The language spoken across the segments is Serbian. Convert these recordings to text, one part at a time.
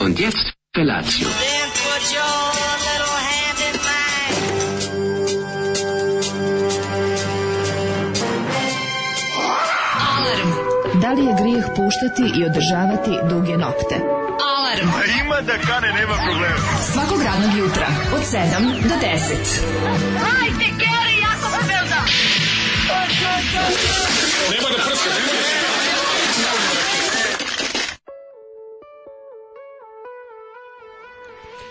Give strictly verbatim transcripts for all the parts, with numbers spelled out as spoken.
Und jetzt Felatio. Da li je grijeh puštati i održavati duge nokte? Alarm! A ima da kane, nema problema. Svakog radnog jutra, od sedam do deset. Hajde, Geri, jako se velda! Nema da prska, nema da prska.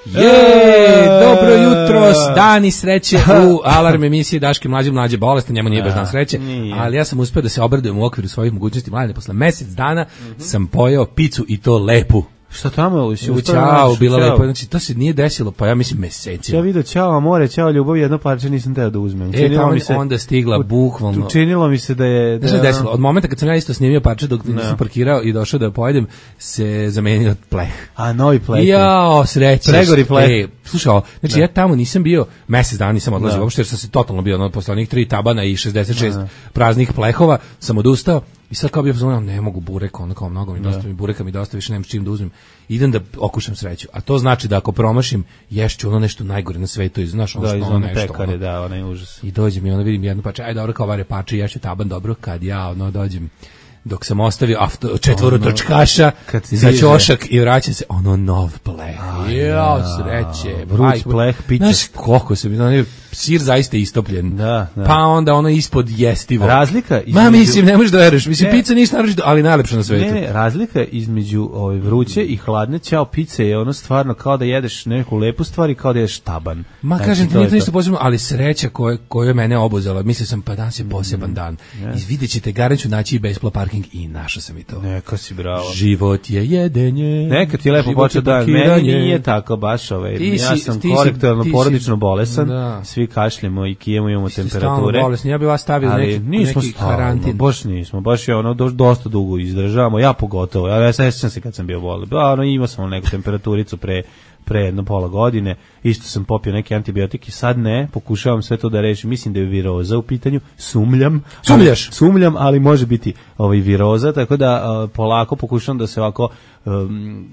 Je, dobro jutro, dani sreće u Alarm emisiji Daške mlađe mlađe bolesti, njemu nije baš dan sreće, ali ja sam uspeo da se obradujem u okviru svojih mogućnosti. Mladine, posle mesec dana mm-hmm. sam pojeo picu i to lepu. Šta tamo? Si u Ćao, bila lepo, znači to se nije desilo, pa ja mislim mesecima. Ja vidio Ćao, more, Ćao, ljubav, jedno parče nisam teo da uzmem. E, tamo mi se onda stigla bukvalno. Učinilo mi se da je... Da, da, desilo, od momenta kad sam ja isto snimio parče dok no. sam parkirao i došao da pojedem, se zamenio pleh. A, novi pleh. Jao, sreće. Pregori pleh. E, slušao, znači da. ja tamo nisam bio, mesec dana nisam odlazio, uopšte jer sam se totalno bio, ono, posle onih tri tabana i šezdeset šest da. praznih plehova, sam odustao. I sad kao bi ja ne mogu burek, ono kao mnogo mi dosta mi bureka mi dosta, više nemam s čim da uzmem. Idem da okušam sreću. A to znači da ako promašim, ješću ono nešto najgore na svetu, i znaš ono da, što ono nešto. Pekare, ono, da, onaj užas. I dođem i onda vidim jednu pače, aj dobro kao vare pače, ješću taban dobro, kad ja ono dođem, dok sam ostavio auto, četvoro ono, točkaša za ćošak i vraćam se, ono nov pleh. Jao, sreće. Vruć pleh, pića. Znaš koliko se mi, ono, sir zaista istopljen. Da, da. Pa onda ono ispod jestivo. Razlika između... Ma mislim, ne možeš da veruješ. Mislim, ne. Pizza ništa naročito, ali najlepša na svetu. Ne, ne, razlika između ove vruće i hladne Ćao pice je ono stvarno kao da jedeš neku lepu stvar i kao da jedeš taban. Ma znači, kažem ti, nije to ništa posebno, ali sreća koja koja je mene obuzela. Mislio sam, pa danas je poseban mm, dan. Yeah. I vidjet ćete, garanću naći i besplat parking i našao sam i to. Neka si bravo. Život je jedenje. Neka ti lepo počeo dan. Meni nije tako baš ovaj. Ti ja si, sam ti korektorno si, porodično bolesan. Da. Svi kašljemo i kijemo, imamo temperature. Bolesni. Ja bih vas stavio neki, nismo neki stalno, karantin. Baš nismo, baš je ono do, dosta dugo izdržavamo, ja pogotovo. Ja, ja sećam se kad sam bio bolan. Ono, imao sam neku temperaturicu pre pre jedno pola godine, isto sam popio neke antibiotike, sad ne, pokušavam sve to da rešim, mislim da je viroza u pitanju, sumljam. Sumljaš? Ali, sumljam, ali može biti ovaj viroza, tako da uh, polako pokušavam da se ovako um,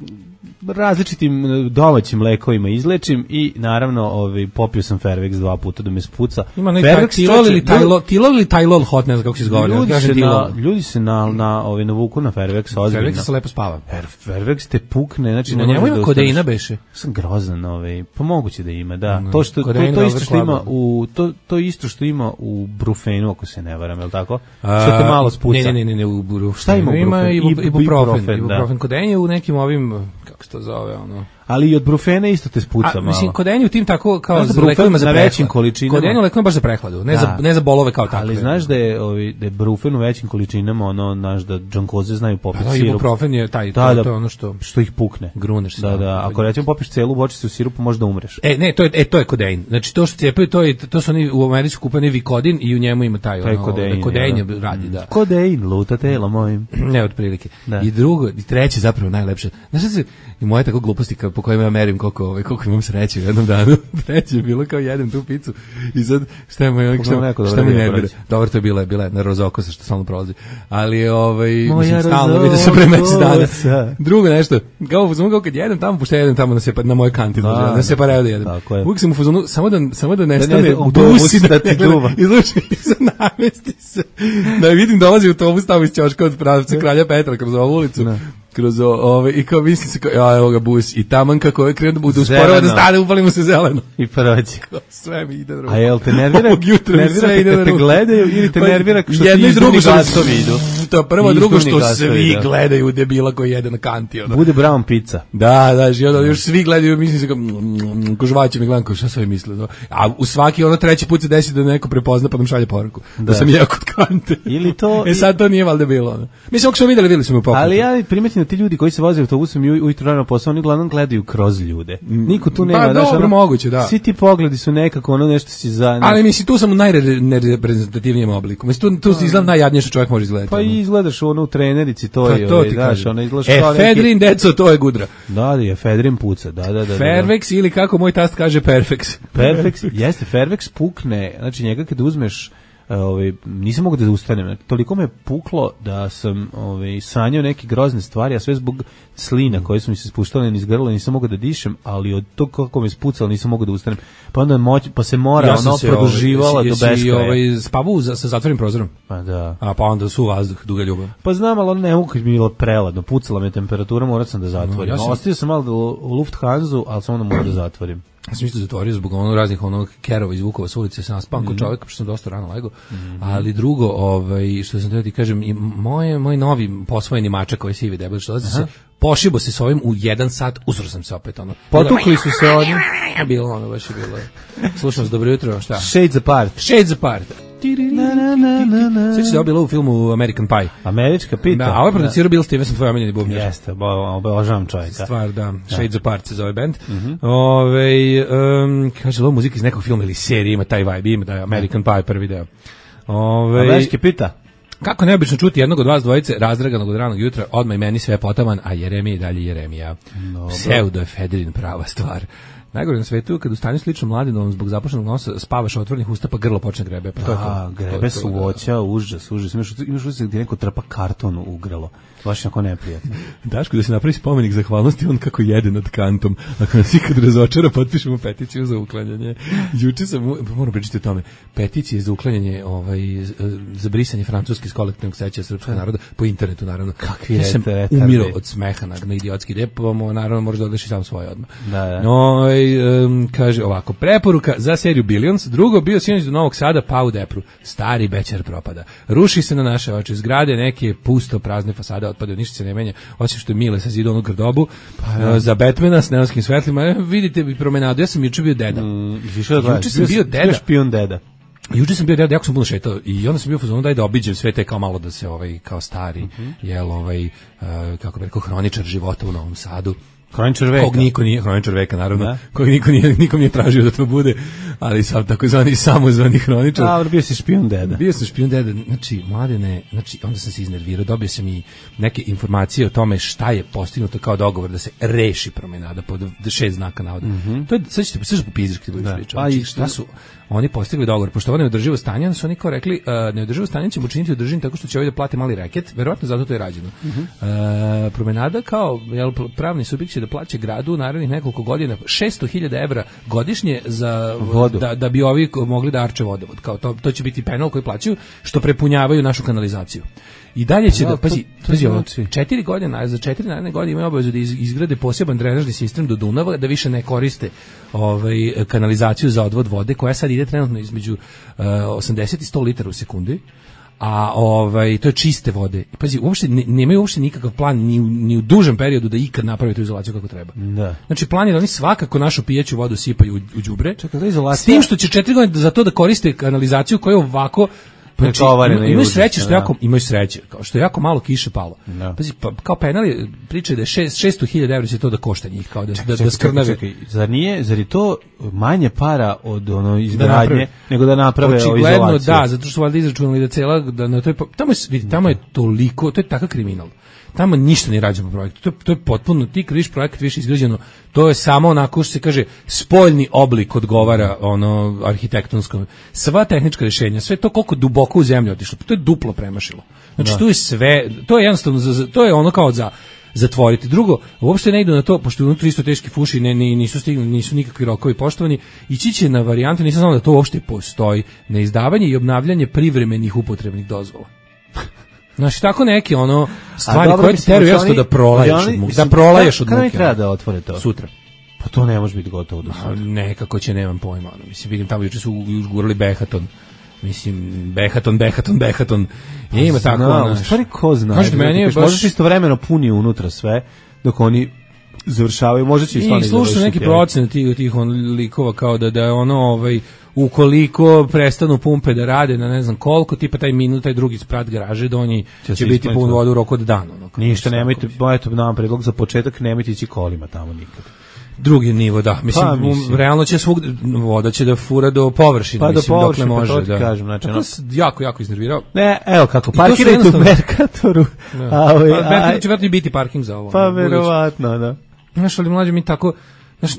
različitim domaćim lekovima izlečim i naravno ovaj, popio sam Fervex dva puta da me spuca. Ima neki Tilol ili Tylol, Tilol ili Tylol hot, ne znam kako se izgovara. Ljudi, ja se na, ljudi se na, na, ovaj, navuku na Fervex, ozbiljno. Fervex se lepo spava. Fervex te pukne, znači na njemu ima kodeina beše. Sam grozan, ovaj, pa moguće da ima, da. No, to što to, to isto što ima u to to isto što ima u Brufenu, ako se ne varam, je l' tako? Što te malo spuca. Ne, ne, ne, ne, u Brufenu. Šta ima? Ima ibuprofen, ibuprofen kodein je u nekim ovim, kako se to zove, ono. Ali i od Brufena isto te spuca malo. Mislim, kodein u tim tako kao za lekovima za većim količinama. Kodein u lekovima baš za prehladu, ne da. za ne za bolove kao takve. Ali znaš da je ovi da je Brufen u većim količinama, ono naš da džankoze znaju popiti da, sirup. Ibuprofen je taj, da, to, to je ono što što ih pukne. Gruneš se. Da, da, ako recimo popiš celu bočicu sirupa možda umreš. E, ne, to je e to je kodein. Znači to što cijepaju, to je to su oni u Americi kupani Vikodin i u njemu ima taj, taj ono, kodein, kodein je, da. radi, da. Kodein luta telo mojim. Ne, otprilike. I drugo, i treće zapravo najlepše. Znaš šta se i moje tako gluposti po kojima ja merim koliko ovaj koliko imam sreće u jednom danu. Treće je bilo kao jedem tu picu i sad šta je moj šta, šta mi nervira. Dobro, to je bila bila na rozokosa što stalno prolazi. Ali ovaj mislim stalno vidim se pre mesec dana. Drugo nešto, kao u fazonu kad jedem tamo, pošto jedem tamo na se na moj kantin, da, na separado jedem. Uvijek sam u fazonu samo da samo da nestane autobus da ti duva. Izluči se namesti se. Da vidim dolazi autobus tamo iz ćoška od pravca Kralja Petra kroz ovu ulicu. Kroz ove i kao mislim se kao ja evo ga bus i taman kako je krenuo da bude usporava da stane, upalimo se zeleno i prođe. Sve mi ide drugo. A jel te nervira? Nervira ide da te gledaju ili te nervira što jedno i drugo što vidu? To prvo, drugo što svi gledaju debila koji jede na kanti. Bude brown pizza. Da, da, i onda još svi gledaju, mislim se kao kožvaće mi gledam kao šta sve misle. A u svaki ono treći put se desi da neko prepozna pa nam šalje poruku da sam jeo kod kante. Ili to e sad to nije valjda bilo. Mislim ako smo videli, videli smo u pokretu. Ali ja primetim da ti ljudi koji se voze autobusom i ujutro rano posao, oni glavnom gledaju kroz ljude. Niko tu nema, pa, daš, dobro, ono, moguće, da. Svi ti pogledi su nekako ono nešto si za... Ne... Ali mislim, tu sam u najreprezentativnijem obliku. Mislim, tu, tu izgledam najjadnije što čovjek može izgledati. Pa ono. I izgledaš ono u trenerici, to pa, je, to ovaj, daš, ono izgledaš e, kao Fedrin, neki... deco, to je gudra. Da, da je, Fedrin puca, da, da, da. Fervex ili kako moj tast kaže Perfex. Perfex, jeste, Fervex pukne, znači njega kad uzmeš ovaj nisam mogao da ustanem. Toliko me puklo da sam ovaj sanjao neke grozne stvari, a sve zbog slina koje su mi se spuštale niz grlo, nisam mogao da dišem, ali od tog kako me spucalo nisam mogao da ustanem. Pa onda moć, pa se mora ja ono produživala ovaj, do beskraja. Ovaj spavu za, sa zatvorenim prozorom. Pa da. A pa onda su vazduh, duga ljubav. Pa znam, ali ne mogu kad mi je bilo preladno, pucala me temperatura, morao sam da zatvorim. No, ja sam... Ostio sam malo da u Lufthansa, ali sam onda morao da zatvorim. Ja sam isto zatvorio zbog ono raznih onog kerova iz Vukova s ulice, sam naspam kod čovjeka, pošto sam dosta rano legao. Mm-hmm. Ali drugo, ovaj, što sam teo ti kažem, i moje, moj novi posvojeni mačak koji sivi debel, što dolazi se, pošibo se s ovim u jedan sat, usro sam se opet, ono. Potukli su se oni. Bilo ono, baš je bilo. Slušam se, dobro jutro, šta? Shades Apart. Shades Apart. Sve se dobilo u filmu American Pie. Američka pita. Da, a ovaj producirao Bill Stevenson, tvoj omiljeni bubnjar. Jeste, obožavam čovjeka. Stvar, da. Shades Apart se zove band. Mm-hmm. Ove, um, kaže, ovo muzika iz nekog filma ili serije, ima taj vibe, ima taj American Pie prvi deo. Ove, Američka pita. Kako neobično čuti jednog od vas dvojice razdraganog od ranog jutra, odmah i meni sve potaman, a Jeremija i dalje Jeremija. Pseudoefedrin prava stvar. Najgore na svetu kad u stanju slično mladinovom zbog zapušenog nosa spavaš otvorenih usta pa grlo počne grebe. Pa to da, je to. Grebe su voća, užas, užas. Imaš, imaš utisak gdje neko trpa karton u grlo. Baš jako neprijatno. Daško, da se napravi spomenik zahvalnosti, on kako jede nad kantom. Ako nas ikad razočara, potpišemo peticiju za uklanjanje. Juče sam, moram pričati o tome, peticije za uklanjanje, ovaj, za brisanje francuske iz kolektivnog sećanja srpskog naroda, po internetu, naravno. Kakvi ja sam umirao od smeha na, na idiotski depom, naravno možda odliši sam svoje odmah. Da, da. No, um, kaže ovako, preporuka za seriju Billions, drugo bio sinoć do Novog Sada, pa u Depru. Stari bećar propada. Ruši se na naše oči, zgrade neke pusto prazne fasade otpadaju, ništa se ne menja, osim što je Mile sa zida onu grdobu, pa, ja. Za Batmana s neonskim svetlima, e, vidite bi promenadu, ja sam juče bio deda. Mm, juče sam bio deda. Špijun deda. Juče sam bio deda, jako sam puno šetao i onda sam bio u fazonu daj da obiđem sve te kao malo da se ovaj kao stari, mm-hmm. jel ovaj, uh, kako bi rekao, hroničar života u Novom Sadu. Hroničar veka. Kog niko nije, hroničar veka, naravno, da. Kog niko nije, nikom nije tražio da to bude, ali sam takozvani samozvani hroničar. A, bio si špijun deda. Bio sam špijun deda, znači, mladene, znači, onda sam se iznervirao, dobio sam i neke informacije o tome šta je postignuto kao dogovor da se reši promenada pod šest znaka navoda. Mm-hmm. To je, sad ćete, sad ćete popizirati kad budeš pričao. Znači, šta su oni postigli dogovor, pošto ovo neodrživo stanje, onda su oni kao rekli, uh, neodrživo stanje ćemo učiniti održivim tako što će ovaj da plate mali reket, verovatno zato to je rađeno. Mm-hmm. Uh, promenada kao jel, pravni subjekt će da plaća gradu narednih nekoliko godina šesto hiljada evra godišnje za vodu. Da, da bi ovi mogli da arče vodovod. Kao to, to će biti penal koji plaćaju što prepunjavaju našu kanalizaciju. I dalje će da, da pazi, pazi ovo, četiri godine, za četiri naredne godine imaju obavezu da izgrade poseban drenažni sistem do Dunava, da više ne koriste ovaj, kanalizaciju za odvod vode, koja sad ide trenutno između uh, osamdeset i sto litara u sekundi, a ovaj, to je čiste vode. Pazi, uopšte nemaju uopšte nikakav plan ni u, ni u dužem periodu da ikad naprave tu izolaciju kako treba. Da. Znači, plan je da oni svakako našu pijeću vodu sipaju u, u đubre, čekaj, izolacija... s tim što će četiri godine za to da koriste kanalizaciju koja je ovako. Znači, ima, imaju sreće što jako, imaju sreće, kao što je jako malo kiše palo. No. Pazi, pa, kao penal je, priča da je šesto hiljada evra će to da košta njih, kao da, čekaj, da, da skrnave. Čekaj, čekaj, zar nije, zar je to manje para od ono izgradnje, da nego da naprave očigledno, izolaciju? Da, zato što su valjda izračunali da cela, da na toj, tamo je, vidi, tamo je toliko, to je takav kriminal. Tamo ništa ne rađeno po projektu. To je, to je potpuno, ti kad viš projekat više izgrađeno, to je samo onako što se kaže spoljni oblik odgovara ono arhitektonskom. Sva tehnička rješenja, sve to koliko duboko u zemlju otišlo, to je duplo premašilo. Znači, da. To je sve, to je jednostavno, to je ono kao za zatvoriti. Drugo, uopšte ne idu na to, pošto je unutra isto teški fuši, ne, ne, nisu stigli, nisu nikakvi rokovi poštovani, ići će na varijantu, nisam znao da to uopšte postoji, na izdavanje i obnavljanje privremenih upotrebnih dozvola. Znači, tako neke ono stvari koje ti teraju jasno da prolaješ od muke. Da prolaješ od muke. Kada mi treba da otvore to? Sutra. Pa to ne može biti gotovo do sutra. Nekako će, nemam pojma. Ono. Mislim, vidim, tamo juče su gurali Behaton. Mislim, Behaton, Behaton, Behaton. I ima tako, ono. U stvari, ko zna? Kažete, meni je baš... Možeš istovremeno puni unutra sve, dok oni završavaju, možda će i stvarno završiti. I slušaju neki procent tih, tih on likova kao da, da je ono, ovaj, ukoliko prestanu pumpe da rade na ne znam koliko, tipa taj minut, taj drugi sprat garaže, da oni će, će biti pun vodu u roku od dana. Ono, ništa, nemojte, eto nam predlog za početak, nemojte ići kolima tamo nikad. Drugi nivo, da. Mislim, pa, mislim. realno će svug, voda će da fura do površine, pa mislim, do površine, dokle može. Pa to ti da. kažem, znači, tako se jako, jako iznervirao. Ne, evo kako, parkirajte u Merkatoru. Da. A, ovaj, pa, Merkator će vjerojatno biti parking za ovo. Pa, verovatno, da. Znaš, ali mlađe mi tako, Znaš,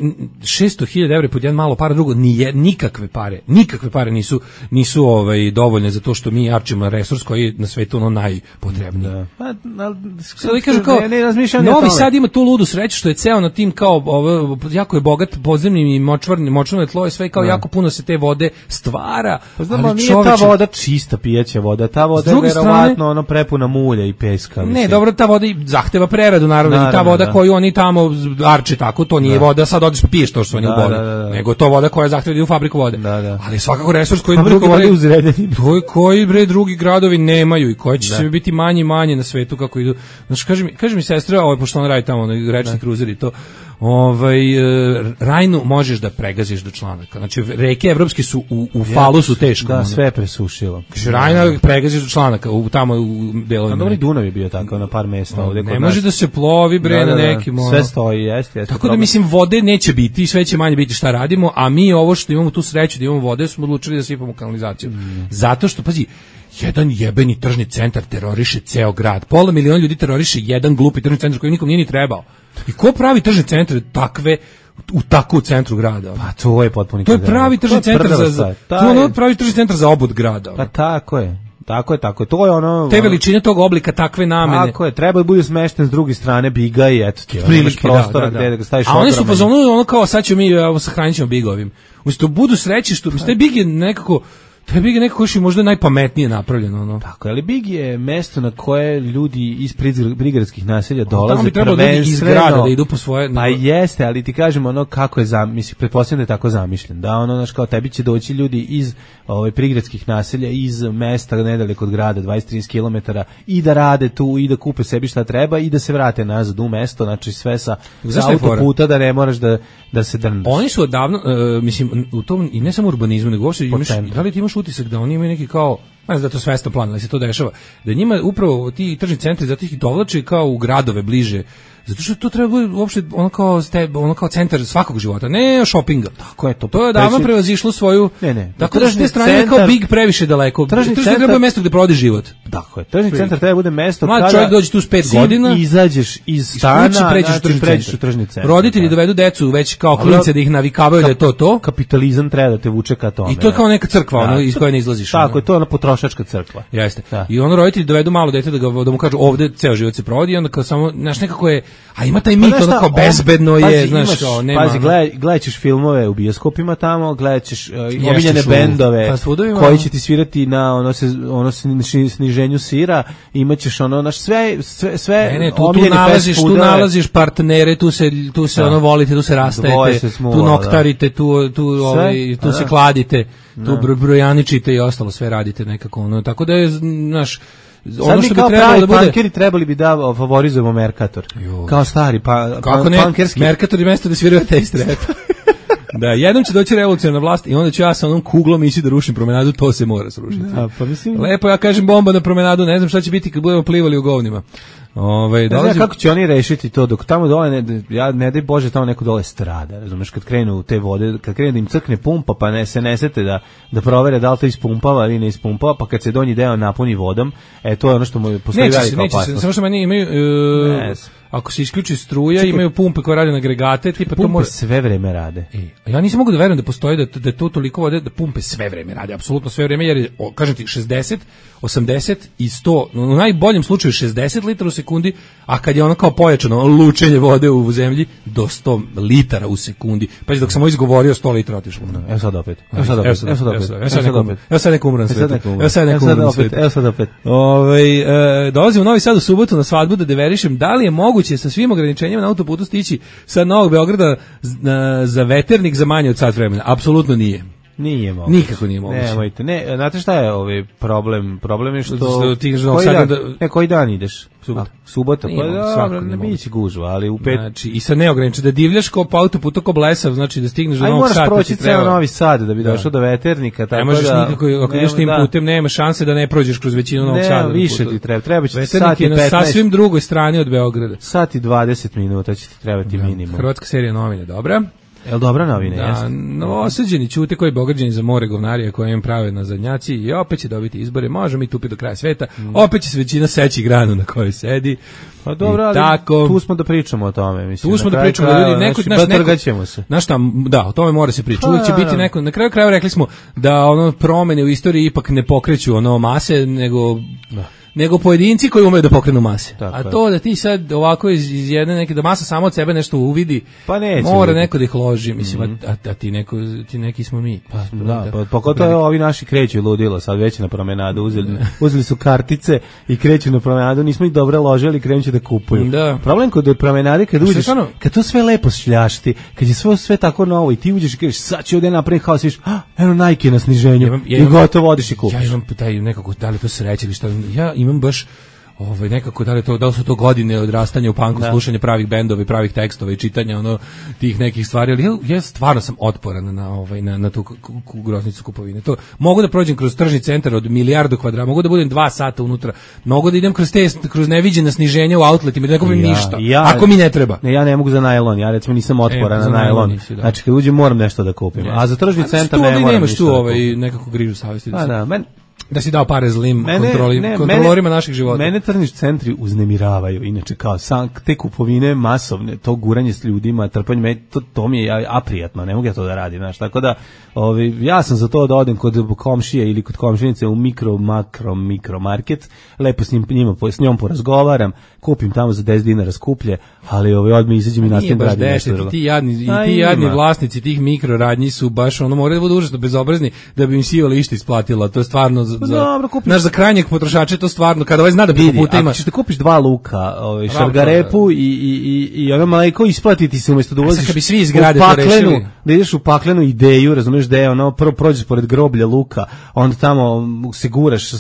šesto hiljada evra pod jedan malo para, drugo, nije, nikakve pare, nikakve pare nisu, nisu ovaj, dovoljne za to što mi jarčimo resurs koji je na svetu ono najpotrebniji. Da. Pa, al, sad vi kažu kao, ne, ne Novi Sad ima tu ludu sreću što je ceo na tim kao, ovo, jako je bogat podzemnim i močvarnim, močvarno tlo je sve kao da. Jako puno se te vode stvara. Pa znamo, ali nije čoveče, ta voda čista pijeća voda, ta voda je verovatno ono prepuna mulja i peska. Mislim. Ne, dobro, ta voda zahteva preradu, naravno, naravno i ta voda da. Koju oni tamo arče tako, to nije da. Voda sad odeš piješ to što oni da, uboli, da, da, da. Nego to voda koja zahteva da u fabriku vode. Da, da. Ali svakako resurs koji drugi vode u Zrenjaninu. To koji bre drugi gradovi nemaju i koji će da. Se biti manje i manje na svetu kako idu. Znači kaže mi, kaže mi sestra, ovaj pošto ona radi tamo na rečni kruzer i to, ovaj Rajnu možeš da pregaziš do članaka. Znači reke evropske su u, u falu su teško. Da, ono. Sve presušilo. Kaže Rajna pregaziš do članaka u tamo u delovima. Dobro, Dunav je bio tako na par mesta ovde kod nas. Ne može da se plovi bre da, da, da. Na nekim. Ono. Sve stoji, jeste, jeste. Tako da mislim vode neće biti, sve će manje biti šta radimo, a mi ovo što imamo tu sreću da imamo vode smo odlučili da sipamo kanalizaciju. Mm. Zato što pazi, jedan jebeni tržni centar teroriše ceo grad. Pola miliona ljudi teroriše jedan glupi tržni centar koji nikom nije ni trebao. I ko pravi tržni centar takve u tako u centru grada? Pa to je potpuno. To je pravi tržni centar za, za to je ono pravi tržni centar za obud grada. Pa tako je. Tako je, tako je. To je ono te veličine tog oblika, takve namene. Tako je, treba da bude smešten s druge strane biga i eto ti. Prilike prostora da, da, da. Gde da ga staviš. A oni su pozvano ono kao sad ćemo mi sahranit ćemo bigovim. Umesto budu sreći što te bige nekako to Big je nekako još i možda najpametnije napravljeno. Ono. Tako, ali Big je mesto na koje ljudi iz prigradskih naselja dolaze. Tamo bi trebalo ljudi iz grada da idu po svoje... Pa jeste, ali ti kažemo ono kako je, zam, mislim, pretpostavljam da je tako zamišljen. Da, ono, znaš, kao tebi će doći ljudi iz ovaj, prigradskih naselja, iz mesta nedaleko od grada, dvadeset do trideset kilometara, i da rade tu, i da kupe sebi šta treba, i da se vrate nazad u mesto, znači sve sa, sa autoputa da ne moraš da, da se drndaš. Oni su odavno, uh, mislim, u tom, i ne samo urbanizmu, nego uopšte, imaš, da li ti imaš utisak da oni imaju neki kao, ne znam da to svesno plan, ali se to dešava, da njima upravo ti tržni centri zato ih dovlače kao u gradove bliže, zato što to treba biti uopšte ono kao, steb, ono kao centar svakog života, ne šopinga. Tako je to. To je davno prevazišlo svoju, ne, ne. Tako da s te strane centar, kao Big previše daleko. Tržni centar treba biti mesto gde provodi život. Tako je. Tržni centar treba bude mesto kada mlad čovjek dođe tu s pet godina, izađeš iz stana, pređeš znači, pređeš u tržni centar. Roditelji da. dovedu decu već kao klince da ih navikavaju da je to to. Kapitalizam treba da te vuče ka tome. I to je kao neka crkva, ono iz koje ne izlaziš. Tako je, to je ona potrošačka crkva. Jeste. I ono roditelji dovedu malo dete da ga da mu kažu ovde ceo život se provodi, onda kao samo znaš nekako je, a ima taj mit ono kao bezbedno je, pazi, znaš, kao nema. Pazi, gledaj, gledaćeš filmove u bioskopima tamo, gledaćeš uh, omiljene bendove koji će ti svirati na ono se ono sniženju sira, imaćeš ono naš sve sve sve ne, ne, tu, tu nalaziš, tu nalaziš partnere, tu se tu se da. ono volite, tu se rastajete, se smula, tu noktarite, da. tu tu ovaj tu se kladite, tu da. brojaničite i ostalo sve radite nekako ono, tako da je naš ono što bi trebalo da bude punkeri trebali bi da favorizujemo Mercator. Jo. Kao stari pa kako ne, punkerski Mercator je mesto da sviraju taste rap. Da, jednom će doći revolucija na vlast i onda ću ja sa onom kuglom ići da rušim promenadu, to se mora srušiti. Da, pa mislim... Lepo ja kažem bomba na promenadu, ne znam šta će biti kad budemo plivali u govnima. Ovaj ne znam kako će oni rešiti to dok tamo dole ne, ja ne daj Bože tamo neko dole strada, razumeš, kad krenu u te vode, kad krene da im crkne pumpa, pa ne se ne sete da da provere da li to ispumpava ili ne ispumpava, pa kad se donji deo napuni vodom, e to je ono što mu postoji velika opasnost. Samo što meni imaju uh, ako se isključi struja, čekaj, imaju pumpe koje rade na agregate, tipa to mora sve vreme rade. E, ja nisam mogu da verujem da postoji da da to toliko vode da pumpe sve vreme rade, apsolutno sve vreme, jer o, kažem ti šezdeset, osamdeset i sto, u najboljem slučaju šezdeset litara u sekundi, a kad je ono kao pojačano lučenje vode u zemlji do sto litara u sekundi. Pa dok sam ovo izgovorio sto litara otišlo. Evo sad opet. Evo sad opet. Evo sad opet. Evo sad opet. Evo sad neko umran sve. Evo sad neko umran sve. Evo sad opet. Ovaj dolazim u Novi Sad u subotu na svadbu da deverišem. Da li je moguće sa svim ograničenjima na autoputu stići sa Novog Beograda za Veternik za manje od sat vremena? Apsolutno nije. Nije moguće. Nikako nije moguće. Nemojte. Ne, znate šta je ovaj problem? Problem je što ti koji dan, da, ne, koji dan ideš? Subota. Subota, pa da, ne biće gužva, ali u pet... Znači, i sa neograničeno, da divljaš kao po autoputu ko blesav, znači da stigneš do Novog Sada. Aj, moraš proći ceo Novi Sad da bi došao da. do Veternika, tako da... Ne možeš da, nikako, ako ideš tim da. putem, nema šanse da ne prođeš kroz većinu Novog Sada. Ne, više ti treba, treba će ti sat i petnaest. Veternik je na sasvim drugoj strani od Beograda. Sat i dvadeset minuta će ti trebati da. minimum. Hrvatska serija novine, dobra. Jel dobra novina? Da, jeste? Novosađeni ćute koji Beograđani za more govnarija koje im prave na zadnjaci i opet će dobiti izbore, možemo mi tupi do kraja sveta, mm. opet će se većina seći granu na kojoj sedi. Pa dobro, ali tako, tu smo da pričamo o tome, mislim. Tu smo da pričamo da ljudi neko naš neko se. Znaš šta, da, o tome mora se pričati. Uvijek će biti neko, na kraju krajeva rekli smo da ono promene u istoriji ipak ne pokreću ono mase, nego da. nego pojedinci koji umeju da pokrenu mase. Tako a to je. Da ti sad ovako iz, iz jedne neke da masa samo od sebe nešto uvidi, pa neće, mora neko da ih loži, mislim, mm-hmm. a, a ti neko ti neki smo mi. Pa da, pa pogotovo ovi naši kreću ludilo, sad već na promenadu uzeli, uzeli su kartice i kreću na promenadu, nismo ih dobro ložili, krenuće da kupuju. Da. Problem kod promenade kad uđeš, kad to sve lepo šljašti, kad je sve sve tako novo i ti uđeš i kažeš sad će ovdje napraviti haos, viš, ah, eno Nike na sniženju, ja imam, ja imam, i gotovo odiš i kupiš. Ja imam taj nekako, da li to sreće ili šta, ja imam baš ovaj nekako da li to da li su to godine odrastanja u punku, slušanja pravih bendova i pravih tekstova i čitanja ono tih nekih stvari, ali ja, ja stvarno sam otporan na ovaj na na tu groznicu kupovine. To mogu da prođem kroz tržni centar od milijardu kvadrata, mogu da budem dva sata unutra, mogu da idem kroz te kroz neviđena sniženja u outletima, da ne kupim ja, ništa. Ja, ako mi ne treba. Ne, ja ne mogu za najlon, ja recimo nisam otporan e, na najlon. Nisi, da. Znači kad uđem moram nešto da kupim. Yes. A za tržni centar ne moram. Nemaš tu ovaj nekako grižu savesti. Pa da, men da si dao pare zlim mene, kontroli, ne, kontrolorima mene, naših života. Mene tržni centri uznemiravaju, inače kao sam, te kupovine masovne, to guranje s ljudima, trpanje, to, to mi je aprijatno, ne mogu ja to da radim, znaš, tako da ovi, ja sam za to da odem kod komšije ili kod komšinice u mikro, makro, mikro market, lepo s, njim, njima, s njom porazgovaram, kupim tamo za deset dinara skuplje, ali ovi, odmah izađem i nastavim da radim nešto drugo. Ti jadni, i ti jadni vlasnici tih mikroradnji su baš, ono, moraju da budu užasno bezobrazni da bi im sijali išta isplatila, to je stvarno za, dobro, kupiš. Naš za krajnjeg potrošača to stvarno kada ovaj zna da preko puta ima. Ako ćeš da kupiš dva luka, ovaj šargarepu i i i i ono mleko isplatiti se umesto da ulaziš. Kad bi svi izgrade to rešili, da ideš u paklenu ideju, razumeš da je ono prvo prođeš pored groblja luka, onda tamo se guraš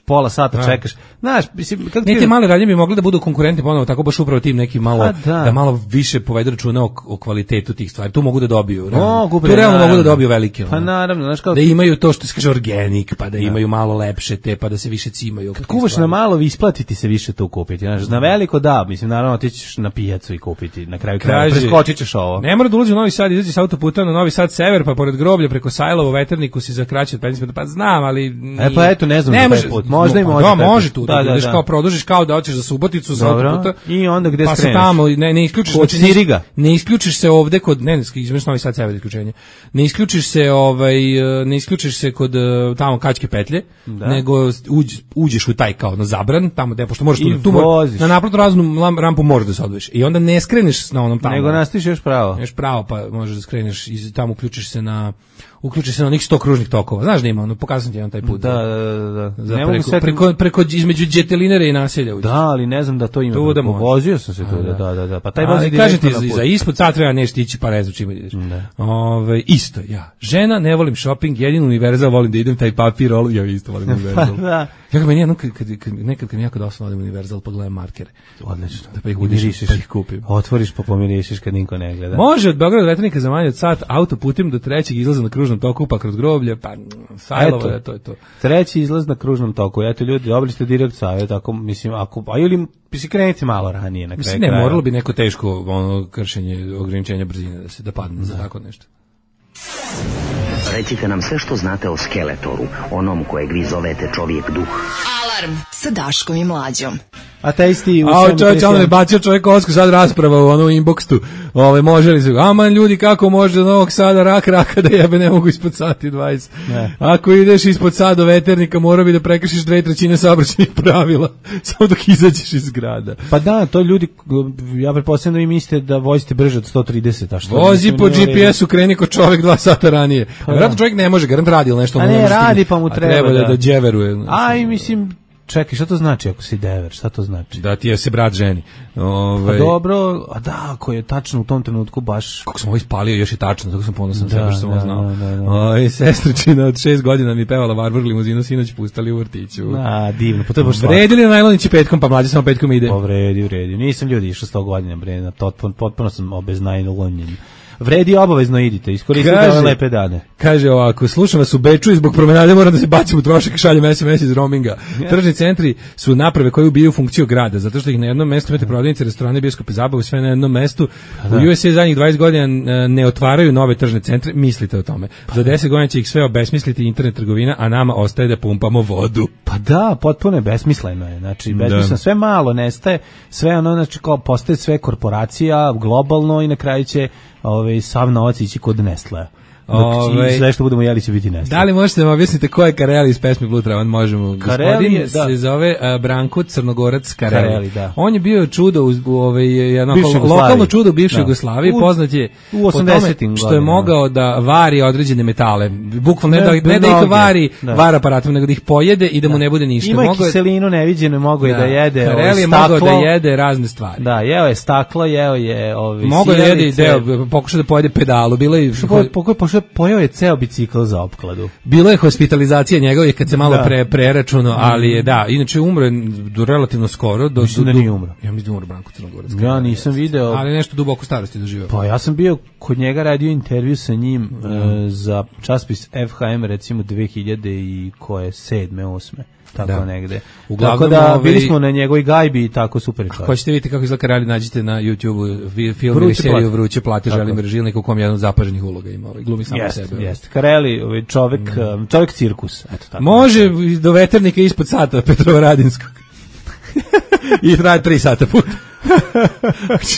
pola sata čekaš. Znaš, mislim kako ti mali radnje bi mogli da budu konkurenti ponovo tako baš upravo tim neki malo da. da malo više povedu računa o, o kvalitetu tih stvari. Tu mogu da dobiju. Mogu, tu realno mogu da dobiju velike. Pa naravno, znaš kao da imaju to što se kaže organik, pa da imaju malo lepše te, pa da se više cimaju. Kad kuvaš na malo, vi isplatiti se više to kupiti. Znaš, na veliko da, mislim, naravno ti ćeš na pijacu i kupiti. Na kraju kraja preskočit ćeš ovo. Ne mora da ulazi u Novi Sad, izađi s autoputa na Novi Sad sever, pa pored groblja preko Sajlovo veterniku si za kraće od pedeset minuta. Pa znam, ali nije. E pa eto, ne znam, ne može, taj put. Možda i može. Da, može tu. Da, da, ideš kao produžiš kao da hoćeš za Suboticu sa autoputa. I onda gde pa skreneš? Pa tamo ne ne isključiš od Siriga. Ne isključiš se ovde kod ne, izmeš Novi Sad sever isključenje. Ne isključiš se ovaj ne isključiš se kod tamo Kačke petlje, da. Nego uđ, uđeš u taj kao na zabran, tamo gde pošto možeš tu, tu na naplatnu raznu rampu možeš da se odvojiš. I onda ne skreneš na onom tamo. Nego nastiš još pravo. Još pravo, pa možeš da skreneš i tamo uključiš se na uključiš se na onih sto kružnih tokova. Znaš da ima, ono pokazam ti jedan taj put. Da, da, da. Za ne preko, preko, preko, preko između Đetelinere i naselja uđeš. Da, ali ne znam da to ima. Tu da vozio sam se tu, da, da, da, da. Pa taj vozi kažem ti, za ispod sat treba nešto ići, pa ne znam čime ideš. Ove, isto, ja. Žena, ne volim shopping, jedino Univerzal volim da idem taj papir, ali ja isto volim Univerzal. Da. Ja meni jednom, kad, kad, kad, nekad kad mi jako dosadno odem Univerzal, pogledam markere. Odlično. Da pa ih udišiš, pa ih kupim. Otvoriš pa pomirišiš kad niko ne gleda. Može od Beograda do Veternika za manje od sat, autoputem do trećeg izlaza na kružnom toku, pa kroz groblje, pa Sajlovo, je, to je to. Treći izlaz na kružnom toku. Eto ljudi, dobili ste direkt savjet, ako mislim, ako a ili bi se krenete malo ranije na kraju. Mislim, ne, moralo bi neko teško ono kršenje ograničenja brzine da se da padne za tako nešto. Recite nam sve što znate o Skeletoru, onom kojeg vi zovete čovjek duh. Alarm sa Daškom i Mlađom. Ateisti u A čovjek, on je bacio čovjek Osku, sad rasprava u onu inboxtu. Ove, može li se, aman ljudi, kako može do Novog Sada rak raka da jebe ne mogu ispod sati dvadeset. Ne. Ako ideš ispod sada do Veternika, mora bi da prekršiš dve trećine saobraćajnih pravila, samo dok izađeš iz grada. Pa da, to ljudi, ja pretpostavljam da vi mislite da vozite brže od sto trideset, a što? Vozi po G P S-u, kreni kod čovjek dva sata ranije. Pa vjerojatno čovjek ne može, garant radi ili nešto. A ne, radi pa mu treba, treba da, da dževeruje. Aj, mislim, čekaj, šta to znači ako si dever, šta to znači? Da ti je se brat ženi. Ove... A dobro, a da, ako je tačno u tom trenutku baš... Kako sam ovo ispalio, još je tačno, tako sam ponosan da, sebe što sam ovo znao. Da, da, da. Oj, sestričina od šest godina mi pevala Varvar limuzinu, sinoć pustali u vrtiću. A, divno, po to je baš slatko. Vredili na najlonići petkom, pa mlađe samo petkom ide. Po vredi, vredi. Nisam ljudi išao sto godina, bre, potpuno sam obeznajlonjen. Vredi, obavezno idite, iskoristite ove lepe dane. Kaže ovako, slušam vas u Beču i zbog promenade moram da se bacim u trošak i šaljem es em es iz roaminga. Yeah. Tržni centri su naprave koje ubijaju funkciju grada, zato što ih na jednom mestu imate prodavnice, restorane, bioskope, zabavu, sve na jednom mestu. Da. U U S A zadnjih dvadeset godina ne otvaraju nove tržne centre, mislite o tome. Za deset godina će ih sve obesmisliti internet trgovina, a nama ostaje da pumpamo vodu. Pa da, potpuno je besmisleno je. Znači, besmisleno, sve malo nestaje, sve ono, znači, kao postaje sve korporacija, globalno i na kraju će ovaj, sav novac ići kod Nestlea. Ove, sve što budemo jeli će biti Nestle. Da li možete da mi objasnite ko je Kareli iz pesme Blue Travan? Možemo. Gospodin je, da. se zove uh, Branko Crnogorac Kareli. Kareli da. On je bio čudo u, u ovaj jedno lokalno čudo u bivšoj Jugoslaviji, poznat je u osamdesetim što je mogao da vari određene metale. Bukvalno ne, ne, da, ne da ih vari da. var aparatom, nego da ih pojede i da, da. mu ne bude ništa. Ima mogao kiselinu neviđeno, mogao je da, da jede. Kareli je mogao da jede razne stvari. Da, jeo je staklo, jeo je ovaj mogao da jede deo, pokušao da pojede pedalu, bilo je pokušao pojeo je ceo bicikl za opkladu. Bilo je hospitalizacija njegove kad se malo da. pre preračunao, ali je da, inače umro je do relativno skoro, do mislim da nije umro. Ja mislim da umro Branko Crnogorac. Ja nisam video, ali nešto duboko starosti doživeo. Pa ja sam bio kod njega, radio intervju sa njim mm. uh, za časopis F H M recimo dve hiljade i koje sedme, osme tako da. negde. Uglavnom, tako da bili smo na njegovoj gajbi i tako super je. Hoćete vidjeti kako izgleda Kareli, nađite na YouTube film ili seriju Vruće plate Želimir Žilnik u kom je jedan od zapaženih uloga ima, ovaj glumi samo jest, sebe. Jeste, Kareli, ovaj čovjek, mm. čovjek cirkus, eto tako. Može do veternika ispod sata Petrovaradinskog. I traje tri sata put.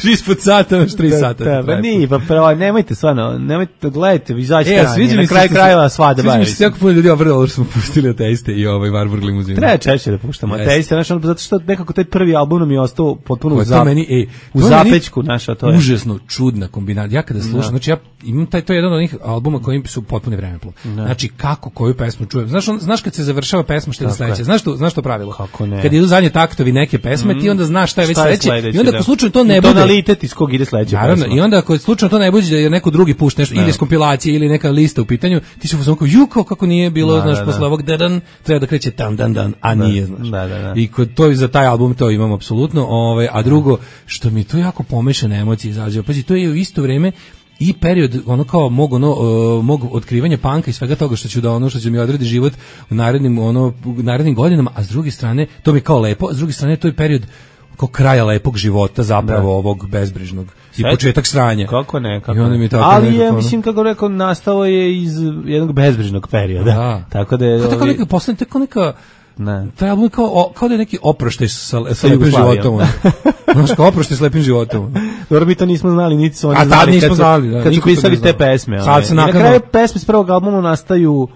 ispod sata, još tri sata. Da, pa nije, pa pravo, nemojte stvarno, nemojte, gledajte, izađite e, ranije, na kraj krajeva svada bavi. Sviđa mi se jako puno ljudi obralo što smo pustili Ateiste i ovaj Warburg limuzinu. Treba češće da puštamo Ateiste, znaš, zato što nekako taj prvi album nam je ostao potpuno u, zap, meni, ej, u zapečku, znaš, a to je. Užasno čudna kombinacija. Ja kada slušam, znači ja imam taj, to je jedan od onih albuma koji su potpuno vremeplov. Znači, kako koju pesmu čujem. Znaš, on, znaš kad se završava pesma šta je sledeće. Znaš to, znaš to pravilo? Kako ne? Kad idu zadnje taktovi neke pesme, ti onda znaš šta je već sledeće. I onda ako slučajno to ne bude tonalitet iz kog ide sledeća pesma. I onda ako slučajno to ne bude da je neko drugi pušta nešto ili iz kompilacije ili neka lista u pitanju, ti se fuzon kao ju kako nije bilo, da, znaš, da, posle ovog dan treba da kreće dan dan dan, a da, nije, znaš. Da, da, da. I kod to za taj album to imamo apsolutno, ovaj, a drugo što mi to jako pomešane emocije izađe. Pazi, to je u isto vrijeme i period ono kao mog ono uh, mog otkrivanja panka i svega toga što ću da ono što će mi odredi život u narednim ono u narednim godinama, a s druge strane to mi je kao lepo, a s druge strane to je period kao kraja lepog života zapravo da. ovog bezbrižnog i početak sranja. Kako ne, kako ne. Tako ali je, mislim, kako rekao, nastao je iz jednog bezbrižnog perioda. Da. Tako da je... Tako neka, poslednje, tako neka... Ne. Taj album je kao, kao da je neki oproštaj sa, sa lepim životom. Znaš, kao oproštaj s lepim životom. Dobro, mi to nismo znali, niti su oni A znali nismo kad, znali, da, kad su pisali te pesme. Sad se na kraju pesme s prvog albuma nastaju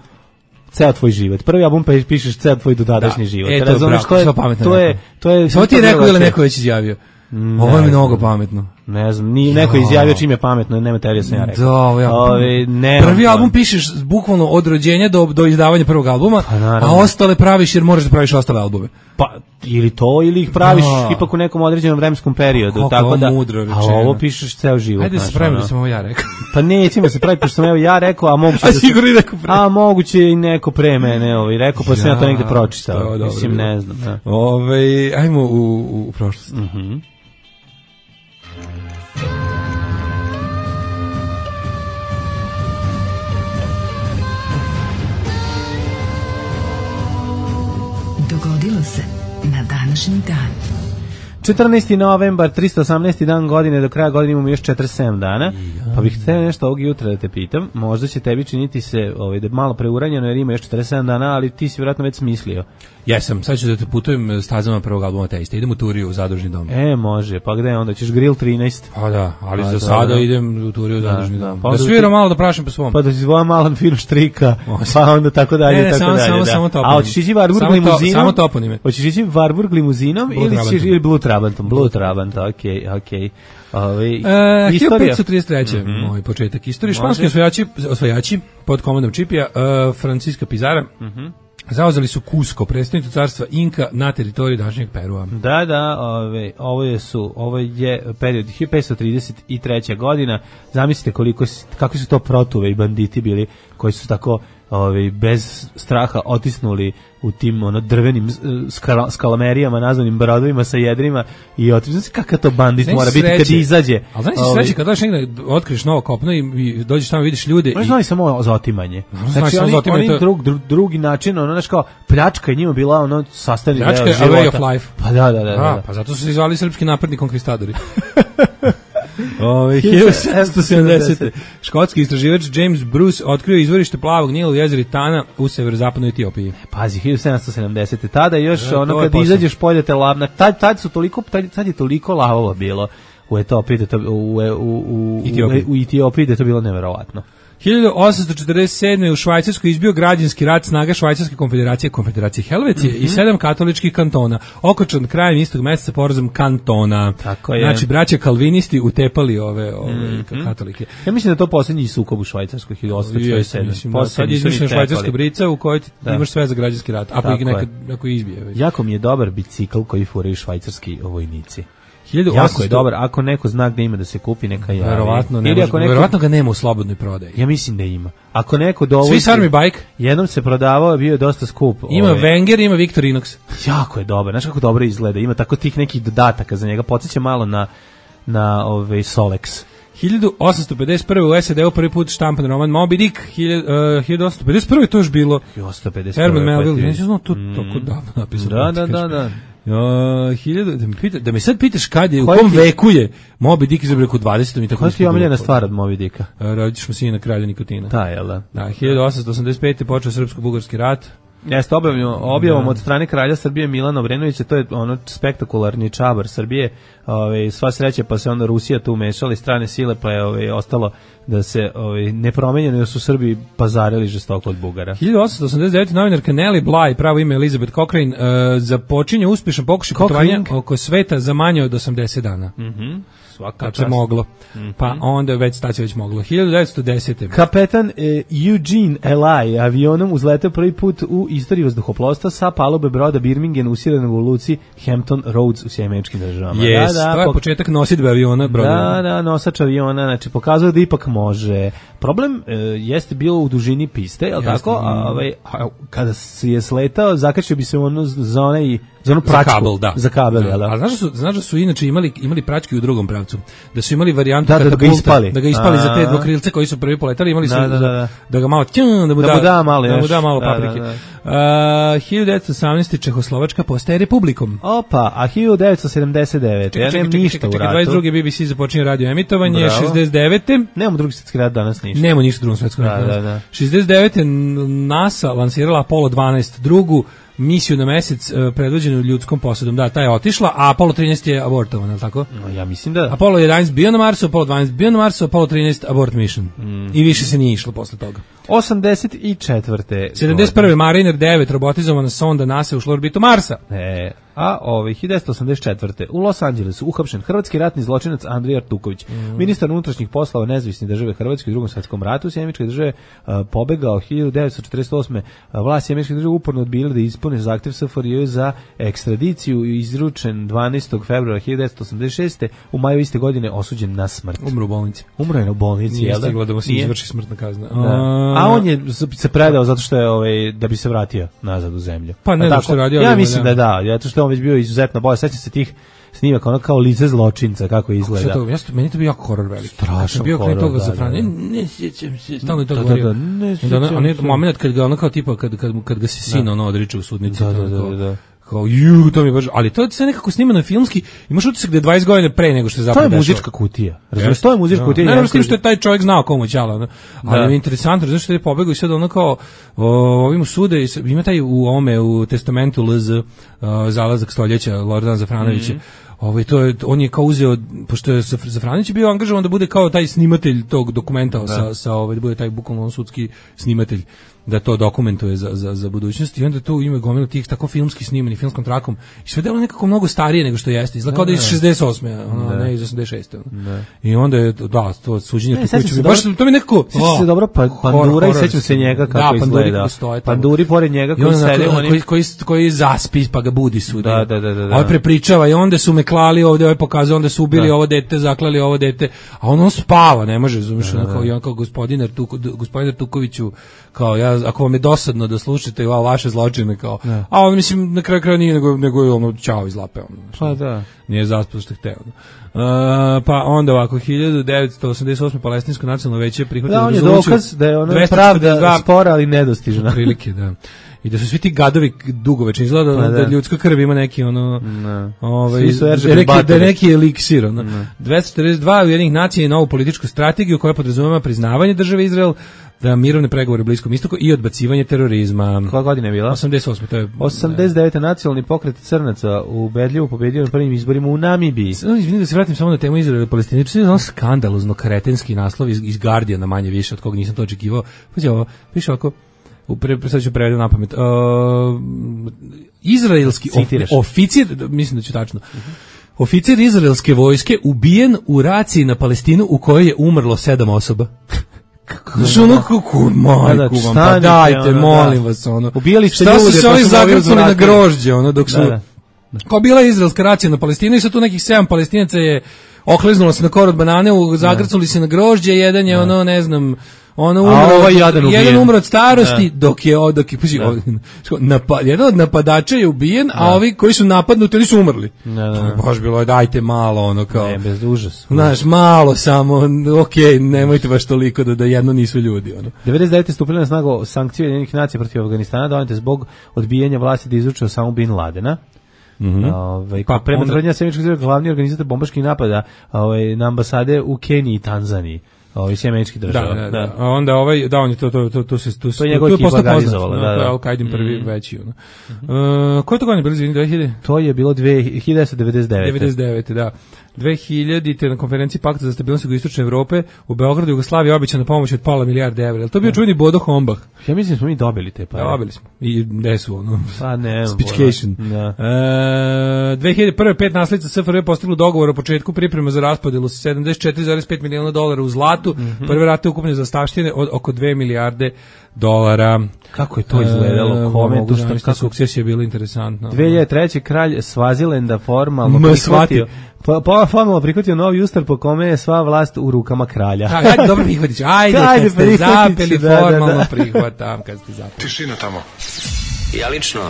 ceo tvoj život. Prvi album pa pišeš ceo tvoj dodadašnji da. život. E, to, je to, je, to je to je Samo ti je rekao ili neko već izjavio? Ne, ovo je mnogo pametno. Ne znam, ni neko izjavio čim je pametno, nema teorije sam ja rekao. Da, ja. Ove, ne, prvi ne, album pišeš bukvalno od rođenja do do izdavanja prvog albuma, pa, a ostale praviš jer možeš da praviš ostale albume. Pa ili to ili ih praviš da. ipak u nekom određenom vremenskom periodu, kako tako da. Mudro a ovo pišeš ceo život. Ajde se pravimo da sam ovo ja rekao. Pa nećemo se praviti pošto sam evo ja rekao, a moguće a da sigurno i neko pre. A moguće i neko pre mene, ovaj rekao, pa ja, sam ja to negde pročitao. Mislim ne znam, da. Ovaj ajmo u u prošlost. Mhm. Dogodilo se na današnji dan. četrnaesti novembar, tristo osamnaesti dan godine, do kraja godine imamo još četrdeset sedam dana, pa bih htio nešto ovog jutra da te pitam, možda će tebi činiti se ovaj, da je malo preuranjeno jer ima još četrdeset sedam dana, ali ti si vjerojatno već smislio. Jesam, sad ću da te putujem stazama prvog albuma Ateiste, idem u Turiju u Zadružni dom. E, može, pa gde onda, ćeš Grill trinaest? Pa da, ali pa za sada da, idem u Turiju u Zadružni da, dom. Da, da sviram malo da prašim po svom. Pa da si zvojam Malan film štrika, pa onda tako dalje, ne, tako samo, dalje. Samo, da. samo A hoćeš ići Warburg limuzinom? Samo toponime. Hoćeš ići Warburg limuzinom ili ćeš ili Blue Trabantom? Blue Trabant, okej, okej. Ovaj e, hiljadu petsto trideset treće Mm-hmm. Moj početak istorije. Španski osvajači, osvajači pod komandom Čipija, uh, Francisca Pizarra, mm-hmm. zauzeli su Cusco, predstavnicu carstva Inka na teritoriji današnjeg Perua. Da, da, ove, ovo je su, ovo je period hiljadu petsto trideset treća godina. Zamislite koliko kako su to protuve i banditi bili koji su tako ovaj, bez straha otisnuli u tim ono drvenim skala, skalamerijama nazvanim brodovima sa jedrima i otišli se kakav to bandit mora biti kad izađe. Ali znaš se sreće kad dođeš negde, otkriješ novo kopno i, i dođeš tamo vidiš ljude. Oni znaju samo za otimanje. Znači oni, oni to... drug, drug, drugi način, ono znaš kao pljačka je njima bila ono sastavni deo života. Pljačka je a way of life. Pa da, da, da. A, da. pa zato su se zvali srpski napredni konkvistadori. Ove, hiljadu sedamsto sedamdesete. Škotski istraživač James Bruce otkrio izvorište plavog Nila u jezeri Tana u severozapadnoj Etiopiji. Pazi, hiljadu sedamsto sedamdesete. Tada još da, ono kad izađeš poljete lavna, tad, tad su toliko, tad, tad je toliko lavova bilo u Etiopiji, da to, u, u, u, Etiopiji. u, u Etiopiji da je to bilo neverovatno. hiljadu osamsto četrdeset sedme. u Švajcarskoj izbio građanski rat snaga Švajcarske konfederacije, Konfederacije Helvetije mm -hmm. i sedam katoličkih kantona. Okončan krajem istog meseca porazom kantona. Tako je. Znači, braća kalvinisti utepali ove, ove mm -hmm. katolike. Ja mislim da je to posljednji sukob u Švajcarskoj hiljadu osamsto četrdeset sedme. Mislim, da, sad je izmišljena švajcarska brica u kojoj ti da. imaš sve za građanski rat, ako ih nekad ako izbije. Već. Jako mi je dobar bicikl koji furaju švajcarski vojnici. Jako je dobar, ako neko zna gde ima da se kupi, neka javi. Verovatno, ne može, neko, verovatno ga nema u slobodnoj prodaji. Ja mislim da ima. Ako neko dovozi... Swiss Army Bike? Jednom se prodavao, bio je dosta skup. Ima ove. Wenger, ima Victorinox. Jako je dobar, znaš kako dobro izgleda. Ima tako tih nekih dodataka za njega. Podsjeća malo na, na ove, Solex. hiljadu osamsto pedeset prve. u S A D-u prvi put štampan roman Moby Dick. hiljadu osamsto pedeset prve. to još bilo. hiljadu osamsto pedeset prve. Herman Melville. Neću znao to mm. tako davno napisano. Da, da, da, da. Uh, hiljadu, da, me pita, da me sad pitaš kad je, u kom ti... veku je Moby Dick izabrak u dvadesetom i tako. Koja ti je omiljena stvar od Moby Dicka? Uh, Rodićemo sina kralja Nikotina. Ta, jel da? Da, hiljadu osamsto osamdeset pete. počeo srpsko-bugarski rat. Jeste objavom, objavom od strane kralja Srbije Milana Obrenovića, to je ono spektakularni čabar Srbije, ove, sva sreća pa se onda Rusija tu umešala, strane sile pa je ove, ostalo da se ove, nepromenjeno da su Srbi pazarili žestoko od Bugara. hiljadu osamsto osamdeset devete. novinarka Nellie Bly, pravo ime Elizabeth Cochrane, uh, započinje uspješan pokušaj putovanja oko sveta za manje od osamdeset dana. Mhm. Kad se moglo. Mm-hmm. Pa onda već stacija već moglo. hiljadu devetsto desete. Kapetan e, Eugene Ely avionom uzleteo prvi put u istoriji vazduhoplovstva sa palube broda Birmingham usiranog u luci Hampton Roads u Sjedinjenim Američkim Državama. Yes, da, da, to je početak nosidbe aviona. Broda. Da, da, nosač aviona, znači pokazuje da ipak može. Problem e, jeste bilo u dužini piste, jel tako? A, ovaj, a, kada se je sletao, zakačio bi se ono za onaj za onu pračku. Za kabel, da. Za kabel, da. da. A znaš da su, znaš da su inače imali, imali pračke u drugom pravcu. Da su imali varijantu da, da, da ga ispali. Da ga ispali a, za te dvokrilce koji su prvi poletali, imali su da, da, da. da ga malo tjum, da mu da, da, mu da malo, da mu da malo da, paprike. Da, da. Uh, hiljadu devetsto osamnaeste. Čehoslovačka postaje republikom. Opa, a hiljadu devetsto sedamdeset devete. Ja nemam ništa u ratu. dvadeset druge. B B C započinje radio emitovanje. Bravo. šezdeset devete. Nemamo drugi svjetski rat danas ništa. Nemamo ništa u drugom svjetskom ratu. Da, da, da. šezdeset devete. NASA lansirala Apollo dvanaest, drugu misiju na mesec uh, predvođenu ljudskom posadom. Da, ta je otišla, a Apollo trinaest je abortovan, je tako? No, ja mislim da. Apollo jedanaest bio na Marsu, Apollo dvanaest bio na Marsu, Apollo trinaest abort mission. Mm. I više se nije išlo posle toga. osamdeset četvrte. sedamdeset prve. Mariner devet, robotizovana sonda NASA ušla u orbitu Marsa. E, a ovaj hiljadu devetsto osamdeset četvrte. u Los Angelesu uhapšen hrvatski ratni zločinac Andrija Artuković, mm. ministar unutrašnjih poslova nezavisne države Hrvatske u Drugom svjetskom ratu. Sjemeničke države uh, pobegao hiljadu devetsto četrdeset osme. Uh, vlast Sjemeničke države uporno odbila da ispune zahtev S F R J za ekstradiciju, izručen dvanaestog februara hiljadu devetsto osamdeset šeste. U maju iste godine osuđen na smrt. Umro u bolnici. Umro je u bolnici, nije jel da? Nije da mu se izvrši smrtna kazna. Da. A on je se predao zato što je ovaj da bi se vratio nazad u zemlju. Pa ne, da što radio. Ja mislim da da, zato što on već bio izuzetno bolje. Sećam se tih snimaka, ono kao lice zločinca kako izgleda. To, ja meni to bio jako horor veliki. Strašno bio horor. Bio toga da, za Franje. da. Ne sjećam se. Stalno je to govorio. Da, da, ne sjećam se. On je moment kad ga ono kao tipa kad kad kad ga se sin ono odriče u sudnici. Da, da, da, da. Kao ju, to mi baš, ali to je sve nekako snimano filmski. Imaš utisak da je dvadeset godina pre nego što je zapravo. To je muzička kutija. Razumeš, to je muzička no. kutija. Ne, ne, što je taj čovjek znao komu ćala, no. Ali da. Mi je interesantno, zato što je pobegao i sad ono kao o, ovim sude, ima taj u ome u testamentu L Z zalazak stoljeća Lordan Zafranovića. Mm -hmm. Ovaj to je on je kao uzeo, pošto je Zafranić bio angažovan da bude kao taj snimatelj tog dokumenta da. sa sa ovaj da bude taj bukvalno sudski snimatelj da to dokumentuje za za za budućnost i onda to ima gomilu tih tako filmski snimani filmskom trakom i sve delo nekako mnogo starije nego što jeste, izgleda kao da je iz šezdeset osme, ono, ne iz osamdeset šeste. I onda je da to suđenje tu kuću baš to mi nekako se dobro pa Pandura i sećam se njega kako izgleda. Panduri pored njega koji sede oni koji koji koji zaspi pa ga budi sud. Da, da, da, da. A prepričava i onda su me klali ovde, ovaj pokazao, onda su ubili da. ovo dete, zaklali ovo dete, a on, on spava, ne može, razumiješ, da, kao, i on kao gospodin Artuko, gospodin Artukoviću, kao ja, ako vam je dosadno da slušate va, vaše zločine, kao, da. A on, mislim, na kraju kraja nije, nego, nego je ono, čao iz lape, ono, pa da. Nije zaspao što hteo. Uh, pa onda ovako, hiljadu devetsto osamdeset osme palestinsko nacionalno veće prihvatilo da, on je rezoluciju. dokaz da je ono pravda spora, ali nedostižna. Prilike, da. I da su svi ti gadovi dugovečni, izgleda da, da. da ljudska krv ima neki ono, ne. ovaj, da neki, da neki eliksir. Ono. dvesta četrdeset dva Ujedinjenih nacija je novu političku strategiju koja podrazumeva priznavanje države Izrael, da mirovne pregovore u Bliskom istoku i odbacivanje terorizma. Koja godina je bila? osamdeset osme To je, osamdeset devete nacionalni pokret crnaca ubedljivo pobedio na prvim izborima u Namibiji. Izvini da se vratim samo na temu Izraela i Palestine. To je ono skandalozno kretenski naslov iz, iz Guardiana manje više, od koga nisam to očekivao. Pazi ovo, piše ovako, Pre, sad ću prevediti na pamet. Uh, izraelski of, oficir, mislim da ću tačno, uh-huh. oficir izraelske vojske ubijen u raciji na Palestinu u kojoj je umrlo sedam osoba. Znaš ono kako, majku vam, pa dajte, molim vas, ono. Ubijali ste ljude, pa su se oni zagrcali na grožđe, ono, dok su, da, da. Kao bila izraelska racija na Palestinu i sad tu nekih sedam Palestinaca je okliznulo se na kor od banane, zagrcali se na grožđe, jedan je, ono, ne znam, ono umro, ovaj jedan, jedan umro od starosti, da. dok je, dok je, puži, napa, jedan od napadača je ubijen, da. A ovi koji su napadnuti, oni su umrli. Da, da. Baš bilo je, dajte malo, ono, kao. Ne, bez užas. Znaš, malo samo, okej, okay, nemojte baš toliko da, da jedno nisu ljudi, ono. devedeset devete stupile na snagu sankcije Ujedinjenih nacija protiv Afganistana, donete zbog odbijanja vlasti da izruče Osamu bin Ladena. Mhm. Ovaj pa prema tvrdnjama Sjemeničkog zvijezda glavni organizator bombaških napada, ovaj na ambasade u Keniji i Tanzaniji. Ovi sjemenički država. Da, da, da. A onda ovaj, da, on je to, to, to, to se, to, to je njegov ekipa organizovala, da, da. To je Al-Qaidin prvi mm. veći, ono. Uh, koje to godine bilo, izvini, dve hiljade? To je bilo hiljadu devetsto devedeset devete devedeset devete da. dve hiljadite na konferenciji Pakta za stabilnost Jugoistočne Evrope u Beogradu Jugoslaviji obećana pomoć od pola milijarde evra. Je to bio čuveni Bodo Hombach? Ja mislim da smo mi dobili te pare. Da, dobili smo. I gde su ono? Pa ne. Speechcation. Da. Uh, dve hiljade prve pet naslednica S F R J postiglo dogovor o početku priprema za raspodelu sedamdeset četiri zarez pet miliona dolara u zlatu. Mm-hmm. Prve rate ukupne zastavštine od oko dve milijarde dolara. Kako je to izgledalo? Kome to što sukcesija je bilo interesantno. dve hiljade treće kralj Svazilenda formalno prihvatio pa, pa formalno prihvatio novi ustav po kome je sva vlast u rukama kralja. Ha, ajde, dobro prihvatić. Ajde, kad ste zapeli, da, formalno da, da. prihvatam kad ste zapeli. Tišina tamo. Ja lično,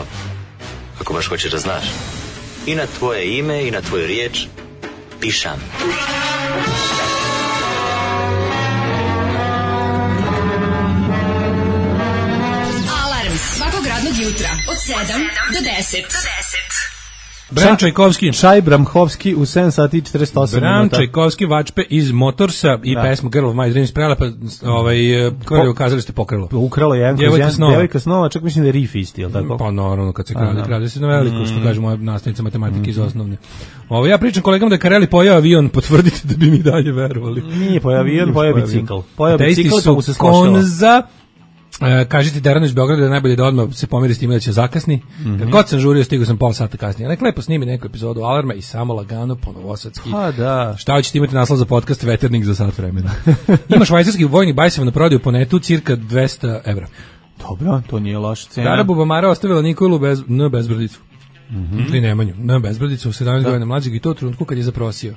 ako baš hoćeš da znaš, i na tvoje ime i na tvoju riječ pišam. Svakog radnog jutra od sedam do deset. Bram Čajkovski. Šaj Bramhovski u sedam sati i četrdeset osam Bram minuta. Čajkovski Vačpe iz Motorsa i da. pesmu Girl of My Dreams prelepa, ovaj, kako ukazali ste pokrilo. Ukralo je jedan Djevojka snova. Djevojka snova, čak mislim da je riff isti, jel tako? Pa naravno, kad se krade, krade se na veliko, mm. što kaže moja nastavnica matematike mm. iz osnovne. Ovo, ja pričam kolegama da je Kareli pojao avion, potvrdite da bi mi dalje verovali. Nije pojao avion, pojao bicikl. Pojao bicikl, pa mu se skošilo. Uh, kažete Deranu iz Beograda da je najbolje da odmah se pomiri s time da će zakasni. Mm-hmm. Kad god sam žurio, stigao sam pol sata kasnije. Nek lepo snimi neku epizodu Alarma i samo lagano po novosadski. Ha, da. Šta ćete imati naslov za podcast Veternik za sat vremena. Ima švajcarski vojni bajseva na prodaju po netu cirka dvesta evra. Dobro, to nije loša cena. Dara Bubamara ostavila Nikolu bez, n bezbrodicu. Mm-hmm. Ili Nemanju, n bezbrodicu u sedamnaest godina mlađeg i to u trenutku kad je zaprosio.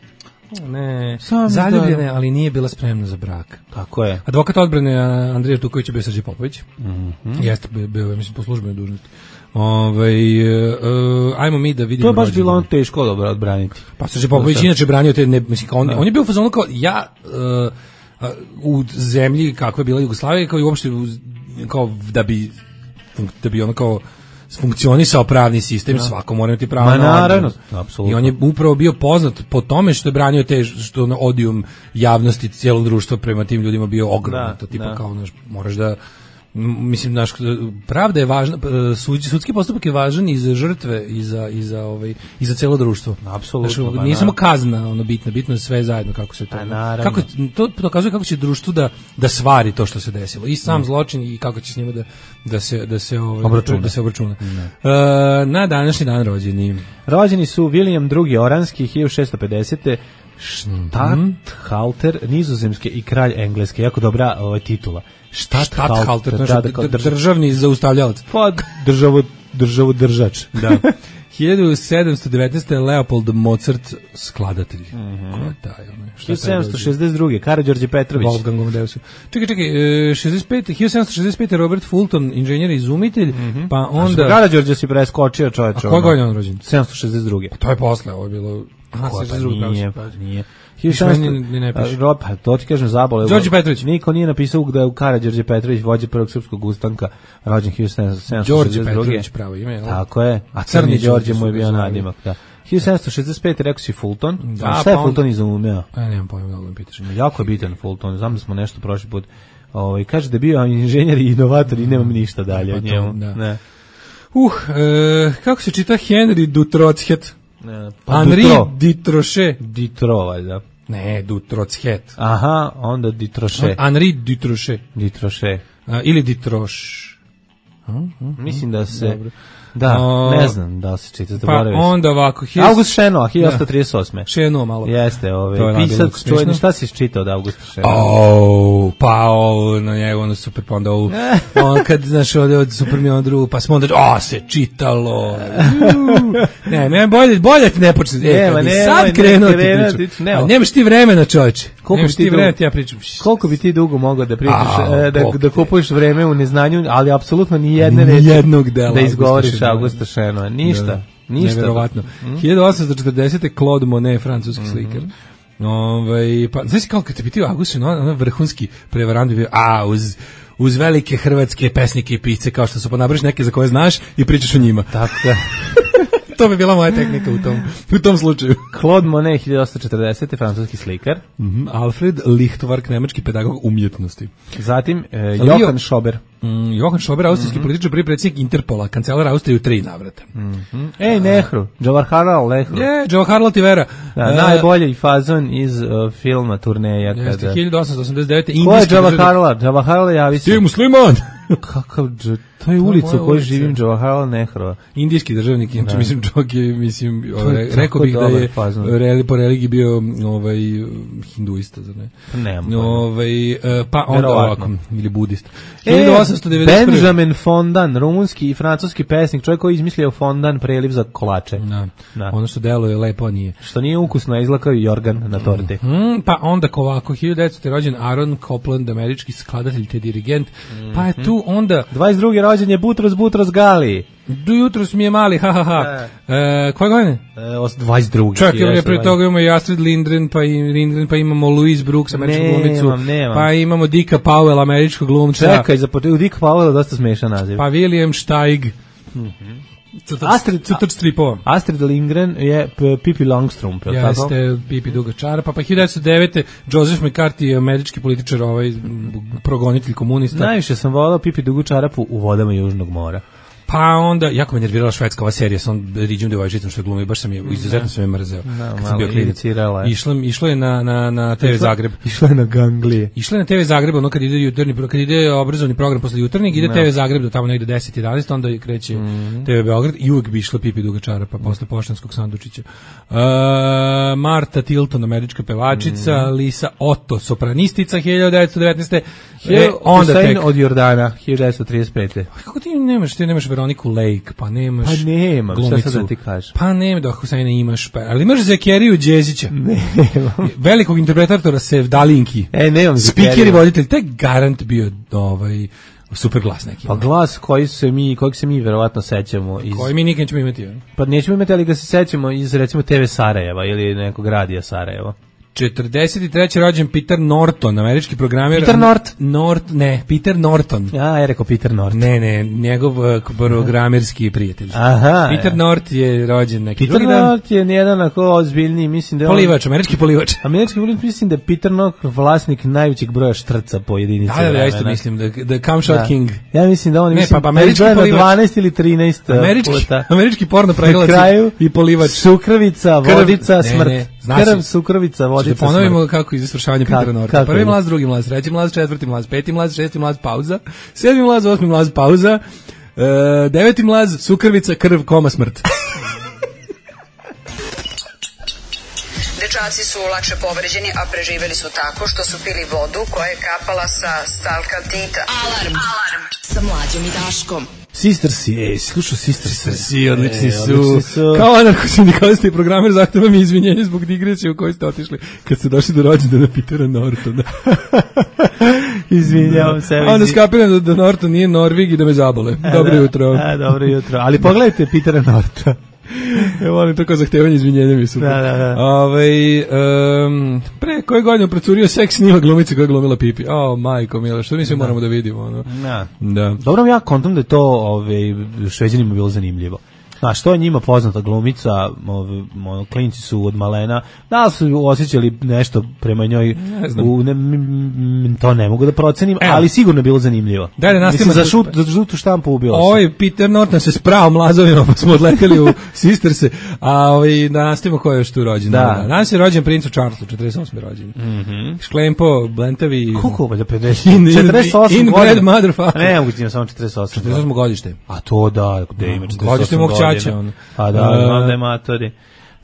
Ne, Sam zaljubljena je, ali nije bila spremna za brak. Tako je. Advokat odbrane Andrija Tuković je bio Srđe Popović. Mm-hmm. Jeste, bio, mislim, po službenoj dužnosti. Ovaj uh, ajmo mi da vidimo. To je baš bilo on teško dobro odbraniti. Pa Srđe Popović inače branio te, ne, mislim, on, on je bio u fazonu kao ja uh, u zemlji kakva je bila Jugoslavija, kao i uopšte kao da bi da bi ono kao funkcionisao pravni sistem, no. svako mora imati pravo na naravno, apsolutno. I on je upravo bio poznat po tome što je branio te, što na odijum javnosti cijelog društva prema tim ljudima bio ogroman. To tipa da. Kao, znaš, moraš da, mislim, naš, pravda je važna, sud, sudski postupak je važan i za žrtve i za, i za, ovaj, i za cijelo društvo. Apsolutno. Znaš, nije samo kazna ono bitno, bitno je sve zajedno kako se to. Kako, to dokazuje kako će društvo da, da svari to što se desilo. I sam mm. zločin i kako će s njima da, da se, da se, ovaj, obračuna. Da se obračuna. Mm. Uh, na današnji dan rođeni. Rođeni su William drugi. Oranski, hiljadu šessto pedesete Stadthalter nizozemske i kralj engleske. Jako dobra ovaj, titula. Stadthalter, da, da, državni zaustavljalac. Pa državo državu držač. Da. hiljadu sedamsto devetnaeste. Leopold Mozart, skladatelj. Mm-hmm. Ko je taj? Šta hiljadu sedamsto šezdeset druge. Karađorđe Petrović. Wolfgang Amadeus. Čekaj, čekaj, šezdeset pete. hiljadu sedamsto šezdeset pete. Robert Fulton, inženjer i izumitelj, mm-hmm. pa onda... Karađorđe si preskočio, čoveče. A koje godine on rođen? sedamsto šezdeset druge. Pa to je posle, ovo je bilo... Aha, pa nije, pa nije. Ni ne piše. Rob, to ti kažem zabole. Đorđe Petrović. Niko nije napisao da je u Karađorđe Petrović vođa prvog srpskog ustanka, rođen hiljadu sedamsto šezdeset druge. Đorđe Petrović pravo ime, je li? Tako je. A Crni Đorđe mu je bio nadimak, da. hiljadu sedamsto šezdeset pete. rekao si Fulton. Da, a šta je pa Fulton on... izumeo? A nemam pojma, da me pitaš. Jako je bitan Fulton. Znam da smo nešto prošli put. Ovaj kaže da je bio inženjer i inovator i nemam ništa dalje od njemu. Da. Ne. Uh, e, kako se čita Henry Dutrotshet? Pa Henri Dutrochet. Ditro, valjda. Ne, Dutrotshet. Aha, onda Dutrochet. Henri Dutrochet. Dutrochet. Ili Dutroš. Mislim da se... Dobro. Da, o, ne znam da se čita. Pa onda ovako... His... August Šenoa, hiljadu osamsto trideset osme. Šenoa malo. Jeste, ovaj, pisac, čujeni, šta si čitao od Augusta Šenoa? Oh, pa ovo, na njegu, ono super, pa onda ovo, on kad, znaš, ovdje od super mi on drugu, pa smo onda, o, se čitalo. Ne, ne, bolje, bolje ti ne počne. E, kad bi sad krenuo ti priču. Ne, nemaš ti vremena, čovječe. Nemaš ti vremena, ti ja pričam. Koliko bi ti dugo mogao da pričaš, da, da kupuješ vreme u neznanju, ali apsolutno ni jedne reči da izgovoriš Augusta Šenoa. Ništa. Da, ništa. Neverovatno. Mm. hiljadu osamsto četrdesete. Claude Monet, francuski mm-hmm. slikar. Ovaj pa znaš kao kad te pitaju August Šenoa, ono vrhunski prevarant bio, a uz uz velike hrvatske pesnike i pisce kao što su, pa nabraš neke za koje znaš i pričaš o njima. Tako da. To bi bila moja tehnika u tom, u tom slučaju. Claude Monet, hiljadu osamsto četrdesete. francuski slikar. Mm-hmm. Alfred Lichtwark, nemački pedagog umjetnosti. Zatim, eh, Johann Schober. Mm, Johann Schober, austrijski mm-hmm. političar, prvi predsjednik Interpola, kancelar Austrije u tri navrata. Mm-hmm. Ej, Nehru, Jawaharlal Nehru. Je, Jawaharlal ti vera. Da, uh, najbolji fazon iz uh, filma Turneja. Jeste, kada... hiljadu osamsto osamdeset devete. Ko je Jawaharlal? Jawaharlal javi se. Ti musliman! Kakav, to je ulica u kojoj živim, Jawaharlal Nehru. Indijski državnik, znači mislim čovjek je, mislim, ovaj, rekao bih da je reli, po religiji bio ovaj, hinduista, zar ne? Nemam. Ovaj, pa onda ovako, ili budista. hiljadu osamsto devedeset prve. Benjamin Fondan, rumunski i francuski pesnik, čovjek koji je izmislio fondan, preliv za kolače. Da. Da. Ono što deluje lepo, a nije. Što nije ukusno, a izgleda kao i jorgan na torti. Mm, pa onda ovako, hiljadu devetsto. rođen Aaron Copland, američki skladatelj te dirigent, mm-hmm. pa je tu onda... dvadeset druge. rođen je Butros Butros Gali. Do jutros mi je mali, ha ha ha. E, koje godine? E, dvadeset druge. Čak je pre toga imamo i Astrid Lindgren, pa, i, Lindgren, pa imamo Louise Brooks, američku glumicu, pa imamo Dicka Powell, američkog glumca. Čekaj, za u Dicka Powell dosta smešan naziv. Pa William Steig. Mm-hmm. Astrid, crtač stripova. Astrid Lindgren je Pippi Longstrump, je li tako? Jeste, Pippi Duga čara, pa pa hiljadu devetsto devete. Joseph McCarthy, američki političar, ovaj progonitelj komunista. Najviše sam volao Pippi Dugu čarapu u vodama Južnog mora. Pa onda, jako me nervirala švedska ova serija sa on Riđom devojčicom što je glumio, baš sam je, izuzetno sam je mrzeo. Da, kad sam bio klinac. Išlo, išlo je na, na, na te ve Zagreb. Išlo je na Ganglije. Išlo je na te ve Zagreb, ono kad ide jutarnji, kad ide obrazovni program posle jutarnjeg, ide te ve Zagreb do tamo negde deset jedanaest, onda kreće mm-hmm. te ve Beograd i uvek bi išla Pipi Duga čara, pa posle Poštanskog sandučića. Uh, Marta Tilton, američka pevačica, mm-hmm. Lisa Otto, sopranistica, hiljadu devetsto devetnaeste. E, onda tek od Jordana, hiljadu devetsto trideset pete. Kako ti nemaš, ti nemaš Veroniku Lake, pa nemaš pa nemam, glumicu, šta sad da ti kažem? Pa nemam, da Husajna imaš, pa, ali imaš Zekeriju Đezića. Nemam. Velikog interpretatora Sevdalinki. E, nemam Zekeriju. Speaker i voditelj, taj garant bio ovaj, super glas neki. Pa glas koji se mi, kojeg se mi verovatno sećamo. Iz... Koji mi nikad nećemo imati. Ja? Pa nećemo imati, ali ga se sećamo iz recimo te ve Sarajeva ili nekog radija Sarajeva. četrdeset treće. rođen Peter Norton, američki programer. Peter Nort? Nort, ne, Peter Norton. Ja, je rekao Peter Nort. Ne, ne, njegov uh, programerski prijatelj. Aha. Peter Nort je rođen neki Peter drugi dan. Nort je nijedan ako ozbiljniji, mislim da je polivač, on... američki polivač. Američki polivač, mislim da je Peter Nort vlasnik najvećeg broja štrca po jedinici. Da, da, da, ja isto mislim da the Come Shot da. King. Ja mislim da on ne, mislim pa, američki polivač dvanaest ili trinaest američki, puta. Američki porno pregledac i polivač. Sukrvica, vodica, krv, smrt. Ne, ne. Znači, krv, sukrovica, vodica, smrt. Ponovimo kako iz isvršavanja Petera Norta. Prvi je? mlaz, drugi mlaz, treći mlaz, četvrti mlaz, peti mlaz, šesti mlaz, pauza, sedmi mlaz, osmi mlaz, pauza, e, deveti mlaz, sukrvica, krv, koma, smrt. Dečaci su lakše povređeni, a preživeli su tako što su pili vodu koja je kapala sa stalka Tita. Alarm! Alarm! Sa Mlađom i Daškom. Sistersi, ej, slušao Sistersi. Sistersi, odlični su. Odlični su. Kao anarcho-sindikalista i programer zahtevam izvinjenje zbog digresije u kojoj ste otišli kad ste došli do rođendana Petera Nortona. Izvinjavam se. A onda skapiram da, da Norton nije Norvig i da me zabole. A, dobro da, jutro. A, dobro jutro. Ali pogledajte Petera Nortona. Ja volim to kao zahtevanje izvinjenja mi su. Da, da, da. Ove, um, pre koje godine procurio seks snima glumice koja je glumila Pipi. O, oh, majko mila, što mi sve moramo da vidimo. Ono. Da. Da. Dobro, ja kontam da je to ove, Šveđanima bilo zanimljivo. Znaš, to je njima poznata glumica, ove, klinci su od malena, da li su osjećali nešto prema njoj, ne u, ne, m, to ne mogu da procenim, Evo. ali sigurno je bilo zanimljivo. Da, da, Mislim, za, šut, za žutu štampu ubilo se. Ovaj Peter Norton se sprao mlazovima, pa smo odleteli u Sisterse, a ovaj, da nastavimo ko je još tu rođen. Da. Da. Danas je rođen princu Charlesu, četrdeset osme rođen. Mm -hmm. Šklempo, Blentavi... Koliko valjda pedeset? In, četrdeset osam in godina. bread motherfucker. Ne, mogu ti ima samo četrdeset osam. četrdeset osmo godište. A to da, gde ima četrdeset osam Godište mog čača. On. A da, Uh, znam da je matori.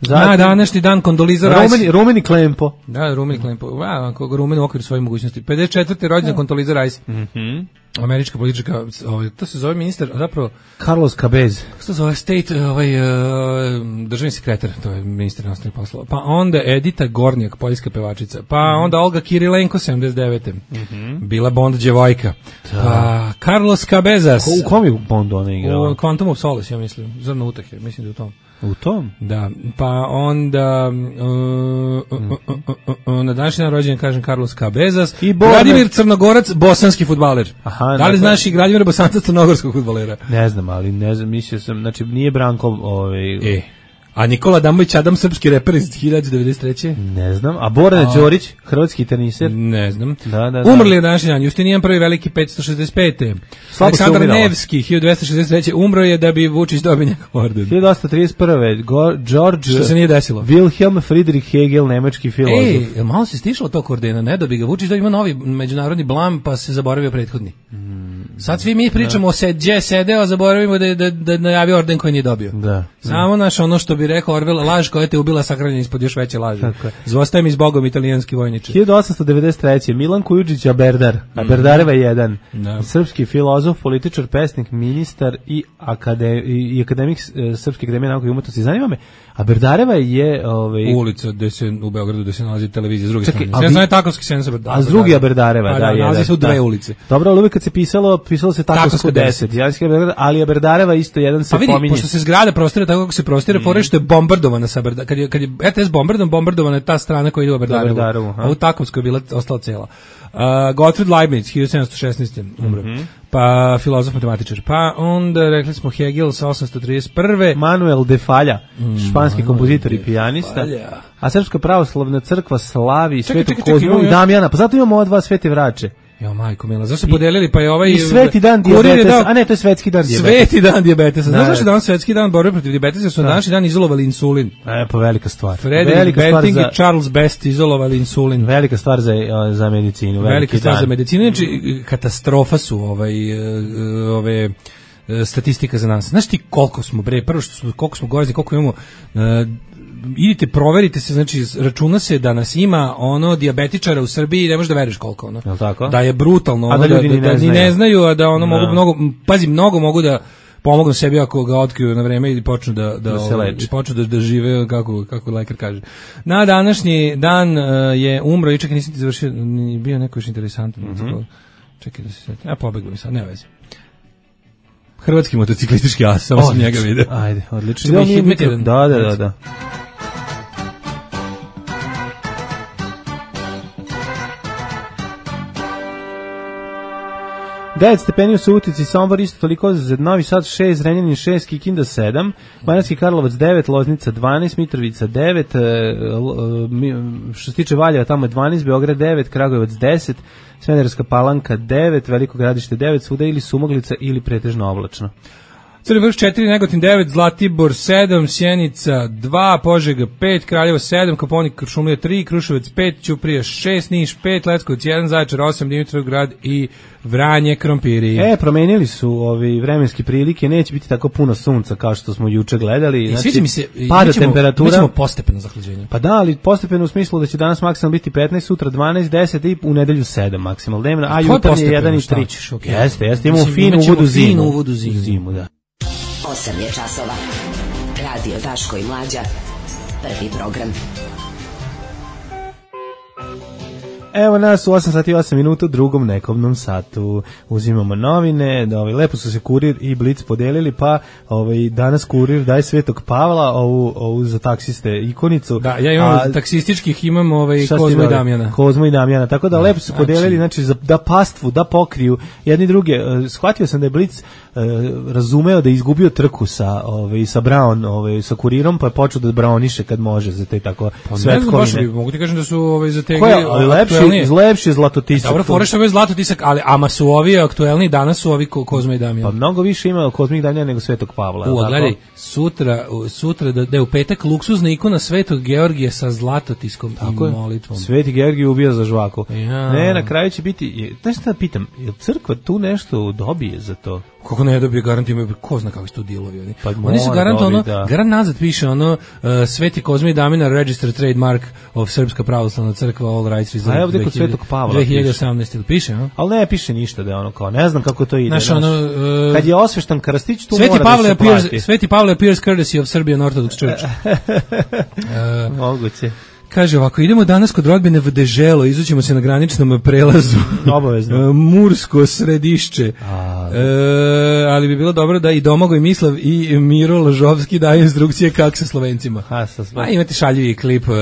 Zatim, na današnji dan Kondoliza Rice. Rumeni, Rumeni Klempo. Da, Rumeni Klempo. Wow, kako Rumen u okviru svoje mogućnosti. pedeset četvrte rođendan Kondoliza Rice. Mhm. Mm Američka politička, ovaj, to se zove ministar, zapravo Carlos Cabez. Kako se zove state, ovaj uh, državni sekretar, to je ministar inostranih poslova. Pa onda Edita Gornjak, poljska pevačica. Pa mm. onda Olga Kirilenko sedamdeset devete Mhm. Bila Bond djevojka. Da. Pa Carlos Cabezas. Ko, u kom je Bondu ona igrala? U Quantum of Solace, ja mislim. Zrno utahe, mislim da je u tom. U tom? Da, pa onda uh, uh, uh, uh, uh, na današnji dan rođen, kažem, Carlos Cabezas i Vladimir Crnogorac, bosanski fudbaler. Aha, da li dakle, znaš i Vladimira Bosanca, crnogorskog fudbalera? Ne znam, ali ne znam, mislio sam, znači nije Branko ovaj... E. A Nikola Damović Adam, srpski reper iz hiljadu devetsto devedeset treće Ne znam. A Boran Đorić, hrvatski teniser? Ne znam. Da, da, da. Umrli je današnji dan. Justinijan prvi veliki petsto šezdeset pete Aleksandar Nevski hiljadu dvesta šezdeset treće umro je da bi Vučić dobio njegov orden. hiljadu osamsto trideset prve George Što se nije desilo. Wilhelm Friedrich Hegel, nemački filozof. Ej, malo se stišlo tog ordena, ne da bi ga Vučić da ima novi međunarodni blam, pa se zaboravio prethodni. Mm. Sad svi mi pričamo o sedje, sedeo, a zaboravimo da da da najavio orden koji nije dobio. Da. Samo naš ono što bi rekao Orwell, laž koja te ubila sakranjena ispod još veće laži. Zvostaje mi s Bogom, italijanski vojniče. hiljadu osamsto devedeset treće Milan Kujundžić Aberdar, Aberdareva jedan, no. Srpski filozof, političar, pesnik, ministar i, akade, i akademik e, Srpske akademije nauke i umetnosti. Zanima me, Aberdareva je... Ovaj, ulica gde se, u Beogradu gde se nalazi televizija s druge strane. Sve znaju Takovski sen sa Aberdareva. A s drugi Aberdareva, pa, da, da, je. Nalazi se u dve da. ulice. Dobro, ali uvijek kad se pisalo, pisalo se Takovsko deset. Ali Aberdareva isto jedan se pa vidi, pominje. Pošto se zgrada prostira tako kako se prostira, mm. fore što je bombardovana sa Aberdareva. Kad je, kad je R T S bombardovan, bombardovana je ta strana koja ide u Aberdarevu. A u Takovskoj je bila ostala cela. Uh, Gottfried Leibniz, hiljadu sedamsto šesnaeste umro. Mm -hmm. Pa filozof, matematičar. Pa onda rekli smo Hegel sa osamsto trideset prve Manuel de Falla, mm, španski Manuel kompozitor i pijanista. Falja. A Srpska pravoslavna crkva slavi Svetu Kozmu i Damjana. Pa zato imamo ova dva svete vraće. Jo, majko mila, zašto se podelili, pa je ovaj... I sveti dan dijabetesa, a ne, to je svetski dan dijabetesa. Sveti dan dijabetesa. Znaš zašto je dan svetski dan borbe protiv dijabetesa, su na današnji dan izolovali insulin. E, pa velika stvar. Frederick Banting i Charles Best izolovali insulin. Velika stvar za, za medicinu. Velika stvar za medicinu, znači katastrofa su ovaj, ove... statistika za nas. Znaš ti koliko smo, bre, prvo što smo, koliko smo gorezni, koliko imamo... Uh, idite, proverite se, znači računa se da nas ima ono dijabetičara u Srbiji, ne možeš da veruješ koliko ono. Je tako? Da je brutalno, ono, a da ljudi da, ni da, ne, da, znaju. ne znaju, a da ono no. mogu mnogo, pazi, mnogo mogu da pomognu sebi ako ga otkriju na vreme i počnu da da, da, se ovaj, počnu da, da žive kako kako lekar kaže. Na današnji dan uh, je umro i čekaj, nisam ti završio, ni bio neko još interesantan. Mm -hmm. Čekaj da se setim. Ja pobegao mi sad, ne veze. Hrvatski motociklistički as, samo sam njega vidio. Ajde, odlično. Da, da, da, da. devet stepeni u Subotici, Sombor isto toliko, Novi Sad šest, Zrenjanin šest, Kikinda sedam, Banatski Karlovac devet, Loznica dvanaest, Mitrovica devet, što se tiče Valjeva tamo je dvanaest, Beograd devet, Kragujevac deset, Smederevska Palanka devet, Veliko Gradište devet, svuda ili sumaglica ili pretežno oblačno. Crni vrh četiri, Negotin devet, Zlatibor sedam, Sjenica dva, Požega pet, Kraljevo sedam, Koponik Kuršumlija tri, Kruševac pet, Ćuprija šest, Niš pet, Leskovac jedan, Zaječar osam, Dimitrovgrad i Vranje krompiri. E, promenili su ovi vremenske prilike, neće biti tako puno sunca kao što smo juče gledali. Znači, sviđa mi se, pada temperatura. Mi ćemo postepeno zahlađenje. Pa da, ali postepeno u smislu da će danas maksimalno biti petnaest, sutra dvanaest, deset i u nedelju sedam maksimalno dnevno, a jutarnje je jedan i tri. Okay. Jeste, jeste, imamo finu uvodu zimu. Finu uvodu zimu. zimu, da. osam je časova. Radio Daško i Mlađa. Prvi program. Evo nas u osam sati i osam minuta u drugom nekobnom satu. Uzimamo novine, ovaj, lepo su se Kurir i Blic podelili, pa ovaj, danas Kurir daje Svetog Pavla, ovu, ovu za taksiste ikonicu. Da, ja imam a, taksističkih, imam ovaj, Kozmo i Damjana. Kozmo i Damjana, tako da, da lepo su znači, podelili, znači, za, da pastvu, da pokriju jedni druge. Shvatio sam da je Blic uh, razumeo da je izgubio trku sa, ovaj, sa Brown, ovaj, sa Kurirom, pa je počeo da Browniše kad može za te tako pa, svetkovine. Mogu ti kažem da su ovaj, za te lepši zlatotisak. Dobro, fora što je zlatotisak, ali ama su ovi aktuelni, danas su ovi Kozmo i Damjan. Pa mnogo više ima Kozmo i Damjan nego Svetog Pavla. U, gledaj, sutra, sutra da, da je u petak luksuzna ikona Svetog Georgija sa zlatotiskom tako i molitvom. Sveti Georgij ubija za žvaku. Ja. Ne, na kraju će biti, znaš šta pitam, je crkva tu nešto dobije za to? Kako ne dobije, garant imaju, ko zna kakvi su tu dilovi oni. Pa oni su garant dobi, ono, da. garant nazad piše ono, uh, Sveti Kozmo i Damjan Registered Trademark of Srpska pravoslavna crkva, all rights reserved. A evo kod Svetog Pavla dve hiljade osamnaeste piše, no? Ali ne piše ništa da je ono kao, ne znam kako to ide. Znaš, ono, uh, kad je osveštan krstić, tu Sveti mora Pavle da se appears, plati. Sveti Pavle appears courtesy of Serbian Orthodox Church. uh, Moguće. Kaže ovako, idemo danas kod rodbine v Deželo, izućemo se na graničnom prelazu. Obavezno. Mursko Središće. A, e, ali bi bilo dobro da i Domagoj Mislav i Miro Lažovski daju instrukcije kako sa Slovencima. A, sa A imate šaljivi klip uh,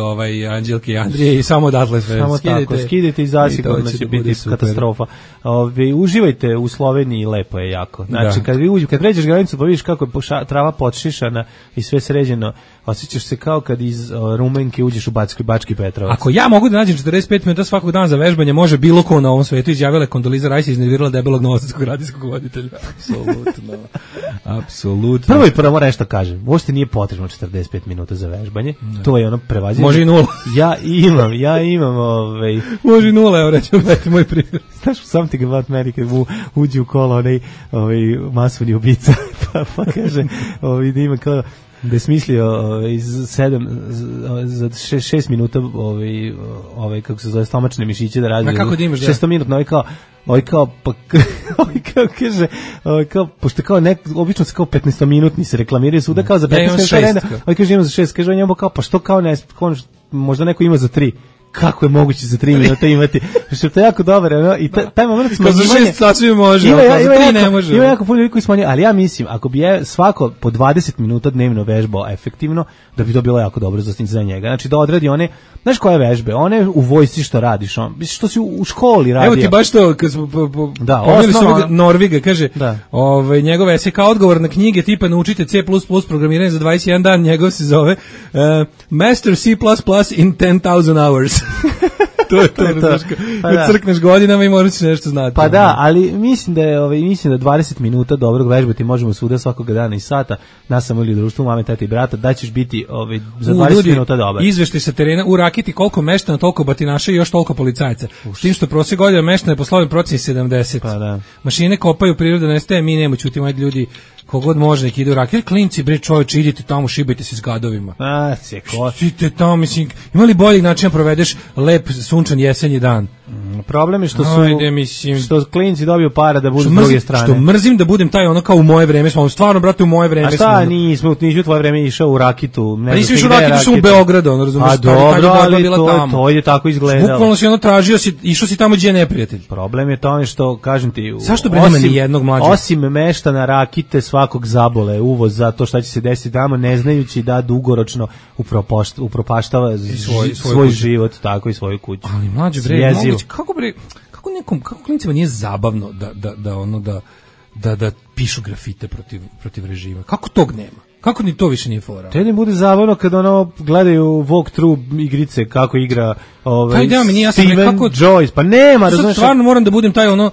ovaj Anđelke i Andrije i samo odatle sve. Samo skidite, tako, skidite i zasigurno će, će biti super. Katastrofa. Ove, uživajte u Sloveniji, lepo je jako. Znači, da. kad, vi uđu, kad pređeš granicu pa vidiš kako je poša, trava podšišana i sve sređeno, osjećaš se kao kad iz uh, Rumenke uđeš u Bački, Bački Petrovac. Ako ja mogu da nađem četrdeset pet minuta svakog dana za vežbanje, može bilo ko na ovom svetu, izjavila Kondoliza Rajs i iznervirala debelog novosadskog radijskog voditelja. Apsolutno. Apsolutno. Prvo i prvo nešto kažem. Uopšte nije potrebno četrdeset pet minuta za vežbanje. Ne. To je ono prevaziđeno. Može i nula. Ja imam, ja imam ovaj može i nula, evo rećemo dajte moj primjer. Znaš, something about America, mu uđe u kolo onaj ovaj masovni ubica, pa, pa kaže, ovaj, da ima kao da je smislio ovaj, iz sedam za šest, šest minuta ovaj, ovaj, kako se zove, stomačne mišiće da radi. A kako da imaš da? šesto minutno, ovaj kao, ovaj kao, pa, ovaj kao kaže, ovaj kao, pošto kao nek, obično se kao petnaestominutni se reklamiraju svuda kao za petnaest ja minuta, ovaj kaže ima za šest, kaže on njemu kao, pa što kao ne, kao, možda neko ima za tri. Kako je moguće za tri minuta imati, što je to jako dobro, no? I ta, taj moment smanjivanja... Za šest sasvim može, ima, ima, za tri jako, ne može. Ima jako puno ljudi koji smanjuje, ali ja mislim, ako bi je svako po dvadeset minuta dnevno vežbao efektivno, da bi to bilo jako dobro za, za njega. Znači da odradi one, znaš koje vežbe, one u vojsci što radiš, on, što si u, u školi radio. Evo ti baš to, kad smo po, po, da, osnovno, Norviga, kaže, da. Ovaj, njegov esej kao odgovor na knjige tipa naučite C plus plus programiranje za dvadeset jedan dan, njegov se zove uh, Master C plus plus in ten thousand hours. To je to, to, to. Pa da. Crkneš godinama i moraš nešto znati. Pa da, ali mislim da je, ovaj, mislim da dvadeset minuta dobrog vežbati možemo svuda svakog dana i sata, nas samo ili društvu, mame, tete i brata, da ćeš biti ovaj, za dvadeset ljudi, minuta dobar. Izveštaj sa terena, u Rakiti koliko meštana, toliko batinaša i još toliko policajaca. S tim što prosjek godina meštana je po slovim proceni sedamdeset. Pa da. Mašine kopaju, priroda nestaje, mi nemo ćutimo, ajde ljudi, kogod može neki idu u Rakiti. Klinci, bre čovječe, idite tamo, šibajte se s gadovima. A, se ko. Idite tamo, mislim, ima li boljeg načina provedeš lep sunčan jesenji dan? Mm, problem je što su Ajde, mislim, što klinci dobiju para da budu s druge strane. Što mrzim da budem taj ono kao u moje vreme, smo stvarno brate u moje vreme. A šta, smo, nismo, nismo u tvoje vreme išao u Rakitu, ne. Pa nisi išao u Rakitu, išao u Beogradu, ono razumiješ. A dobro, ali bila to, tamo. To je tako izgledalo. Bukvalno si ono tražio, si, išao si tamo gdje je neprijatelj. Problem je to što, kažem ti, zašto bre nema ni jednog mlađeg? Osim meštana Rakite svakog zabole uvoz za to šta će se desiti tamo, ne znajući da dugoročno upropaštava svoj, svoj život, tako i svoju kuću. Ali mlađe bre, moguće, kako bre, kako nekom, kako klincima nije zabavno da, da, da ono da, da, da pišu grafite protiv, protiv režima? Kako tog nema? Kako ni to više nije fora? Te ne bude zabavno kad ono gledaju walkthrough igrice kako igra ovaj, pa ideja mi nije, ja sam Steven nekako, Joyce, pa nema, razumiješ? Stvarno moram da budem taj ono,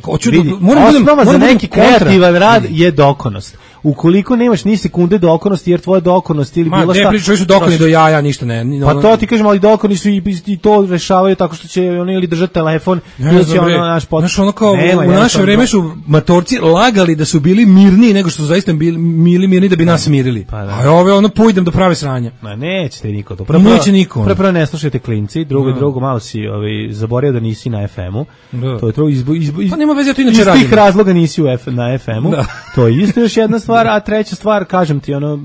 hoću Vidi, da moram osnova budem, za neki kreativan rad vidi. je dokonost. Ukoliko nemaš ni sekunde dokonosti, jer tvoja dokonost ili Ma, bilo šta... Ma, ne pričaju su dokoni do jaja, ništa ne. Ni, pa to ti kažem, ali dokoni su i, i to rešavaju tako što će oni ili držati telefon, ne, ili će ono naš pot... Znaš, ono kao, Nema, u naše vreme su matorci lagali da su bili mirniji nego što su zaista bili, bili mirni da bi nas mirili. Pa, da. A ove ono pujdem do prave sranja. Ma nećete niko to. Prvo, neće niko. Prvo, prvo ne slušajte klinci, drugo i drugo malo si ovaj, zaboravio da nisi na ef emu. Da. To je to izbo, izbo, iz, pa nema veze, to inače radim. Iz tih razloga nisi u F, na ef emu. Da. To je isto još jedna stvar, a treća stvar, kažem ti, ono,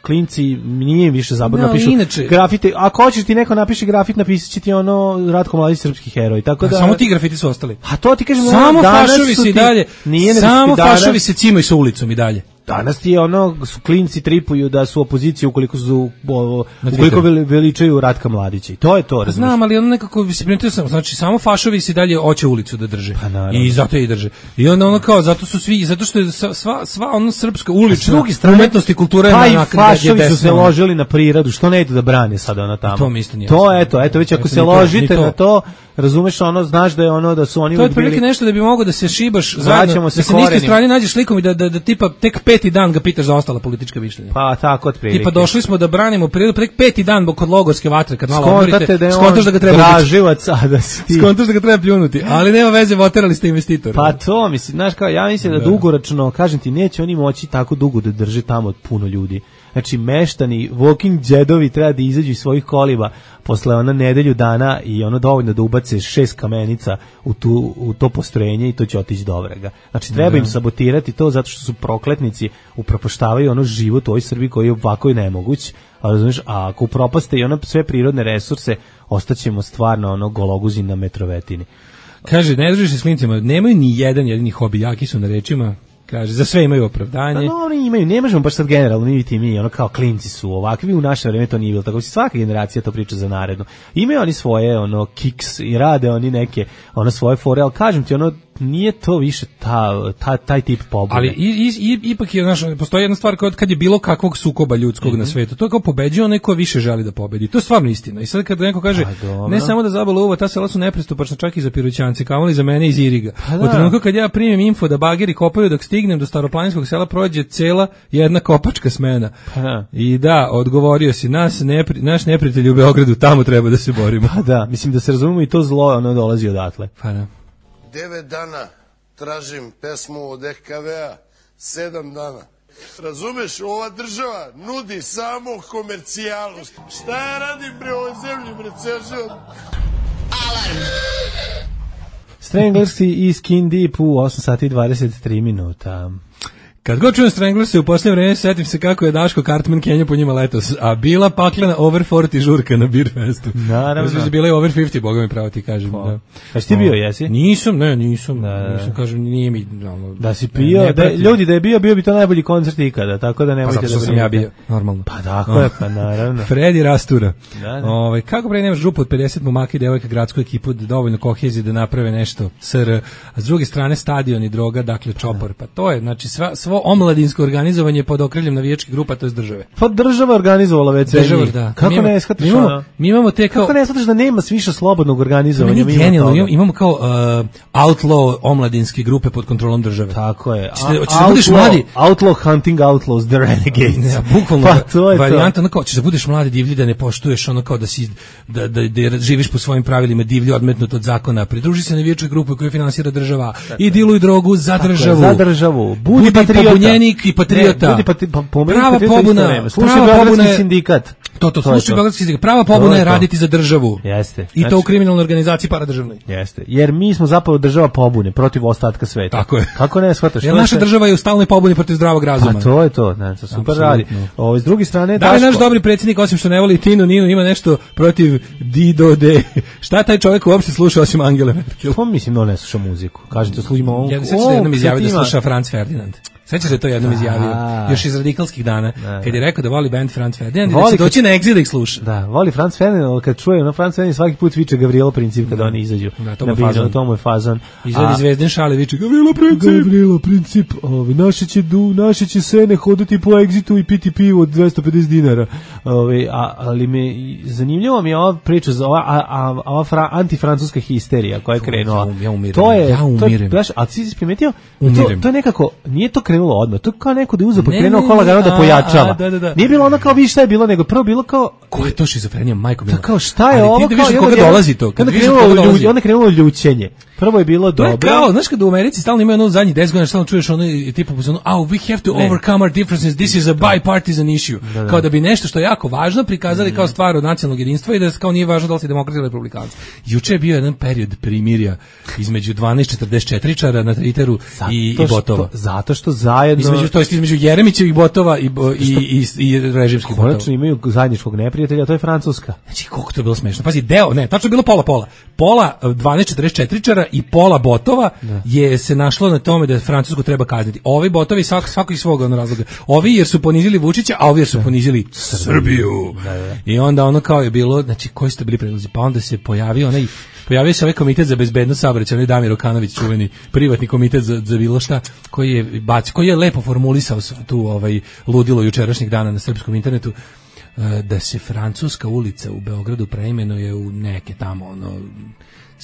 klinci nije više zabavno, no, napišu inače, grafite, ako hoćeš ti neko napiše grafit, napisat će ti ono Ratko Mladić srpski heroj, tako da... A samo ti grafiti su ostali. A to ti kažem, samo fašovi se i dalje, nije samo fašovi se cimaju sa ulicom i dalje. Danas ti je ono, su klinci tripuju da su opozicije ukoliko su o, ukoliko veličaju Ratka Mladića. I to je to, razumiješ? Znam, ali ono nekako se primetio sam, znači samo fašovi se dalje hoće ulicu da drže. Pa, i zato je i drže. I onda ono kao zato su svi, zato što je sva sva ono srpska ulična umetnost i kultura pa je na fašovi su se ložili na prirodu, što ne idu da brane sada ona tamo. To mi isto nije. To eto, eto već ako se ložite na to, razumeš, ono, znaš da je ono da su oni to je prilike nešto da bi mogao da se šibaš zajedno, da se na istoj strani nađeš slikom i da, da, da tipa tek peti dan ga pitaš za ostala politička mišljenja. Pa tako otprilike. Tipa došli smo da branimo prirodu, tek peti dan kod logorske vatre, kad malo odmorite, da skontaš da ga treba graživac, a da si ti. Skontaš da ga treba pljunuti, ali nema veze, voterali ste investitora. Pa to, mislim, znaš kao, ja mislim da, da dugoročno, kažem ti, neće oni moći tako dugo da drže tamo puno ljudi. Znači, meštani, walking džedovi treba da izađu iz svojih koliba posle ona nedelju dana i ono dovoljno da ubace šest kamenica u, tu, u to postrojenje i to će otići do vrega. Znači, treba im sabotirati to zato što su prokletnici, upropaštavaju ono život u ovoj Srbiji koji je ovako i nemoguć. A, razumiješ, a ako upropaste i ono sve prirodne resurse, ostaćemo stvarno ono gologuzi na metrovetini. Kaže, ne držiš se s klincima, nemaju ni jedan jedini hobi, jaki su na rečima. Kaže, za sve imaju opravdanje. Pa no, oni imaju, ne možemo baš sad generalno, mi ti mi, ono kao klinci su ovakvi, u naše vreme to nije bilo tako, svaka generacija to priča za naredno. Imaju oni svoje, ono, kiks i rade oni neke, ono, svoje fore, ali kažem ti, ono, nije to više ta, ta, taj tip pobude. Ali i, i, i, ipak je, znaš, postoji jedna stvar kao kad je bilo kakvog sukoba ljudskog mm-hmm. na svetu, to je kao pobeđuje onaj ko više želi da pobedi. To je stvarno istina. I sad kad neko kaže, pa, ne samo da zabala uva, ta sela su nepristupačna čak i za Piroćance, kamoli za mene iz Iriga. Pa, da. Od trenutka kad ja primim info da bageri kopaju dok stignem do staroplaninskog sela prođe cela jedna kopačka smena. Pa, da. I da, odgovorio si, nas nepri, naš neprijatelj u Beogradu, tamo treba da se borimo. Pa da, mislim da se razumemo i to zlo ono dolazi odatle. Pa da. Devet dana tražim pesmu od E K V-a, sedam dana. Razumeš, ova država nudi samo komercijalu. Šta ja radim bre ovoj zemlji, bre, ceo život? Alarm! Stranglers i Skin Deep u osam sati i dvadeset tri minuta. Kad god čujem Stranglers-e u posljednje vreme setim se kako je Daško Cartman Kenja po njima letos, a bila paklena over četrdeset žurka na Beer Festu. Naravno. Mislim da bila je over pedeset, boga mi pravo ti kažem. Pa. Da. A si ti bio, jesi? Nisam, ne, nisam. Da, nisam, kažem, nije mi... No, da si pio, ne, da, ljudi da je bio, bio bi to najbolji koncert ikada, tako da nemojte pa, da... Pa sam ja bio, normalno. Pa tako je, pa naravno. Fredi Rastura. Da, da. Ove, kako pre nemaš župu od pedeset momaka i devojka, gradsku ekipu, dovoljno kohezije da naprave nešto S R, a s druge strane stadion i droga, dakle čopor. Pa to je, znači, sva, svo omladinsko organizovanje pod okriljem navijačkih grupa, to je države. Pa država organizovala već sve njih. Da. Kako mi ne shvataš? Mi imamo, mi imamo te kao... Kako ne shvataš da nema više slobodnog organizovanja? Mi genijalno, imamo, imamo kao uh, outlaw omladinske grupe pod kontrolom države. Tako je. Hoćeš da budeš mladi... Outlaw hunting outlaws, the renegades. Ja, bukvalno, pa, to je varijanta, ono kao, ćeš da budeš mladi divlji, da ne poštuješ ono kao da si, da, da, da živiš po svojim pravilima, divlji, odmetnut od zakona, pridruži se navijačkoj grupi koju finansira država i diluj drogu za državu. Za državu. Budi, budi pobunjenik i patriota. Ne, budi pati, pa, prava pobuna, slušaj Beogradski sindikat. To, to, slušaj Beogradski sindikat. Prava pobuna je raditi za državu. Jeste. I to u kriminalnoj organizaciji paradržavnoj. Jeste. Jer mi smo zapravo država pobune protiv ostatka sveta. Tako je. Kako ne shvataš? Jer naša država je u stalnoj pobuni protiv zdravog razuma. Pa to je to, znači super Absolutno. Radi. Ovo s druge strane, da li naš dobri predsjednik, osim što ne voli Tinu Ninu, ima nešto protiv Dido de. Šta taj čovjek uopšte sluša osim Angele Merkel? Pa mislim da ne sluša muziku. Kažete, slušamo ovo. Ja se jednom izjavio da sluša Franz Ferdinand. Sećaš da je to jednom izjavio, još iz radikalskih dana, da, kad je rekao da voli band Franz Ferdinand i voli da će doći na Exit da ih sluša. Da, voli Franz Ferdinand, ali kad čuje na Franz Ferdinand svaki put viče Gavrilo Princip kada oni izađu. Da, to na mu je fazon. To mu je fazon. Izvedi Zvezdin šale, viče Gavrilo Princip. Gavrilo Princip, ovi, naše će, du, naše će sene hodati po Exitu i piti pivo od dvesta pedeset dinara. Ovi, a, ali me, zanimljivo mi je ova priča, ova, a, a, ova fra, antifrancuska histerija koja je krenula. Ja, ja umirim. To je, ja umirim. To je, a ti si primetio? To, to je nekako, nije to krenulo odmah, to je kao neko da je uzeo pa krenuo kola da pojačava. A, da, da, da. Nije bilo ono kao vi šta je bilo, nego prvo bilo kao ko je to šizofrenija, majko mila. Kao šta je ali ovo? Ti da vidiš koga dolazi to. Onda krenulo ljudi, onda krenulo ljućenje. Prvo je bilo dobro. Kao, znaš kad u Americi stalno imaju ono zadnjih deset godina, stalno čuješ ono i tipa ono, oh, we have to ne. overcome our differences, this is a bipartisan issue. Da, da. Kao da bi nešto što je jako važno prikazali mm. kao stvar od nacionalnog jedinstva i da kao nije važno da li si demokrat ili republikanac. Juče je bio jedan period primirja između dvanaest četrdeset četiri čara na Twitteru i, i botova. Što, zato što zajedno... Između, to je između Jeremićevih botova i, i, i, i režimskih botova. Konačno imaju zajedničkog neprijatelja, to je Francuska. Znači, koliko to je bilo smešno. Pazi, deo, ne, tačno je bilo pola-pola. Pola dvanaest četrdeset četiri čara i pola botova da. je se našlo na tome da Francusku treba kazniti. Ovi botovi svako, svako iz svog razloga. Ovi jer su ponizili Vučića, a ovi jer su da. ponizili Srbiju. Da, da. I onda ono kao je bilo, znači, koji su to bili predlozi? Pa onda se pojavio onaj Pojavio se ovaj komitet za bezbednost saobraćaja, onaj Damir Okanović, čuveni privatni komitet za, za bilo šta, koji je bacio, koji je lepo formulisao tu ovaj ludilo jučerašnjeg dana na srpskom internetu, da se Francuska ulica u Beogradu preimenuje u neke tamo ono.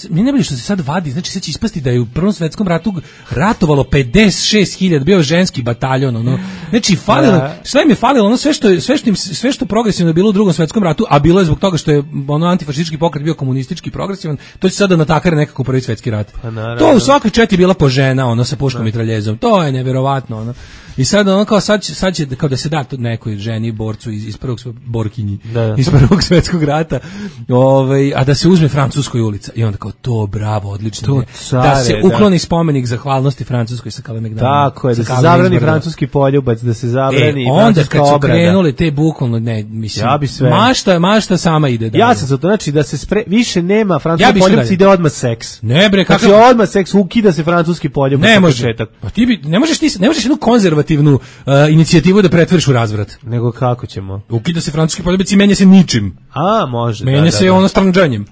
Mi ne bi što se sad vadi, znači sad će ispasti da je u Prvom svetskom ratu ratovalo pedeset šest hiljada, bio ženski bataljon, ono. Znači falilo, šta im je falilo, ono sve što sve što im, sve što progresivno je bilo u Drugom svetskom ratu, a bilo je zbog toga što je ono antifašistički pokret bio komunistički progresivan, to će sada natakare nekako Prvi svetski rat. Pa, to u svakoj četi bila po žena, ono sa puškom i mitraljezom. To je neverovatno, ono. I sad ono kao sad, sad će kao da se da nekoj ženi borcu iz, iz prvog borkinji da, da. iz Prvog svetskog rata, ovaj, a da se uzme Francuskoj ulica i onda kao to bravo, odlično to care, da se ukloni da. spomenik zahvalnosti Francuskoj sa Kalemegdanom. Tako je, da se zabrani francuski poljubac, da se zabrani e, onda kad su obrada. Krenuli te bukvalno ne mislim. Ja bi sve. Mašta, mašta sama ide da. Ja sam za to, znači da se spre, više nema francuski ja poljubac, ide odmah seks. Ne bre, kako znači odmah seks, ukida se francuski poljubac. Ne može. Pa ti bi ne možeš ti ne možeš jednu konzervativnu uh, inicijativu da pretvoriš u razvrat. Nego kako ćemo? Ukida se francuski poljubac i menja se ničim. A, može. Menja da, se da, ono stranđanjem.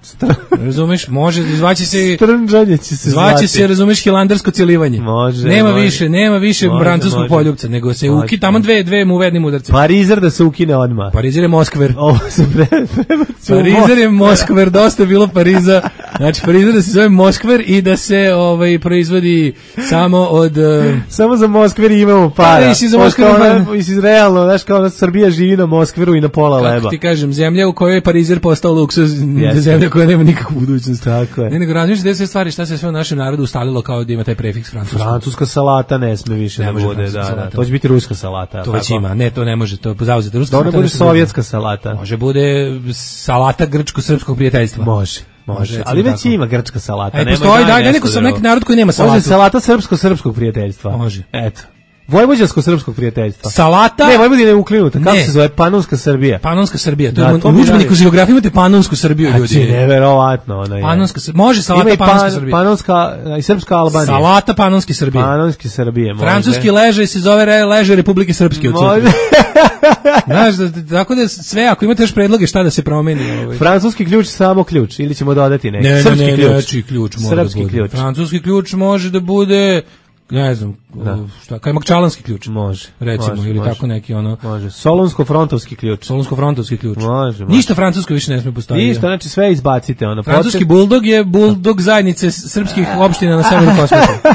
Razumeš? Može, zvaće se stranđanje će se zvaće. Zvaće se, razumeš, hilandarsko celivanje. Može. Nema može. više, nema više francuskog poljupca, nego se uki tamo dve dve mu uvednim udarcima. Parizer da se ukine odmah. Parizer je Moskver. Ovo se pre, Parizer je Moskver, dosta je bilo Pariza. Znači Parizer da se zove Moskver i da se ovaj proizvodi samo od uh, samo za Moskver imamo para. Pa, za Moskver, mislim realno, znaš kao Srbija živi na Moskveru i na pola kako leba. Kako ti kažem, zemlja u kojoj je Parizer postao luksuz, yes. zemlja koja nema nikakvu budućnost. Tako je. Ne, nego razmišljate da se stvari, šta se sve u našem narodu ustalilo kao da ima taj prefiks francuski. Francuska salata ne sme više ne da bude, da, da. To će biti ruska salata. To već ima, ne, to ne može, to zauzeti ruska salata. To ne bude sovjetska salata. Može bude salata grčko-srpskog prijateljstva. Može. Može, ali već tako. Ima grčka salata. Aj, postoji, daj, daj neko sam neki narod koji nema salatu. Može salata srpsko-srpskog prijateljstva. Može. Eto. Vojvođansko-srpskog prijateljstva. Salata? Ne, Vojvodina je uklinuta. Kako se zove? Panonska Srbija. Panonska Srbija. To da, je u udžbeniku za geografiju imate Panonsku Srbiju, ljudi. Znači, neverovatno. Ona je. Panonska Srbija. Može salata ima Panonska pan, Srbija. Panonska i srpska Albanija. Salata Panonske Srbije. Panonske Srbije, može. Francuski ležaj se zove ležaj Republike Srpske. Može. Znaš, da, tako da sve, ako imate još predloge šta da se promeni. Ovaj. Francuski ključ, samo ključ. Ili ćemo dodati neki. Ne, Srpski ne, ne, ključ. Ne, ključ može Srpski da bude. ključ. Francuski ključ može da bude... Ne znam, da. šta, kajmakčalanski ključ. Može. Recimo, može, ili može. tako neki ono. Može. Solunsko-frontovski ključ. Solunsko-frontovski ključ. Može, može. Ništa francusko više ne sme postaviti. Ništa, znači sve izbacite. Ono. Francuski buldog je buldog zajednice srpskih opština na severu Kosmeta.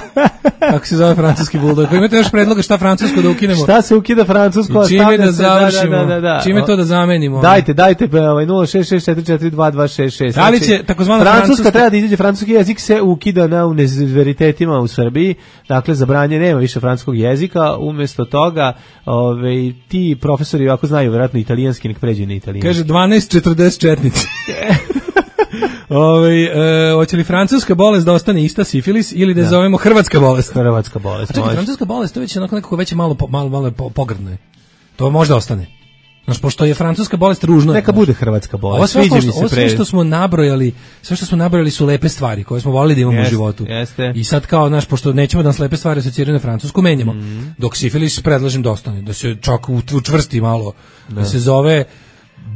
Kako se zove francuski buldog? Ako imate još predloga šta francusko da ukinemo? Šta se ukida francusko? Čime da završimo? Da, da, da, da. Čime to da zamenimo? Dajte, dajte ovaj nula šest šest četiri četiri dva dva šest šest. Da li će takozvana francuska francuska treba da izađe, francuski jezik se ukida na univerzitetima u Srbiji. Dakle, zabranje nema više francuskog jezika, umjesto toga ovaj, ti profesori ako znaju vjerojatno italijanski, nek pređu na italijanski. Kaže dvanaest četrdeset četnici. Ove, e, hoće li francuska bolest da ostane ista sifilis ili da je zovemo hrvatska bolest? Hrvatska bolest. A čekaj, francuska bolest to već onako nekako već malo, malo, malo pogrdno je. To možda ostane. Znaš, pošto je francuska bolest ružna. Neka bude hrvatska bolest. Ovo sve, što, ovo sve što smo nabrojali, sve što smo nabrojali su lepe stvari koje smo volili da imamo jeste, u životu. Jeste. I sad kao, znaš, pošto nećemo da nas lepe stvari asociraju na francusku, menjamo. Mm. Dok sifilis predlažem da ostane, da se čak učvrsti malo, da, da se zove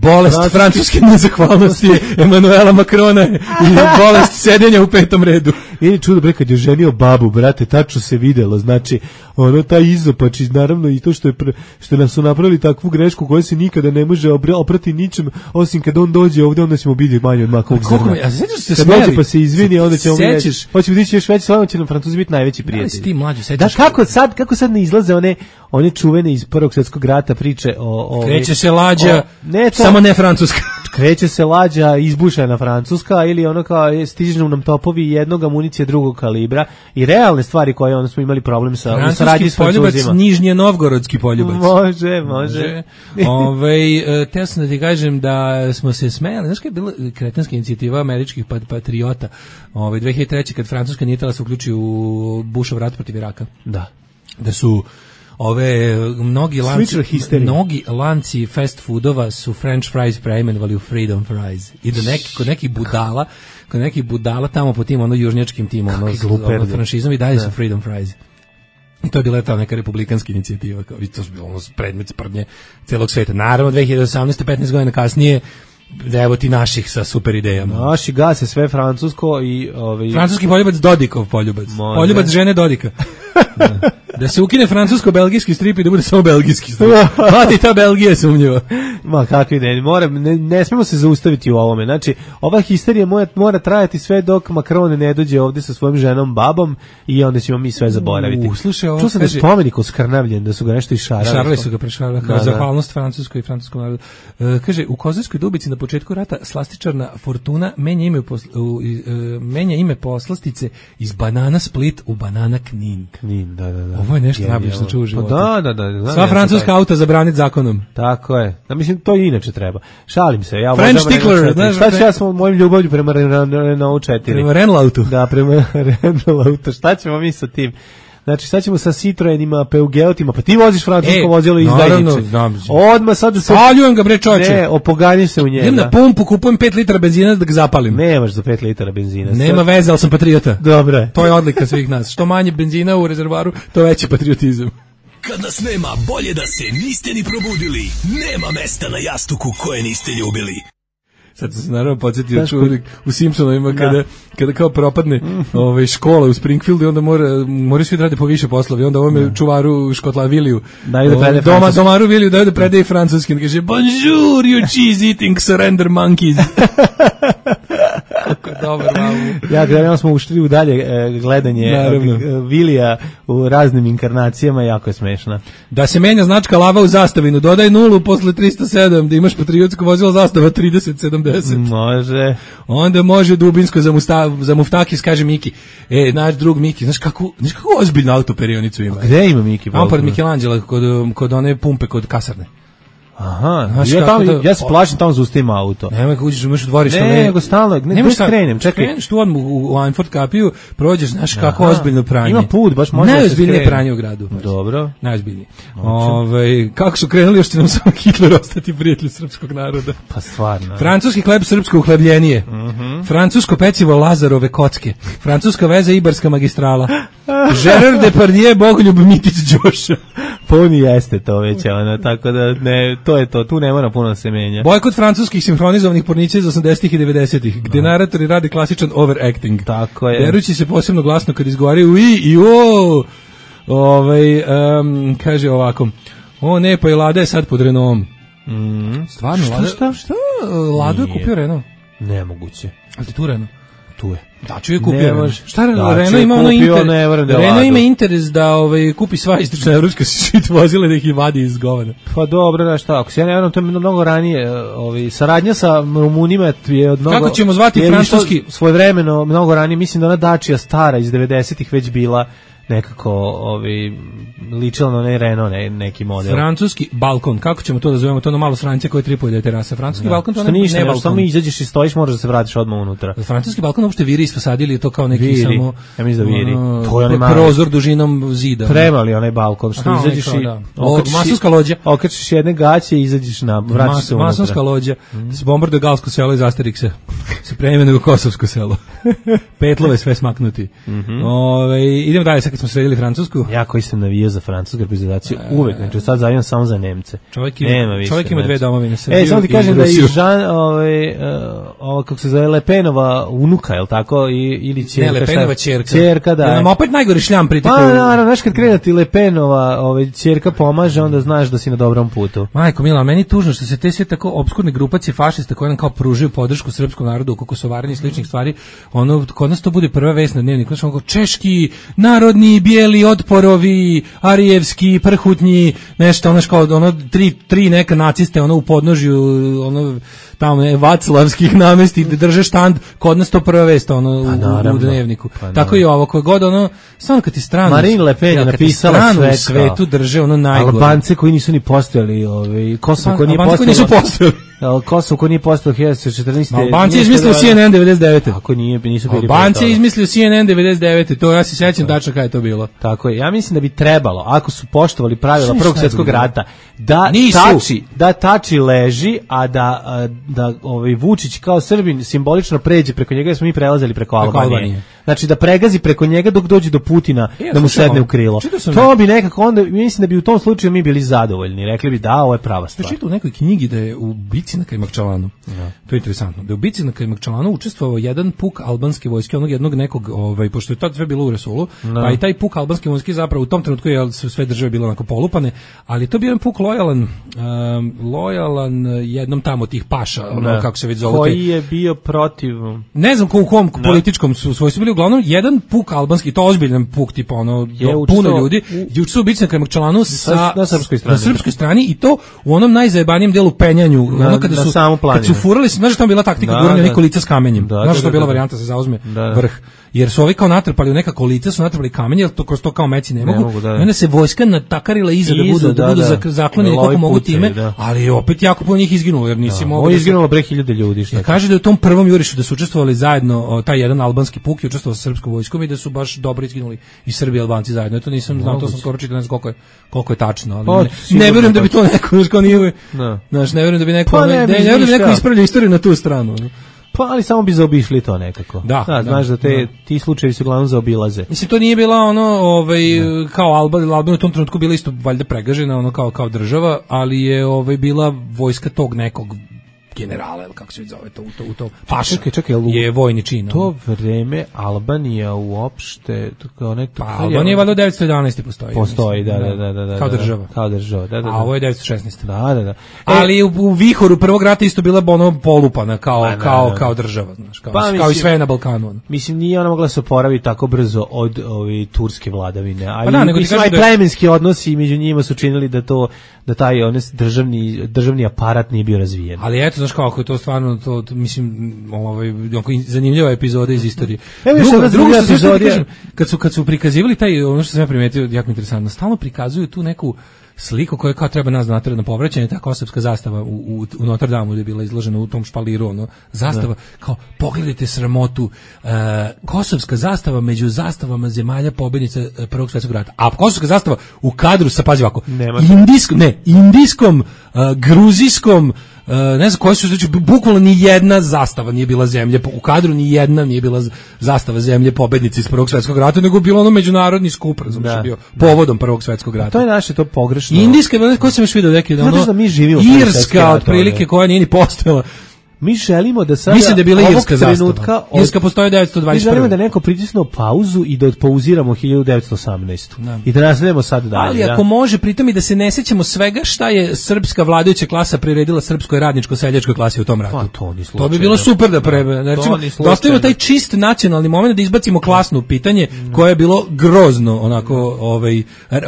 bolest Francuski. francuske nezahvalnosti Emanuela Makrona i bolest sedenja u petom redu. Ili čudo bre kad je ženio babu, brate, tačno se videlo, znači ono taj izopač i naravno i to što je pre, što nam su napravili takvu grešku koja se nikada ne može oprati ničem osim kad on dođe ovde, onda ćemo biti manje od makovog zrna. A sećaš se kad dođe pa se izvini, onda ćemo sećaš hoćemo dići još veći, slavo će nam Francuzi biti najveći prijatelji. Da, ti mlađi sećaš. Da, kako sad kako sad ne izlaze one one čuvene iz Prvog svjetskog rata priče o o kreće se lađa, o, ne to, samo ne francuska. Kreće se lađa izbušena francuska ili ono kao stižu nam topovi jednog amunicije drugog kalibra i realne stvari koje onda smo imali problem sa u saradnji s Francuzima. Nižnje novgorodski poljubac. Može, može. Ovaj teo sam da ti kažem da smo se smejali, znaš kad je bila kretenska inicijativa američkih patriota, ovaj dve hiljade treće kad Francuska nije htjela se uključi u Bushov rat protiv Iraka. Da. Da su ove mnogi lanci mnogi lanci fast foodova su french fries preimenovali u freedom fries i da neki kod nekih budala kod nekih budala tamo po tim ono južnjačkim tim ono, ono franšizom i dalje su freedom fries. I to je bila ta neka republikanska inicijativa, kao i to je bilo ono predmet sprdnje celog sveta. Naravno dve hiljade osamnaeste petnaest godina kasnije evo ti naših sa super idejama. Naši gase sve francusko i ovaj francuski poljubac Dodikov poljubac. Može. Poljubac žene Dodika. Da. Da se ukine francusko-belgijski strip i da bude samo belgijski strip. Pa ti ta Belgija je sumnjiva. Ma kakvi ne, mora, ne, ne smemo se zaustaviti u ovome. Znači, ova histerija mora, mora trajati sve dok Macron ne dođe ovdje sa svojim ženom, babom i onda ćemo mi sve zaboraviti. U, slušaj, ovo čuo sam kaže, da je spomenik oskrnavljen, da su ga nešto išarali. Išarali su ga, prešarali, kao da, zahvalnost da. Francuskoj i francuskom narodu. Uh, kaže, u Kozarskoj Dubici na početku rata slastičarna Fortuna menja ime, posl, u, uh, menja ime poslastice iz Banana Split u Banana Knin. Knin, da, da, da. Ovo je nešto najbolje što čuo u životu. Pa da, da, da. Sva francuska auta zabraniti zakonom. Tako je. Da, mislim, to i inače treba. Šalim se. Ja French Tickler. Šta ću ja s mojim ljubavlju prema Renault četiri? Prema Renault autu. Da, prema Renault autu. Šta ćemo mi sa tim? Znači, sad ćemo sa Citroenima, Peugeotima, pa ti voziš francusko e, vozilo izdajniče. Odmah sad da se... Spaljujem ga, bre, čoče. Ne, opoganjim se u njega. Idem na pumpu, kupujem pet litara benzina da ga zapalim. Nemaš za pet litara benzina. Nema veze, ali sam patriota. Dobro je. To je odlika svih nas. Što manje benzina u rezervaru, to veći patriotizam. Kad nas nema, bolje da se niste ni probudili. Nema mesta na jastuku koje niste ljubili. Sad se naravno podsjetio čuvnik u Simpsonovima kada, kada kao propadne ovaj, škola u Springfieldu i onda mora, moraju svi da rade po više poslovi. Onda ovome čuvaru Škotla Viliju, ovaj, doma, domaru Viliju daju da predaje francuski. Kaže, bonjour, you cheese eating surrender monkeys. Kako dobro, mamu. Ja, gledamo smo ušli u dalje e, gledanje e, Vilija u raznim inkarnacijama, jako je smešna. Da se menja značka lava u zastavinu, dodaj nulu posle tristo sedam, da imaš patriotsko vozilo zastava trideset sedamdeset. Može. Onda može dubinsko za, musta, za muftakis, kaže Miki. E, naš drug Miki, znaš kako, znaš kako ozbiljnu autoperionicu ima? A gde ima Miki? Tamo pored Michelangela, kod, kod one pumpe, kod kasarne. Aha, znaš, ja, tamo, da, ja se plašim tamo zaustavim auto. Nema kako uđeš, imaš u dvorište. Ne, nego stalno, ne, ne krenem, čekaj. Kreneš tu odmah u, u Einfurt kapiju, prođeš, znaš kako ozbiljno pranje. Ima put, baš može da se najozbiljnije pranje u gradu. Dobro. Najozbiljnije. Ove, kako su krenuli, još će nam samo Hitler ostati prijatelj srpskog naroda. Pa stvarno. Francuski hleb, srpsko uhlebljenije. Uh -huh. Francusko pecivo Lazarove kocke. Francuska veza Ibarska magistrala. Gerard Depardieu, Bogoljub Mitić Đoša. Puni jeste to već, ono, tako da ne, to je to, tu ne mora puno se menja. Bojkot francuskih sinhronizovanih pornića iz osamdesetih i devedesetih, gde naratori rade klasičan overacting. Tako je. Derući se posebno glasno kad izgovaraju i i o. Ovaj um, kaže ovako. O ne, pa i Lada je sad pod Renaultom. Mm. Stvarno, šta, Lada, šta? Šta? Lado je kupio Renault. Nemoguće. Ali ti tu Renault? Tu je. Da, čuje kupio. Šta da, Renault ima ono interes? Da Renault ima interes da ovaj kupi sva istočna evropska šit vozila da ih vadi iz govana. Pa dobro, da šta, ako se ja ne verujem, to je mnogo ranije, ovaj saradnja sa Rumunima je od mnogo. Kako ćemo zvati francuski svojevremeno mnogo ranije, mislim da ona Dacia stara iz devedesetih već bila nekako ovaj ličilo na ne Renault ne, neki model. Francuski balkon, kako ćemo to da zovemo, to na malo sranje koje tripolje terasa. Francuski da. balkon to ne, ne, ne balkon. Samo izađeš i stojiš, možeš da se vratiš odmah unutra. Francuski balkon uopšte viri iz viris posadili, to kao neki viri. samo... Ja mislim da viri. Uh, to je onaj mali prozor dužinom zida. Premali onaj balkon, što aha, izađeš i... Da. Masonska lođa. Okačiš jedne gaće i izađeš na... Vraćaš Mas, se unutra. Masonska lođa. Mm. Se bombarduje Galsko selo iz Asterixa. Se preimenuje u Kosovsko selo. Petlove sve smaknuti. Mm -hmm. Ove, idemo dalje, sad kad smo sredili Francusku. Ja koji sam navijao za francusku reprezentaciju, e, uvek, znači sad zavijam samo za Nemce. Čovjek ima, Nema čovjek ima dve domovine. E, samo ti kažem da i Žan, ovaj, uh, ovo, kako se zove, Lepenova unuka, je li tako? I, ili ćerka. Ne, Lepenova ćerka. Ćerka, da. Ja nam opet najgori šljam pritikao. Pa, naravno, znaš kad krene ti Lepenova ovaj, ćerka pomaže, onda znaš da si na dobrom putu. Majko mila, meni tužno što se te sve tako opskurne grupacije fašista koje nam kao pružaju podršku srpskom narodu oko kosovarenja i sličnih stvari, ono, kod nas to bude prva vest na dnevniku, znači ono češki, narodni, bijeli, otporovi, arijevski, prhutnji, nešto, ono kao, ono, tri, tri neka naciste, ono, u podnožju, ono, tamo, ne, vaclavskih namesti, da drže štand, kod nas to prva vest, ono, u, u dnevniku. Pa, tako i ovo, koje god, ono, stvarno kad ti stranu, Marine Le Pen je napisala sve u svetu drže, ono, najgore. Albance koji nisu ni postojali, ovaj, Kosovo koji nije postojalo. nisu postojali. Kosovo koji nije postojalo hiljadu devetsto četrnaeste. Albanci je izmislio C N N devedeset devete. Ako nije, nisu bili. Albanci je izmislio C N N devedeset devete. To ja se sećam tačno kada je to bilo. Tako je. Ja mislim da bi trebalo, ako su poštovali pravila Prvog svjetskog rata, da tači, da tači leži, a da da ovaj Vučić kao Srbin simbolično pređe preko njega, jer smo mi prelazili preko Albanije. Znači da pregazi preko njega dok dođe do Putina, da mu sedne u krilo. To bi nekako onda, mislim da bi u tom slučaju mi bili zadovoljni. Rekli bi da, ovo je prava stvar. Čitao u nekoj knjigi da je u bici na Kajmakčalanu. Ja. To je interesantno. Da je u bici na Kajmakčalanu učestvovao jedan puk albanske vojske, onog jednog nekog, ovaj, pošto je to sve bilo u Resulu, no. Pa i taj puk albanske vojske zapravo u tom trenutku je sve države bilo onako polupane, ali to bio jedan puk lojalan, um, lojalan jednom tamo tih paša, ono kako se već zove. Koji je bio protiv... Ne znam ko u kom no. političkom su svojstvu bili, uglavnom jedan puk albanski, to ozbiljan puk, tipa ono, je puno ljudi, je učestvovao u bici na Kajmakčalanu sa, na srpskoj strani. Na srpskoj strani i to u onom najzajebanijem delu penjanju, na, ono kada su kad su furali, znaš da je bila taktika guranja neko lica s kamenjem. Da, znaš da je bila varijanta se zauzme da, vrh. Jer su ovi kao natrpali u nekako lice, su natrpali kamenje, jer to kroz to kao meci ne mogu. Ne mogu da, da. I onda se vojska natakarila iza, iza da budu, da, da budu da, zaklonjeni koliko mogu time, da. Ali je opet jako puno njih izginulo, jer nisi da, mogao... Ovo je izginulo bre hiljade ljudi. Šta kaže da je u tom prvom jurišu da su učestvovali zajedno, o, taj jedan albanski puk je učestvovao sa srpskom vojskom i da su baš dobro izginuli i Srbi i Albanci zajedno. To nisam znao, to sam skoro čitao, ne znam koliko je, koliko je tačno, ali pa, ne, ne vjerujem da bi to neko, znaš, kao nije, znaš, ne vjerujem da bi neko, pa, ne, ne vjerujem da bi neko ispravljao istoriju na tu stranu. Pa ali samo bi zaobišli to nekako. Da, da, znaš da te da. Ti slučajevi se uglavnom zaobilaze. Mislim to nije bila ono, ovaj da. Kao Alba, Alba u tom trenutku bila isto valjda pregažena ono kao kao država, ali je ovaj bila vojska tog nekog generala, ili kako se zove to, u to, u to paša, čekaj, čekaj, je vojni čin. To vreme Albanija uopšte, kao nek... Pa, Albanija valjda devetsto jedanaeste postoji. Postoji, da, da, da, da. Kao država. Kao država, da, da. A ovo je devetsto šesnaeste. Da, da, da. E, ali u, u vihoru prvog rata isto bila ono polupana, kao, pa, kao, da, da. Kao država, znaš, kao, pa, kao mislim, i sve na Balkanu. Ono. Mislim, nije ona mogla se oporaviti tako brzo od ovi turske vladavine. Ali, pa da, nego mislim, aj da... plemenski odnosi među njima su činili da to, da taj on, državni, državni aparat nije bio razvijen. Ali eto, znaš kako je to stvarno to, to mislim ovaj zanimljiva epizoda iz istorije. Evo druga, druga epizodija kad su kad su prikazivali taj ono što sam ja primetio jako interesantno, stalno prikazuju tu neku sliku koja kao treba nas natjerati na povraćanje, ta kosovska zastava u, u, u Notre Damu je bila izložena u tom špaliru, ono, zastava, da. Kao, pogledajte sramotu, uh, kosovska zastava među zastavama zemalja pobjednica Prvog svjetskog rata, a kosovska zastava u kadru sa, pazi ovako, indijskom, ne, indijskom, uh, gruzijskom, Uh, ne znam koji su, znači, bukvalno ni jedna zastava nije bila zemlje, u kadru ni jedna nije bila zastava zemlje pobednice iz Prvog svjetskog rata, nego bilo ono međunarodni skup, razumiješ, bio povodom Prvog svjetskog rata. To je naše to pogrešno. Indijska, ko sam još vidio neki, da ono, da mi živimo Irska, otprilike, koja nije ni postojala. Mi želimo da sada mislim da je bila irska zastava. Od, irska postoji devetsto dvadeset prve. Mi želimo da neko pritisne pauzu i da odpouziramo hiljadu devetsto osamnaeste. Da. I da nastavimo sad dalje. Ali ako da? može, pritom i da se ne sećamo svega šta je srpska vladajuća klasa priredila srpskoj radničko-seljačkoj klasi u tom ratu. Pa, to, ni to bi bilo super da prebe. Znači, da ostavimo taj čist nacionalni moment, da izbacimo klasno pitanje mm. koje je bilo grozno onako ovaj,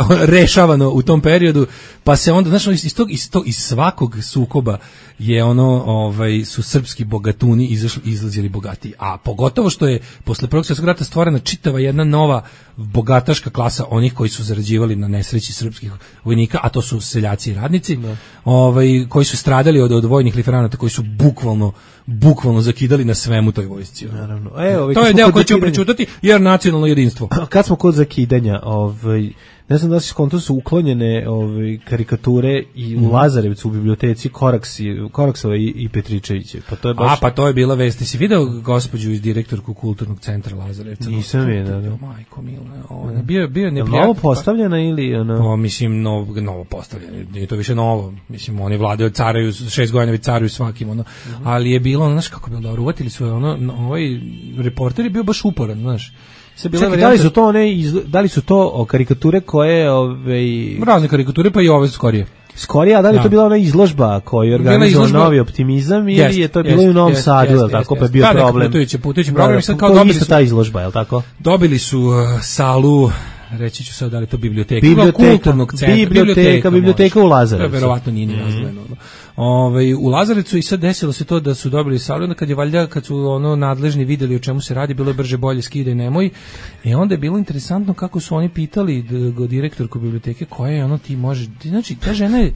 rešavano u tom periodu, pa se onda, znači, iz, tog, iz, tog, iz svakog sukoba je ono, ovaj, su srpski bogatuni izašli, izlazili bogatiji. A pogotovo što je posle Prvog svjetskog rata stvorena čitava jedna nova bogataška klasa onih koji su zarađivali na nesreći srpskih vojnika, a to su seljaci i radnici, da. ovaj, koji su stradali od, od vojnih liferanata, koji su bukvalno bukvalno zakidali na svemu toj vojsci. Naravno. E, ovaj, to je deo koji ćemo pričutati, jer nacionalno jedinstvo. Kad smo kod zakidanja, ovaj, ne znam da se skonto su uklonjene ove karikature i u mm. Lazarevcu u biblioteci Koraksi, Koraksova i, i Petričevića. Pa to je baš... A, pa to je bila vest. Ti si video gospođu iz direktorku kulturnog centra Lazarevca? Nisam vidio, da. Majko mila, ona bio bio neprijatno. Novo postavljena ili ona? Pa mislim novo novo postavljena. Nije to više novo. Mislim oni vladaju caraju šest godina već caruju svakim ono. Mm -hmm. Ali je bilo, znaš kako bilo dobro, uvatili su ono, ovaj reporter je bio baš uporan, znaš. Se bila Čekaj, da li su to one iz, da li su to o, karikature koje ovaj razne karikature pa i ove skorije. Skorije, a da li da. to bila ona izložba koju je organizovao Novi optimizam ili jest, je to bilo jest, u Novom jest, Sadu, jest, tako jest, pa je bio da, problem. Putujući, putujući program, sad kao dobili su ta izložba, je l' tako? Dobili su uh, salu, reći ću sad da li to biblioteka, biblioteka kulturnog centra, biblioteka, biblioteka, biblioteka u Lazarevcu. Verovatno nije ni nazvano. Mm. Ovaj u Lazarevcu i sad desilo se to da su dobili salu, onda kad je valjda kad su ono nadležni videli o čemu se radi, bilo je brže bolje skidaj nemoj. I onda je bilo interesantno kako su oni pitali direktorku biblioteke koja je ono ti može, znači ta žena je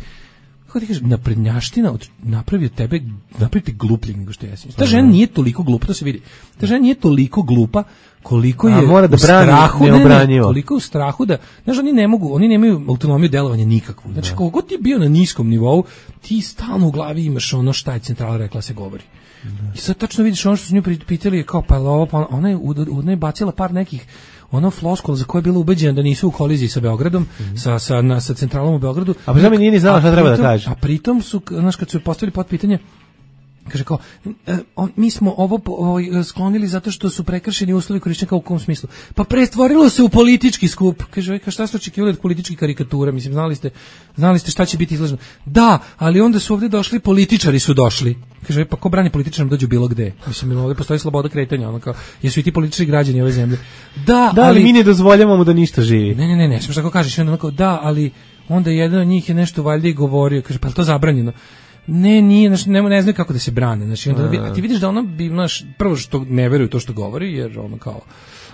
kako ti kažeš, naprednjaština od, napravio tebe, napravite glupljeg nego što jesi. Ta žena nije toliko glupa, to se vidi. Ta žena nije toliko glupa koliko je mora da u brani strahu, ne, ne, koliko u strahu da, znaš, oni ne mogu, oni nemaju autonomiju delovanja nikakvu. Znači, kako god ti bio na niskom nivou, ti stalno u glavi imaš ono šta je centrala rekla se govori. Da. I sad tačno vidiš ono što su nju pitali, kao pa ovo, pa ona je, ona je bacila par nekih ono floskula za koje je bila ubeđena da nisu u koliziji sa Beogradom, mm-hmm. sa, sa, na, sa centralom u Beogradu. A pa mi nije ni znala šta treba da kaže. A pritom su, znaš, kad su postavili pod pitanje, kaže kao, e, on, mi smo ovo, ovo sklonili zato što su prekršeni uslovi korišćenja, u kom smislu? Pa pretvorilo se u politički skup. Kaže, šta ste očekivali od političkih karikatura? Mislim, znali ste, znali ste šta će biti izloženo. Da, ali onda su ovdje došli, političari su došli. Kaže, pa ko brani političarima dođu bilo gde? Mislim, ovdje postoji sloboda kretanja, ono kao, jesu i ti političari građani ove zemlje. Da, da ali, ali mi ne dozvoljavamo da ništa živi. Ne, ne, ne, ne, što kažeš, onda kao, da, ali onda jedan od njih je nešto valjda i govorio, kaže, pa to zabranjeno. Ne, nije, znači ne, ne znaju kako da se brane. Znači onda a ti vidiš da ona bi, znaš, prvo što ne veruju to što govori, jer ono kao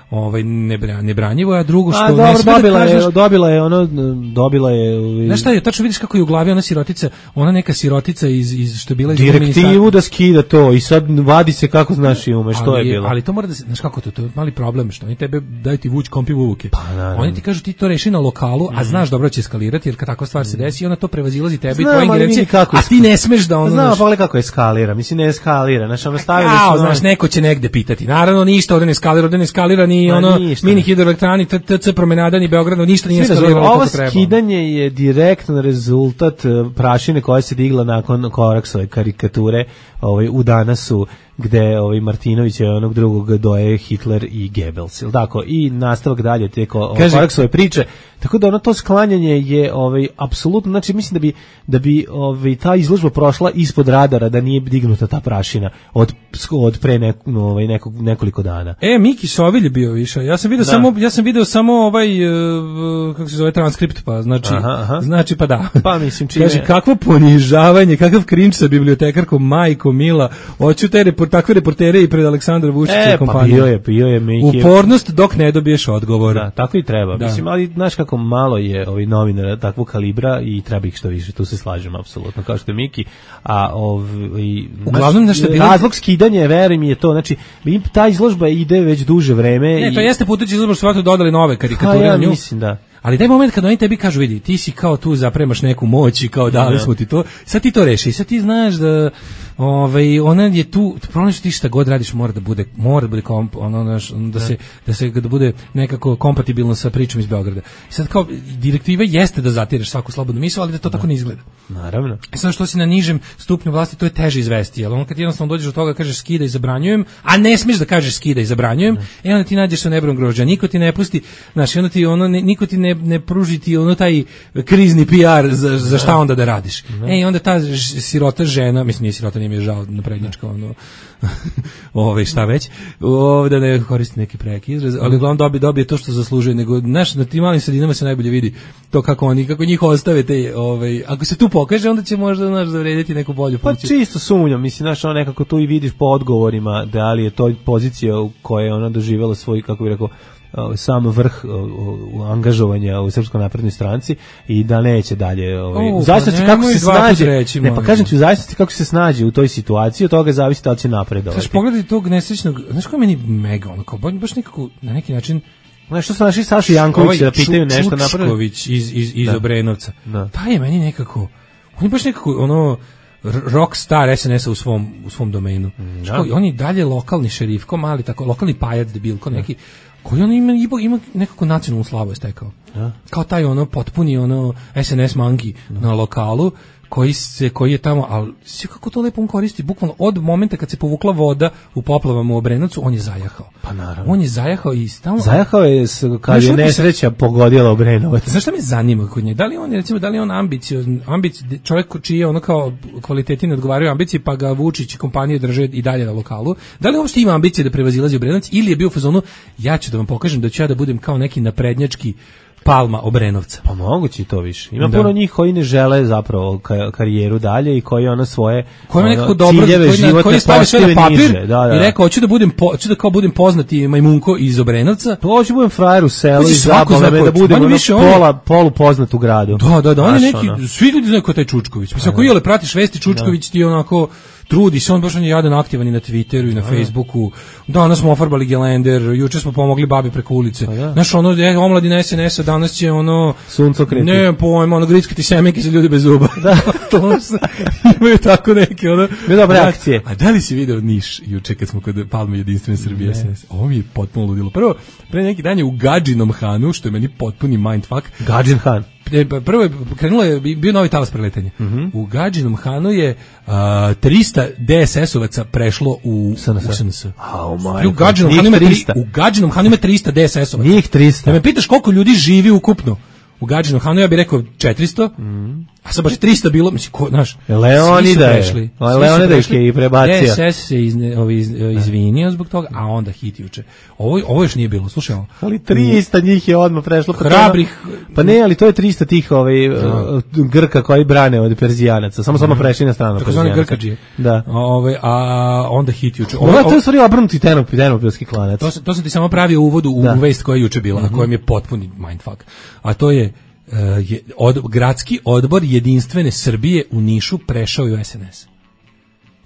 ovaj nebranjivo, a drugo što a, dobro, ne sme dobila da kažeš, je, dobila je ono, dobila je. Znaš šta je, tačno vidiš kako je u glavi ona sirotica, ona neka sirotica iz, iz što je bila iz direktivu da skida to i sad vadi se kako znaš i ume, što je bilo. Ali to mora da se, znaš kako to, to je mali problem, što oni tebe daju ti vuč kompi vuke. Pa, oni ti kažu ti to reši na lokalu, a znaš dobro će eskalirati, jer kad takva stvar se desi, ona to prevazilazi tebe i tvoje ingerencije, a ti ne smeš da ono. Znam, pa kako eskalira, mislim ne eskalira, znači ono stavili su. Znaš, neko će negde pitati. Naravno ništa ovde ne eskalira, ovde ne eskalira ni ono mini hidroelektrani, T C promenada ni Beogradu, ništa nije eskaliralo kako treba. Ovo skidanje je direktan rezultat prašine koja se digla nakon Koraksove karikature ovaj, u Danasu, gde ovaj Martinović je onog drugog doje Hitler i Goebbels, il tako, i nastavak dalje te Koraksove priče, tako da ono to sklanjanje je ovaj apsolutno, znači mislim da bi da bi ovaj ta izložba prošla ispod radara da nije dignuta ta prašina od od pre nek, ovaj nekog nekoliko dana. E Miki Sovilj je bio više. Ja sam video samo ja sam video samo ovaj uh, kako se zove transkript, pa znači aha, aha. znači pa da. Pa mislim čime. Kaže kakvo ponižavanje, kakav cringe sa bibliotekarkom majko mila. Hoću te report, takve reportere i pred Aleksandra Vučića e, kompaniju. Pa bio je, bio je Miki. Upornost dok ne dobiješ odgovor. Da, tako i treba. Da. Mislim, ali znaš kako malo je ovih novinara takvog kalibra i treba ih što više, tu se slažem apsolutno, kao što je Miki, a ovaj uglavnom nešto bilo razlog skidanja, verujem mi je to, znači ta izložba ide već duže vreme. Ne, to i jeste putujući izložba, što dodali nove karikature ja, na nju. Mislim da. Ali taj moment kad oni tebi kažu, vidi, ti si kao tu zapremaš neku moć i kao dali smo ti to, sad ti to reši, sad ti znaš da ovaj ona je tu, problem što ti šta god radiš mora da bude, mora da bude komp, ono naš, da se da se da bude nekako kompatibilno sa pričom iz Beograda. I sad kao direktiva jeste da zatireš svaku slobodnu misao, ali da to da. tako ne izgleda. Naravno. I sad što si na nižem stupnju vlasti, to je teže izvesti, jel on kad jednostavno dođeš do toga kažeš skida i zabranjujem, a ne smiješ da kažeš skida i zabranjujem, e onda ti nađeš sa nebrom grožđa, niko ti ne pusti, znaš, onda ti ono niko ti ne ne, ne pružiti ono taj krizni P R za, za šta onda da radiš. E, i onda ta ž, sirota žena, mislim nije sirota, nije mi je žao naprednjačka, ono, ove, šta već, ovdje ne koristi neki preki izraz, ali uglavnom dobije, dobije to što zaslužuje, nego, znaš, na tim malim sredinama se najbolje vidi to kako oni, kako njih ostave te, ovaj, ako se tu pokaže, onda će možda, znaš, zavrediti neku bolju funkciju. Pa čisto sumnjam, mislim, znaš, ono nekako tu i vidiš po odgovorima da li je to pozicija u kojoj je ona doživjela svoj, kako bih rekao, sam vrh angažovanja u Srpskoj naprednoj stranci i da neće dalje ovaj u zavisnosti pa kako se snađe reći, ne pa kažem ti u zavisnosti kako se snađe u toj situaciji od toga zavisi da li će napredovati. Znaš, pogledaj tog nesrećnog, znaš kako meni mega ono kao baš nekako na neki način. Znaš što su naši Saša Janković da pitaju nešto napraviti? Čučković iz iz iz da. Obrenovca. Da. Taj je meni nekako, on je baš nekako ono rock star S N S-a u svom u svom domenu. Da. On je dalje lokalni šerifko, mali tako lokalni pajac debilko neki. Koji on ima, ima nekako nacionalnu slavu je stekao. Ja. Kao taj ono potpuni ono S N S mangi ja. Na lokalu koji se koji je tamo, ali sve kako to lepo on koristi, bukvalno od momenta kad se povukla voda u poplavama u Obrenovcu, on je zajahao. Pa naravno. On je zajahao i stalno zajahao je kad je nesreća se pogodila Obrenovac. Znaš šta me zanima kod nje? Da li on recimo da li on ambiciozan, ambic čovjek čiji je ono kao kvaliteti ne odgovaraju ambiciji, pa ga Vučić i kompanije drže i dalje na lokalu. Da li uopšte ima ambicije da prevazilazi Obrenovac ili je bio u fazonu ja ću da vam pokažem da ću ja da budem kao neki naprednjački Palma Obrenovca. Pa moguće i to više. Ima da. Puno njih koji ne žele zapravo karijeru dalje i koji ono svoje koji nekako dobro, koji, koji stavi sve na papir niže. Da, da. I rekao hoću da budem po, hoću da kao budem poznati majmunko iz Obrenovca. To hoću da budem frajer u selu i zabavno da budem ono pola polu poznat u gradu. Da, da, da, on je neki ono. Svi ljudi znaju ko taj Čučković. Mislim ako jele pratiš vesti Čučković ti onako trudi se, on baš on je jadan aktivan i na Twitteru i na Facebooku. Danas smo ofarbali gelender, juče smo pomogli babi preko ulice. Znaš, ono, je, omladina S N S-a danas će ono... Suncokreti. Ne, pojma, ono, grickati semenke za ljudi bez zuba. Da. To se, imaju tako neke, ono... Ne dobre akcije. A da li si video Niš juče kad smo kod Palme Jedinstvene Srbije S N S? Ovo mi je potpuno ludilo. Prvo, pre neki dan je u Gadžinom Hanu, što je meni potpuni mindfuck. Gadžin Han. Prvo je krenulo je bio novi talas preletanja. Mm-hmm. U Gadžinom Hanu je uh, trista D S S-ovaca prešlo u S N S. Oh my. U Gadžinom Hanu ima trista. U Gadžinom Hanu ima trista D S S-ovaca. Njih trista. Da me pitaš koliko ljudi živi ukupno u Gadžinom Hanu, ja bih rekao četiristo. Mm. A sad baš je trista bilo, mislim, ko, znaš, Leonida je. Leonida je i prebacio. D S S se iz, ovi, iz, izvinio zbog toga, a onda hit juče. Ovo, ovo još nije bilo, slušaj ovo. Ali trista njih je odmah prešlo. Hrabrih. Pa ne, ali to je trista tih ovaj, no. Grka koji brane od Perzijanaca. Samo samo prešli na stranu Perzijanaca. Grkađije. Da. Ove, a onda hit juče. Ovo, ovo je u stvari obrnuti tenopilski klanac. To, to sam ti samo pravio uvodu u, u vest koja je juče bila, mm-hmm. a koja mi je potpuni mindfuck. A to je Uh, je, od, gradski odbor Jedinstvene Srbije u Nišu prešao u S N S.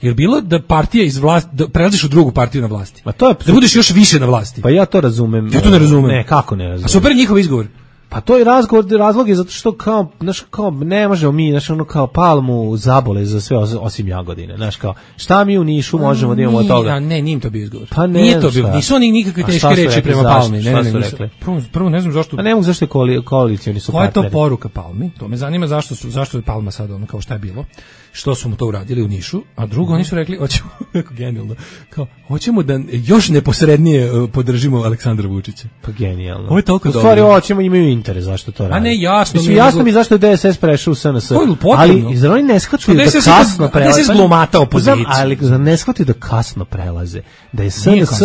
Jer bilo da partija iz vlasti, da prelaziš u drugu partiju na vlasti. Pa to je da budeš još više na vlasti. Pa ja to razumem. Ja to ne razumem. Ne, kako ne razumem. A super njihov izgovor. Pa to je razgovor, razlog je zato što kao, znaš, kao ne možemo mi, znaš, ono kao Palmu zabole za sve osim Jagodine, znaš, kao šta mi u Nišu možemo da imamo od toga? A ne, nije to bio izgovor. Pa ne, nije to bilo, nisu oni nikakve teške reči prema Palmi. Ne, ne, ne, nisu. Prvo, prvo ne znam zašto. A ne mogu zašto je koalicioni su partneri. Koja je to poruka Palmi? To me zanima zašto su, zašto je Palma sad ono kao šta je bilo. Što su mu to uradili u Nišu, a drugo oni su rekli hoćemo kako genijalno. Kao hoćemo da još neposrednije podržimo Aleksandra Vučića. Pa genijalno. Ovo je toliko dobro. U stvari hoćemo imaju interes zašto to rade. A ne jasno mi. Jasno mi zašto je D S S prešao u S N S. Ali izra oni ne shvataju da kasno prelaze. D S S glumata opoziciju. Ali ne shvataju da kasno prelaze. Da je S N S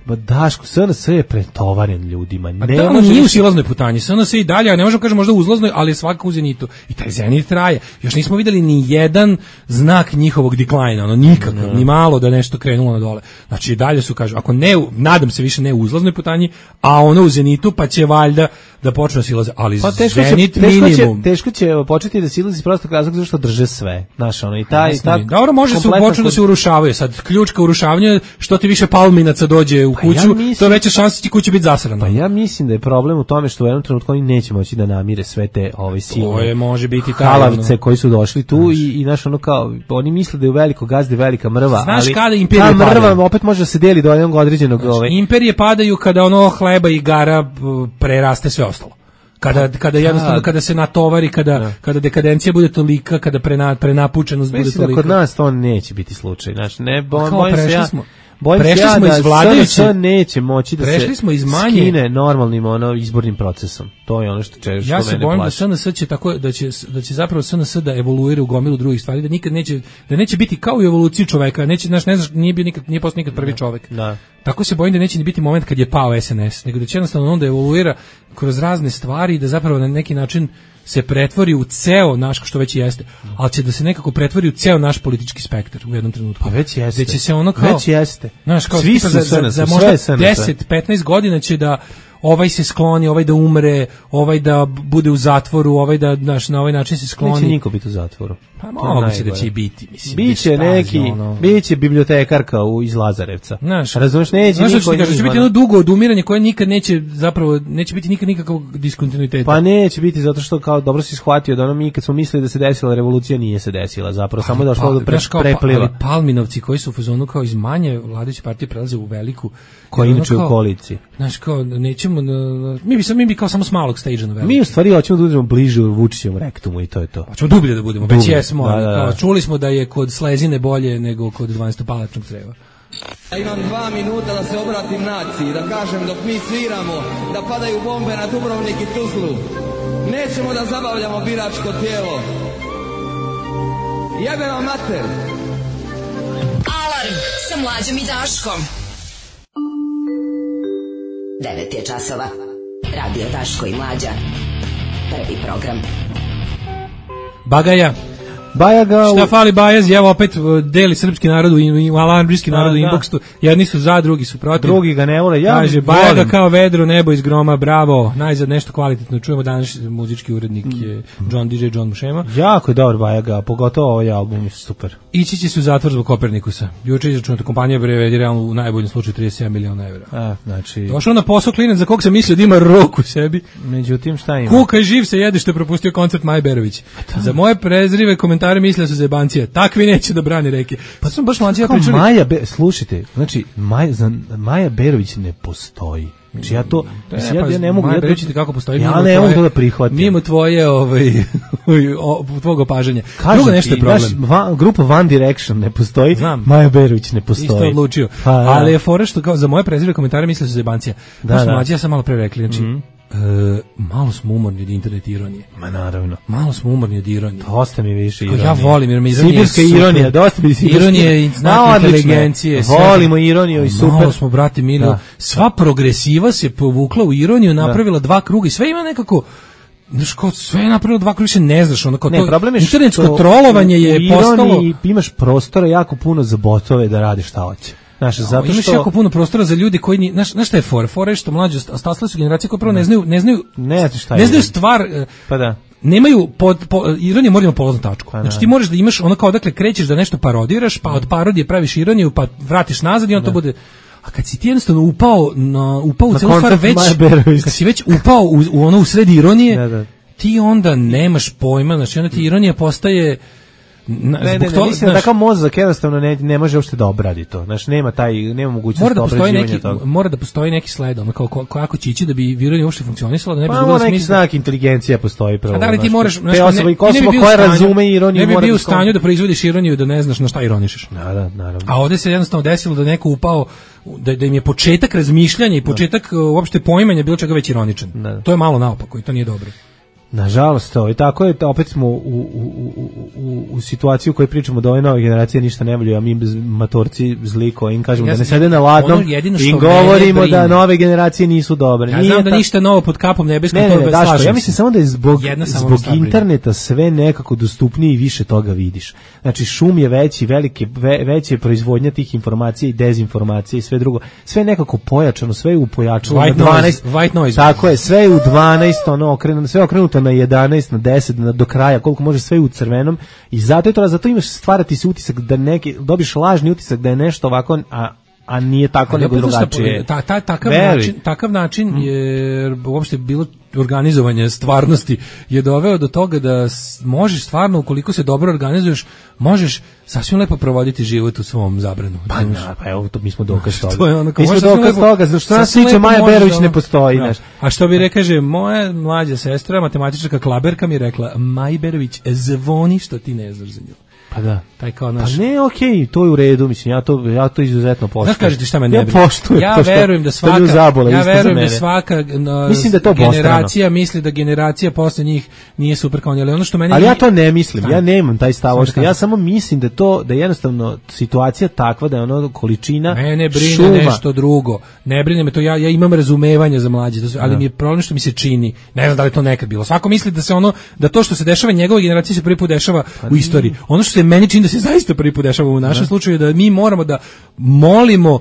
ba Daško, S N S je pretovaren ljudima. Ne da, može nije u silaznoj putanji. S N S je i dalje, a ne možemo kažem možda uzlaznoj, ali je svakako u zenitu. I taj zenit traje. Još nismo videli ni jedan znak njihovog deklajna, ono nikakav, no. Ni malo da nešto krenulo na dole. Znači i dalje su, kažu, ako ne, nadam se više ne u uzlaznoj putanji, a ono u zenitu, pa će valjda da počne silaze, ali pa teško zenit će, minimum. Teško će, teško će početi da silazi prostog razloga zašto drže sve. Znaš, ono i taj tak. Dobro, može se početi da se urušavaju. Sad ključ ka urušavanju, što ti više palminaca dođe u kuću, ja mislim, to veća šansa ti kuća biti zasrana. Pa ja mislim da je problem u tome što u jednom trenutku oni neće moći da namire sve te ove silne. To je može biti taj halavice koji su došli tu znaš. i i naš ono kao oni misle da je u veliko gazde velika mrva, znaš ali kada imperije ta mrva padaju. Opet može da se deli do jednog određenog znaš, ove. Imperije padaju kada ono hleba i igara preraste sve ostalo. Kada kada jednostavno kada se natovari, kada da. kada dekadencija bude tolika, kada prena, prenapučenost bude mislim tolika. Mislim da kod nas to neće biti slučaj. Znači ne bojim se ja. Smo. bojim se prešli ja smo da iz vladajuće, S N S neće moći da prešli se smo iz manje, skine normalnim ono izbornim procesom. To je ono što češ. Ja se bojim da S N S će tako da će da će zapravo S N S da evoluira u gomilu drugih stvari, da nikad neće da neće biti kao u evoluciji čoveka, neće znaš ne znaš nije bio nikad nije postao nikad prvi čovek. Da. Tako se bojim da neće ni biti moment kad je pao S N S, nego da će jednostavno onda evoluira kroz razne stvari i da zapravo na neki način se pretvori u ceo naš, što već jeste, ali će da se nekako pretvori u ceo naš politički spektar u jednom trenutku. Pa već jeste. Da će se ono kao, već jeste. Znaš, kao svi za, su za, za možda deset petnaest godina će da ovaj se skloni, ovaj da umre, ovaj da bude u zatvoru, ovaj da naš na ovaj način se skloni. Neće niko biti u zatvoru. Pa moguće da će i biti, mislim. Biće neki, ono... biće bibliotekarka u iz Lazarevca. Znaš, razumeš, neće znaš niko. Znaš, će biti jedno dugo odumiranje koje nikad neće, zapravo, neće biti nikad nikakvog diskontinuiteta. Pa neće biti, zato što kao dobro si shvatio da ono mi kad smo mislili da se desila revolucija, nije se desila, zapravo ali, samo je došlo pa, do pre, kao, prepliva. Ali Palminovci koji su u fazonu kao iz manje vladajuće partije prelaze u veliku. Koja inače u koaliciji. Znaš, kao, nećemo, mi bi, sam, mi bi kao samo s malog stage na veliku. Mi u stvari hoćemo da budemo bliže u Vučićevom rektumu i to je to. Hoćemo dublje da budemo, već jesmo. Da, da, da. Kao, čuli smo da je kod slezine bolje nego kod dvanaestopalačnog creva. Ja imam dva minuta da se obratim naciji, da kažem dok mi sviramo, da padaju bombe na Dubrovnik i Tuzlu. Nećemo da zabavljamo biračko tijelo. Jebe vam mater! Alarm sa Mlađom i Daškom. devet je časova. Radio Daško i Mlađa. Prvi program. Bagaja. Bajaga šta fali Bajaz, evo opet deli srpski narod u alanbrijski narod u inboxu, jedni su za, drugi su protiv, drugi ga ne vole. Ja kaže Bajaga kao vedro nebo iz groma, bravo, najzad nešto kvalitetno čujemo. Danas muzički urednik je John D J John Mušema, jako je dobar Bajaga, pogotovo ovaj album je super. Ići će se u zatvor zbog Kopernikusa. Juče izračunata kompanija prevedi realno u najboljem slučaju trideset sedam miliona evra. A, znači došao na posao klinac za kog sam mislio da ima rok u sebi, međutim šta ima, kuka i živ se jede što je propustio koncert Maje Berović. Za moje prezrive komentare mislio su zebancije, takvi neće da brani reke. Pa sam baš mlađi ja pričali. Maja, Be, slušajte, znači Maja, za, Maja Berović ne postoji. Znači ja to, ne, ja, pa, ja ne mogu, Maja ja Berović kako postoji. Ja ne mogu to da prihvatim. Mimo tvoje, ovaj, tvog opažanja. Drugo nešto je problem. Naš van, grupa One Direction ne postoji, znam. Maja Berović ne postoji. Isto odlučio. Pa, ja. Ali je fora što kao za moje prezrive komentare mislio su zebancija. Da, da. Mlađi ja sam malo pre rekli, znači, mm-hmm. E, malo smo umorni od internet ironije. Ma naravno. Malo smo umorni od ironije. Dosta mi više ironije. Ja volim jer me ironija sibirska ironija, dosta mi sibirska ironije i znak inteligencije. Volimo ironiju i super. Malo smo, brate mili, sva progresiva se povukla u ironiju, napravila da. dva kruga i sve ima nekako, znaš, kao sve je napravilo dva kruga, ne znaš, ono kao ne, to, problem je internetsko trolovanje je u postalo. Imaš prostora jako puno za botove da rade šta hoće. Znaš, no, zato imaš što jako puno prostora za ljudi koji ni, znaš, znaš šta je fora? Fora je što mlađe stasle su generacije koje prvo ne znaju, ne znaju, ne, šta ne znaju stvar, pa da. Nemaju pod, po, ironija mora imati polaznu tačku. Pa znači ti moraš da imaš ono kao odakle krećeš da nešto parodiraš, pa od parodije praviš ironiju, pa vratiš nazad i on da. to bude. A kad si ti jednostavno upao na upao u celu stvar već, kad si već upao u, u ono u sred ironije, da, da. ti onda nemaš pojma, znači onda ti ironija postaje Na, ne, ne, ne, mislim da takav mozak jednostavno ne, ne može uopšte da obradi to. Znaš, nema taj, nema mogućnosti da obrađivanja toga. Mora da postoji neki sled, ono kao ko, kako će ići da bi ironija uopšte funkcionisala, da ne bi pa, bilo smisla. Pa neki znak inteligencija postoji pravo. A da li ti moraš, znaš, te osobe i osoba koja razume ironiju, ne bi bio u stanju da proizvodiš ironiju da ne znaš na šta ironišeš. Da, da, naravno. A ovde se jednostavno desilo da neko upao, da, da im je početak razmišljanja i početak da. uopšte poimanja bilo čega već ironičan. Da. To je malo naopako i to nije dobro. Nažalost, to i tako je, opet smo u, u, u, u, u situaciju u kojoj pričamo da ove nove generacije ništa ne volju, a mi matorci zli koji im kažemo ja da ne sede na ladnom i govorimo da nove generacije nisu dobre. Ja znam da ta... ništa novo pod kapom nebeskom, ne, to ne, daško, ja mislim samo da je zbog, zbog stavljena. interneta sve nekako dostupnije i više toga vidiš. Znači šum je veći, velike, ve, veće proizvodnja tih informacija i dezinformacija i sve drugo. Sve je nekako pojačano, sve je upojačalo white na dvanaest. Noise, white noise. Tako je, sve je u dvanaest, ono, okrenuto, sve je okrenuto na jedanaest, na deset, na do kraja, koliko može sve u crvenom i zato je to, zato imaš stvarati se utisak da neki, dobiš lažni utisak da je nešto ovako, a, a nije tako, a nego drugačije. Ta, ta, takav, način, takav način mm. je uopšte bilo organizovanje stvarnosti je doveo do toga da možeš stvarno, ukoliko se dobro organizuješ, možeš sasvim lepo provoditi život u svom zabranu. Pa, na, pa evo, to mi smo dokaz toga. To je ono, mi smo dokaz toga, zašto nas tiče Maja Berović ne postoji. No. A što bi rekaže, moja mlađa sestra, matematičarka Klaberka mi je rekla, Maja Berović zvoni što ti ne znaš za nju. Pa da. Taj kao naš. Pa ne, okej, okay, to je u redu, mislim, ja to ja to izuzetno poštujem. Znaš, kažete šta me ne ja brine? Poštujem, ja pošto, verujem da svaka zabola, ja verujem da svaka no, mislim da to generacija misli da generacija posle njih nije super kao oni, ali ono što meni ali ja to ne mislim, Stani. ja nemam taj stav, što ja samo mislim da to da je jednostavno situacija takva da je ono količina mene brine šuma. Nešto drugo. Ne brine me to, ja ja imam razumevanje za mlađe, ali da. mi je problem što mi se čini. Ne znam da li to nekad bilo. Svako misli da se ono da to što se dešava njegovoj generaciji se prvi put dešava pa u istoriji. Ono što se meni čini da se zaista prvi put dešava u našem da. slučaju da mi moramo da molimo uh,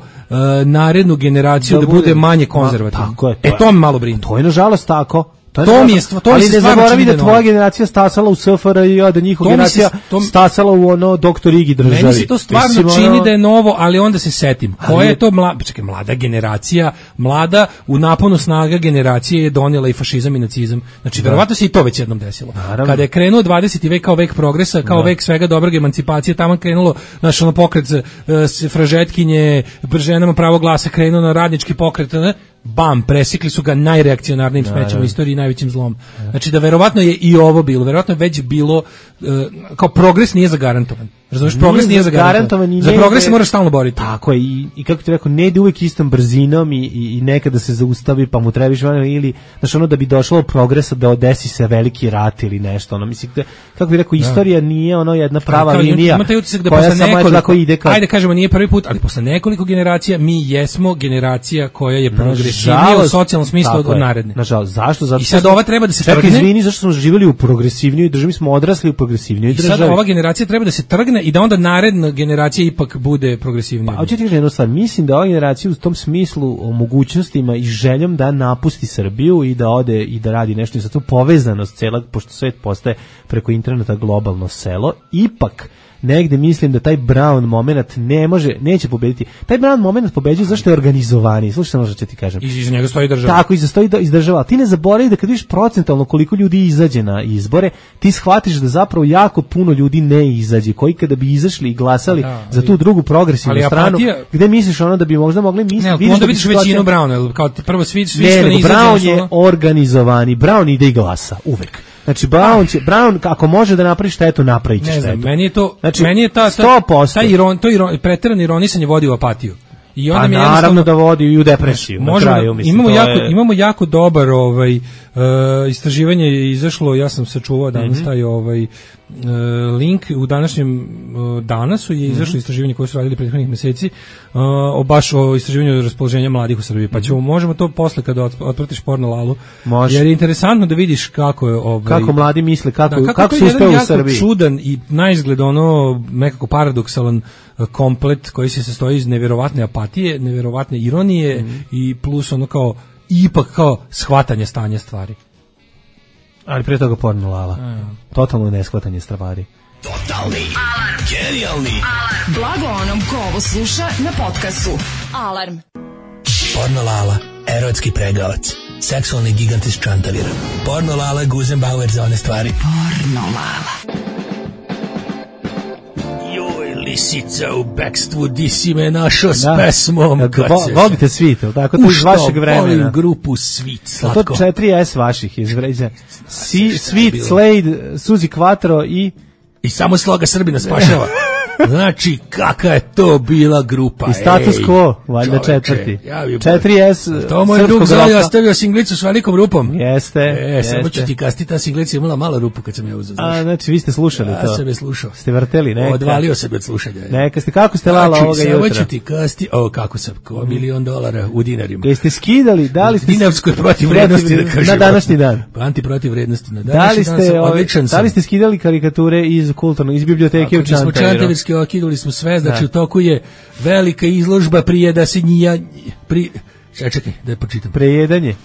narednu generaciju da, da bude manje konzervativna. Tako je, to e to me malo brine. To je nažalost tako. To, to mi je stvo, to ali mi se ne zaboravi da tvoja novo. generacija stasala u S F R J, da njihova generacija se, to, stasala u ono doktor Igi državi. Meni se to stvarno Mislim, čini ono... da je novo, ali onda se setim. Koja je to mlada, čekaj, mlada generacija, mlada u naponu snaga generacije je donijela i fašizam i nacizam. Znači, da. verovatno se i to već jednom desilo. Naravno. Kada je krenuo dvadeseti vek kao vek progresa, kao da. vek svega dobrog emancipacije, tamo krenulo naš ono pokret uh, fražetkinje, ženama pravo glasa, krenuo na radnički pokret, ne? Bam, presikli su ga najreakcionarnijim smećem u istoriji i najvećim zlom. Znači da verovatno je i ovo bilo, verovatno je već bilo, uh, kao progres nije zagarantovan. Razumeš, progres nije zagarantovan. Za progres se moraš stalno boriti. Tako je, i, i kako ti rekao, ne ide uvijek istom brzinom i, i, i nekada se zaustavi pa mu trebaš ili, znaš, ono da bi došlo do progresa da odesi se veliki rat ili nešto, ono, mislim, da, kako bi rekao, istorija da. nije ono jedna prava kao, linija ima taj utisak da posle nekoliko, ide kao... ajde kažemo nije prvi put, ali posle nekoliko generacija mi jesmo generacija koja je progresivnija u socijalnom smislu od, od naredne. Nažalost, zašto? Zato I sad ova treba da se trgne. Čekaj, izvini, zašto smo živjeli u progresivnijoj državi, smo odrasli u progresivnijoj državi. I sad ova generacija treba da se trgne i da onda naredna generacija ipak bude progresivnija. Pa, hoću ti reći jednu stvar, mislim da ova generacija u tom smislu o mogućnostima i željom da napusti Srbiju i da ode i da radi nešto i sa tu povezanost cela, pošto svet postaje preko interneta globalno selo, ipak negde mislim da taj Brown moment ne može, neće pobediti. Taj Brown moment pobeđuje zašto je organizovani. Slušaj samo što ću ti kažem. I iza njega stoji država. Tako, iza stoji iz država. Ti ne zaboravi da kad vidiš procentalno koliko ljudi izađe na izbore, ti shvatiš da zapravo jako puno ljudi ne izađe, koji kada bi izašli i glasali da, ali, za tu drugu progresivnu stranu, apatija, gde misliš ono da bi možda mogli misliti... Ne, vidiš onda vidiš većinu Browna, kao prvo svi, svi ne, što ne izađe. Brown je organizovani, Brown ide i glasa, uvek. Znači Brown će Brown kako može da napravi štetu, napraviće štetu. Ne znam, meni je to znači, meni je ta sto posto taj iron, to iron, preterano ironisanje vodi u apatiju. I onda pa mi naravno da vodi i u depresiju. Na kraju, mislim, imamo jako je... imamo jako dobar ovaj uh, istraživanje je izašlo, ja sam sačuvao danas mm-hmm. taj ovaj uh, link u današnjem uh, danasu je izašlo mm-hmm. istraživanje koje su radili prethodnih meseci uh, o baš o istraživanju raspoloženja mladih u Srbiji. Pa ćemo možemo to posle kada otpratiš porno lalu. Može. Jer je interesantno da vidiš kako je ovaj kako mladi misle, kako da, kako, kako se uspeo u Srbiji. Čudan i naizgled ono nekako paradoksalan komplet koji se sastoji iz neverovatne apatije, neverovatne ironije mm. i plus ono kao ipak kao shvatanje stanja stvari. Ali prije toga porno lala. Mm. Totalno neshvatanje stvari. Totalni alarm. Genijalni alarm. Blago onom ko ovo sluša na podcastu. Alarm. Porno lala, erotski pregavac, seksualni gigant iz Čantavira. Porno lala, Guzenbauer za one stvari. Porno lala. Lisica u bekstvu, di si me našo s pesmom. Vo, volite Svit, tako to iz vašeg vremena. Volim grupu Svit, slatko. To četiri S vaših izvređa. Si, Svit, Slade, Suzi Quattro i... I samo Sloga Srbina spašava. Znači, kakva je to bila grupa. I Status Quo, valjda četvrti. Ja četiri S to moj drug Zoli ostavio singlicu s velikom rupom. Jeste. E, jeste. Samo ću ti kasti, ta singlica imala malo rupu kad sam je uzeo. A, znači, vi ste slušali ja, to. Ja sam je slušao. Ste vrteli, neka. Odvalio sam od slušanja. Neka ste, kako ste lala znači, ovoga jutra? Samo ću ti kasti, o, kako sam, ko milion dolara u dinarima. Jeste skidali, da li ste... Dinarskoj protiv vrednosti, da kažem. Na današnji dan. Pa antiprotiv vrednosti. Na današnji dan sam odličan sam. Da li ste skidali karikature iz kulturnog, iz biblioteke u Čantaviru? Smo Čantavirski okidali smo sve, znači u toku je velika izložba prije da se njija... Pri, čekaj, čekaj, da počitam. Prejedanje.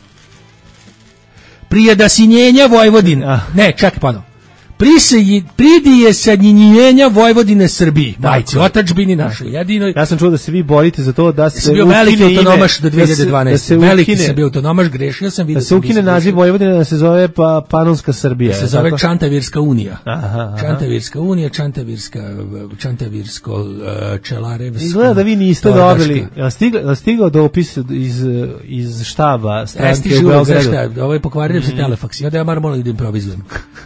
Prije da sinjenja Vojvodine. Ah. Ne, čekaj, pa no. Prisije, pridije sadnjenjenja Vojvodine Srbiji. Majci, otačbini našoj, jedinoj. Ja sam čuo da se vi borite za to da se ukine ime. Veliki autonomaš do dve hiljade dvanaeste. Da se, da se veliki ukine, sam bio autonomaš, grešio sam. Da se ukine naziv Vojvodine, da se zove pa Panonska Srbija. Da se zove tako? Čantavirska unija. Aha, aha. Čantavirska unija, Čantavirska, Čantavirsko, uh, Čelarevsko. Izgleda da vi niste dobili. Ja stigao, stigao dopis iz, iz štaba stranke u Beogradu. Ovo je pokvario se telefaks. I onda ja moram malo da improvizujem.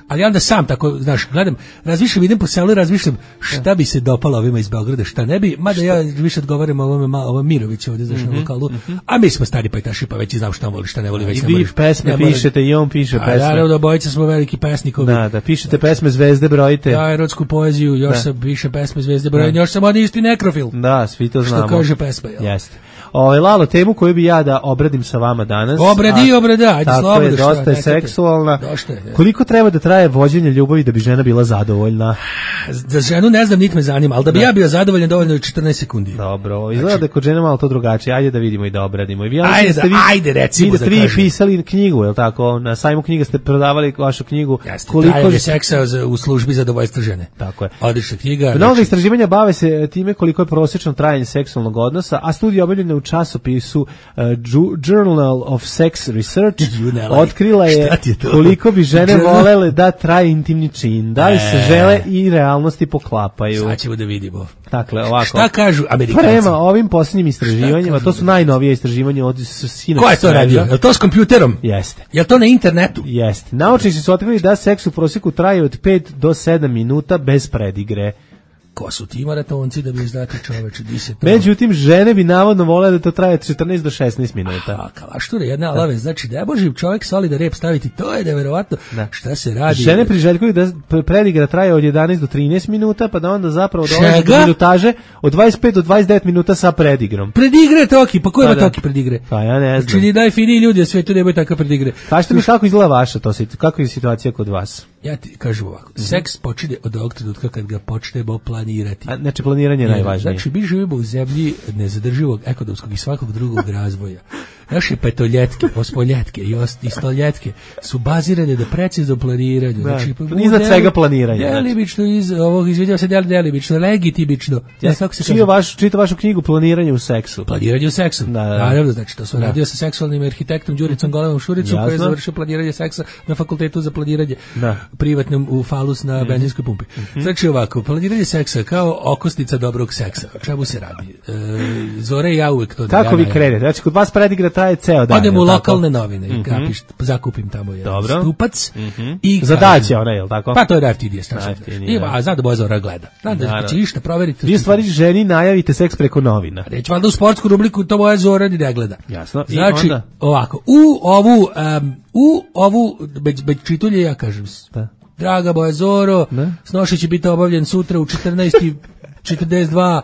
Ali onda sam tako onako, znaš, gledam, razmišljam, idem po selu i razmišljam šta bi se dopalo ovima iz Beograda, šta ne bi, mada ja više odgovaram ovome, ovom Miroviću ovdje, znaš, na lokalu, a mi smo stari pajtaši, pa već i znam šta voli, šta ne voli, već i vi pesme pišete i on piše pesme. A naravno, obojica smo veliki pesnikovi. Da, da, pišete pesme Zvezde brojite. Ja, erotsku poeziju, još sam piše pesme Zvezde brojite, još sam oni isti nekrofil. Da, svi to znamo. Što kaže pesma, jel? Jeste. Ove, Lalo, temu koju bi ja da obradim sa vama danas. Obradi, obrada, ajde slobodno. Tako je, dosta je seksualna. Koliko treba da traje vođenje ljubavi da bi žena bila zadovoljna? Za ženu ne znam, niti me zanima, ali da bi da. ja bio zadovoljan dovoljno je četrnaest sekundi. Dobro, izgleda da je kod žene malo to drugačije. Ajde da vidimo i da obradimo. I vi, ajde, da, vi, ajde, recimo da ste vi pisali knjigu, je li tako? Na sajmu knjiga ste prodavali vašu knjigu. Jeste, koliko trajanje seksa za, u službi zadovoljstva žene. Tako je. Odlična knjiga. Mnogo istraživanja bave se time koliko je prosječno trajanje seksualnog odnosa, a studija objavljena u časopisu Uh, Journal of Sex Research otkrila je, je koliko bi žene volele da traje intimni čin. Da li se e. žele i realnosti poklapaju. Sad ćemo da vidimo. Dakle, ovako. Šta kažu Amerikanci? Prema ovim posljednjim istraživanjima, to su najnovije istraživanja od sinoć. Ko je to radio? Je to s kompjuterom? Jeste. Je to na internetu? Jeste. Naučnici su otkrili da seks u prosjeku traje od pet do sedam minuta bez predigre. Ko su ti maratonci da bi izdati čoveče, di se to... Međutim, žene bi navodno vole da to traje od četrnaest do šesnaest minuta. A, kalašture, jedna alave, znači da je boživ čovjek soli da rep staviti, to je neverovatno. Da. Šta se radi? Žene priželjkuju da predigra traje od jedanaest do trinaest minuta, pa da onda zapravo dolazi do minutaže od dvadeset pet do dvadeset devet minuta sa predigrom. Predigre toki, pa ko ima toki predigre? Pa ja ne znam. Znači, daj fini ljudi, a svetu nemoj takav predigre. Kažete mi kako izgleda vaša to, kako je situacija kod vas? Ja ti kažem ovako, mm-hmm. seks počinje od ovog trenutka kad ga počnemo planirati. A, znači planiranje je najvažnije. Znači mi živimo u zemlji nezadrživog ekonomskog i svakog drugog razvoja. Naše petoljetke, osmoljetke i, i stoljetke su bazirane na preciznom planiranju. Da. Znači, iznad svega planiranja. Delimično, iz ovog, izviđao se del, delimično, legitimično. Ja, kako se čita, vaš, čita vašu knjigu Planiranje u seksu. Planiranje u seksu. Da, da. Naravno, znači to sam da. radio sa seksualnim arhitektom Đuricom Golemom Šuricom, koji je završio planiranje seksa na fakultetu za planiranje da. privatnom u Falus na mm-hmm. benzinskoj pumpi. Mm-hmm. Znači ovako, planiranje seksa kao okosnica dobrog seksa. O čemu se radi? E, Zore i ja uvek to... Kako vi krenete? Znači, kod vas predigra traje ceo dan. Odem u lokalne novine i kapiš, zakupim tamo jedan stupac. Mm-hmm. I zadaće ona, je li tako? Pa to je najjeftinije strašno. A zna da boja Zora gleda. Zna da će išta proveriti. Vi u stvari ženi najavite seks preko novina. Reći valjda u sportsku rubriku to boja Zora ni ne gleda. Jasno. Znači, ovako, u ovu, um, u ovu, bez, bez čitulje ja kažem, da. Draga boja Zoro, snošaj će biti obavljen sutra u četrnaest četrdeset dva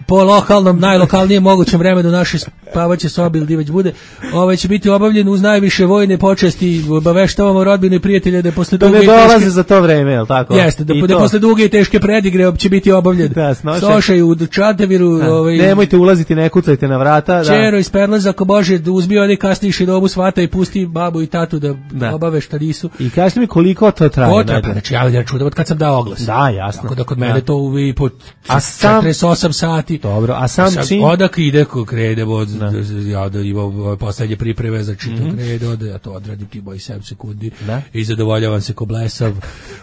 po lokalnom, najlokalnijem mogućem vremenu naše spavaće sobi ili već bude, ovaj će biti obavljen uz najviše vojne počasti, obaveštavamo rodbine i prijatelje da je posle duge i teške... dolaze za to vreme, je li tako? Jeste, da, da posle duge i teške predigre će biti obavljen. Da, snošaj u Čantaviru. Ovaj, nemojte ulaziti, ne kucajte na vrata. Čero da. Iz Perleza, ako Bože, da uzmi oni kasniji šinobu svata i pusti babu i tatu da, da. obave šta nisu. I kažete mi koliko to traje? Potreba, znači ja ja čudam od kad sam dao oglas. Da, jasno. Tako da kod mene to uvi po četrdeset osam sati. Dobro, a sam čin? Odak ide ko krede, od, ja da imam poslednje pripreme za čito mm-hmm. krede, onda ja to odradim ti moj sedam sekundi da. I zadovoljavam se ko blesav,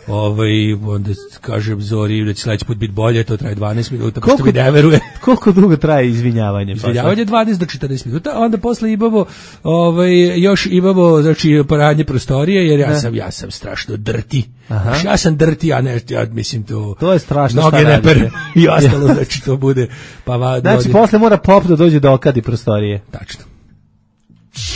ovaj, onda kažem Zori da će sledeći put biti bolje, to traje dvanaest minuta, pošto mi ne veruje. Koliko dugo traje izvinjavanje? Izvinjavanje dvanaest do četrnaest minuta, onda posle imamo, ovaj, još imamo, znači, paranje prostorije, jer ja sam, ja sam strašno drti. Aha. Ja sam drti, a ne, ja mislim to... To je strašno šta radite. Noge ne per i ostalo, znači to bude... Pa va, znači, dođe. Posle mora pop da dođe do okadi prostorije. Tačno.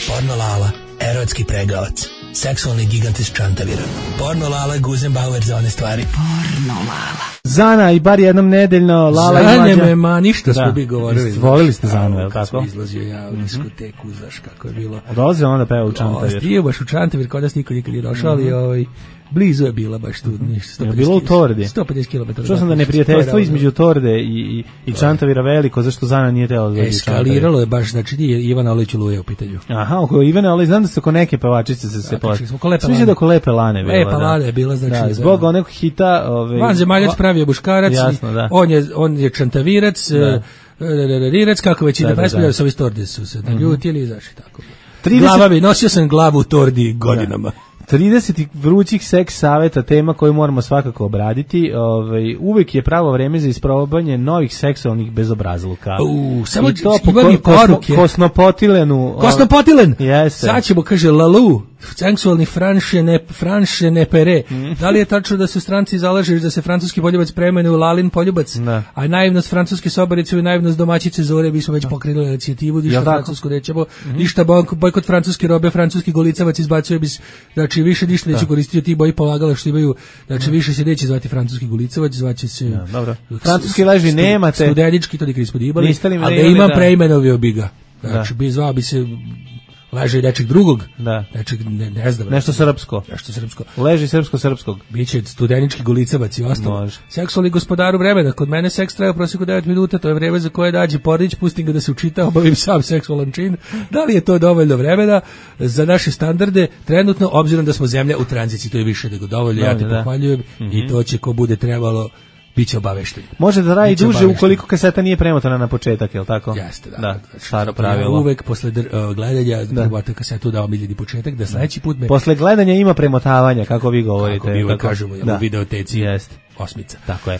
Porno Lala, erotski pregavac, seksualni gigant iz Čantavira. Porno Lala, Guzenbauer za one stvari. Porno Lala. Zana i bar jednom nedeljno Lala i Mlađa. Zane me, ma ništa smo bi govorili. Volili ste Zanu, je li tako? Kad izlazio ja u diskoteku, znaš kako je bilo. Dolazio onda peva u Čantavir. Stio baš u Čantavir, kod nas niko nikad je došao, ali ovaj... Blizu je bila baš tu, ništa. Je bilo u Tordi? sto pedeset kilometara. Čuo sam da neprijateljstvo između Torde i, i, i Čantavira veliko, zašto Zana nije tela da dođe u Čantavir? Eskaliralo je baš, znači nije Ivana Olić Luje u pitanju. Aha, oko Ivana Olić, znam da se oko neke pevačice se se plaši. Sviđa da oko Lepe Lane bila. Lepa Lane je bila, znači. Da, zbog onog hita... Ove, Vanzemaljac pravio buškarac, jasno, da. On, je, on je Čantavirac, Rirac, kako već ide pesme, sa ovi Tordi su se naljutili, znaš i tako. Glava bi, nosio sam glavu u Tordi godinama. trideset vrućih seks saveta, tema koju moramo svakako obraditi. Ovaj, uvek je pravo vreme za isprobanje novih seksualnih bezobrazluka. U, samo i to po ko, kosno, kosnopotilenu. Kosnopotilen? Jeste. Sad ćemo, kaže, Lalu, seksualni franše ne, franše ne pere. Mm. Da li je tačno da su stranci zalažeš da se francuski poljubac preimenuje u Lalin poljubac? Ne. A naivnost francuske sobarice i naivnost domaćice Zore bi smo već pokrenuli inicijativu, ništa ja, francusku nećemo, mm-hmm. ništa bojkot francuske robe, francuski golicavac izbacuje bi, znači više ništa neće koristiti ti boji polagala što imaju, znači više se neće zvati francuski golicavac, zvaće se ja, dobro. Francuski leži stu, nemate. Studenički, to nikad nismo dibali, ali da imam da. Preimenovio bi ga. Znači, bi zvao bi se leže nečeg drugog, da. nečeg, ne, ne znam. Nešto srpsko. Nešto srpsko. Leži srpsko-srpskog. Biće studenički golicavac i ostalo. Seksualni gospodaru vremena. Kod mene seks traje u prosjeku devet minuta, to je vreme za koje dađe porodić, pustim ga da se učita, obavim sam seksualan čin. Da li je to dovoljno vremena za naše standarde? Trenutno, obzirom da smo zemlja u tranziciji, to je više nego dovoljno, ja te pohvaljujem mm-hmm. i to će ko bude trebalo biće obavešten. Može da radi duže ukoliko kaseta nije premotana na početak, je li tako? Jeste, da. da staro pravilo. Ja uvek posle dr- uh, gledanja trebate kasetu da omiljeni početak, da sledeći put me... Posle gledanja ima premotavanja, kako vi govorite. Kako mi uvek kažemo, u videoteci. Jeste. Osmica. Tako je.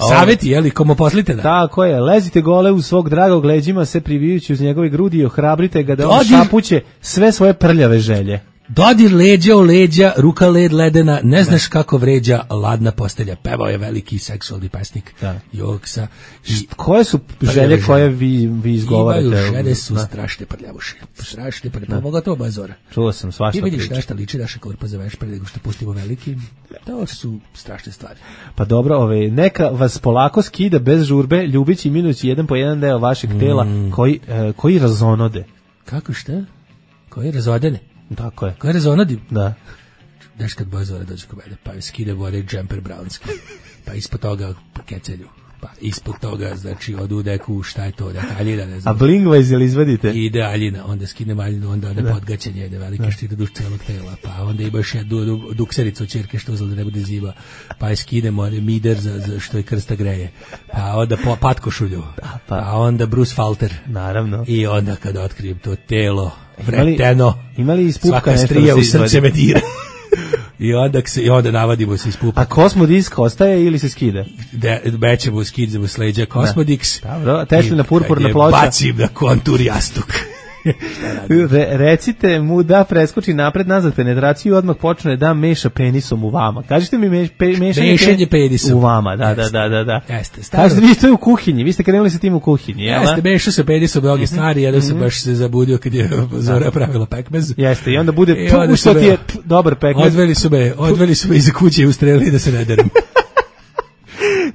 Savjeti, je li, komu poslite da? Tako je, lezite gole u svog dragog leđima, se privijući uz njegove grudi i ohrabrite ga da on šapuće sve svoje prljave želje. Dodir leđa o leđa, ruka led ledena, ne znaš ne. kako vređa ladna postelja. Pevao je veliki seksualni pesnik Joksa. I koje su želje koje vi, vi izgovarate? Imaju žene su da. strašne prljavuše. Strašne prljavuše. Pogotovo bazora. Čuo sam svašta. Ti vidiš nešto liči naša korpa za veš pre nego što pustimo veliki. To su strašne stvari. Pa dobro, ove, neka vas polako skida bez žurbe, ljubići minući jedan po jedan deo vašeg mm. tela koji, uh, koji razonode. Kako šta? Koji razodene? Tako je. Koja rezonadi? Da. Znaš kad Bozora dođe kod mene, pa skide vode džemper brownski, pa ispod toga kecelju, pa ispod toga, znači, odu neku, šta je to, neka aljina, ne znam. A blingvajz ili izvadite? Ide aljina, onda skinem aljinu, onda onda podgaćenje, jedne velike štite duž celog tela, pa onda imaš jednu du, duksericu od čerke što uzela da ne bude zima, pa skidemo one mider za, za što je krsta greje, pa onda po, patkošulju, da, pa. pa onda Bruce Falter. Naravno. I onda kad otkrijem to telo, vreteno, imali ispupka svaka strija u srce me dira. I onda, se, I onda navadimo se iz pupa. A kosmodisk ostaje ili se skide? Bećemo, skidemo s leđa Kosmodiks. Dobro, Teslina purpurna ploča. Bacim na kontur jastuk. Re, recite mu da preskoči napred nazad penetraciju i odmah počne da meša penisom u vama. Kažite mi meš, pe, mešanje, mešanje penisom u vama, da, da, da, da, da. Jeste, staro. Kažete vi to je u kuhinji, vi ste krenuli sa tim u kuhinji, jel? Jeste, mešao se penisom mnoge mm-hmm. stvari, jedan mm-hmm. se baš se zabudio kad je Zora pravila pekmez. Jeste, i onda bude, tu što ti je p, dobar pekmez. Odveli su me, odveli su me iza kuće i ustrelili da se ne deram.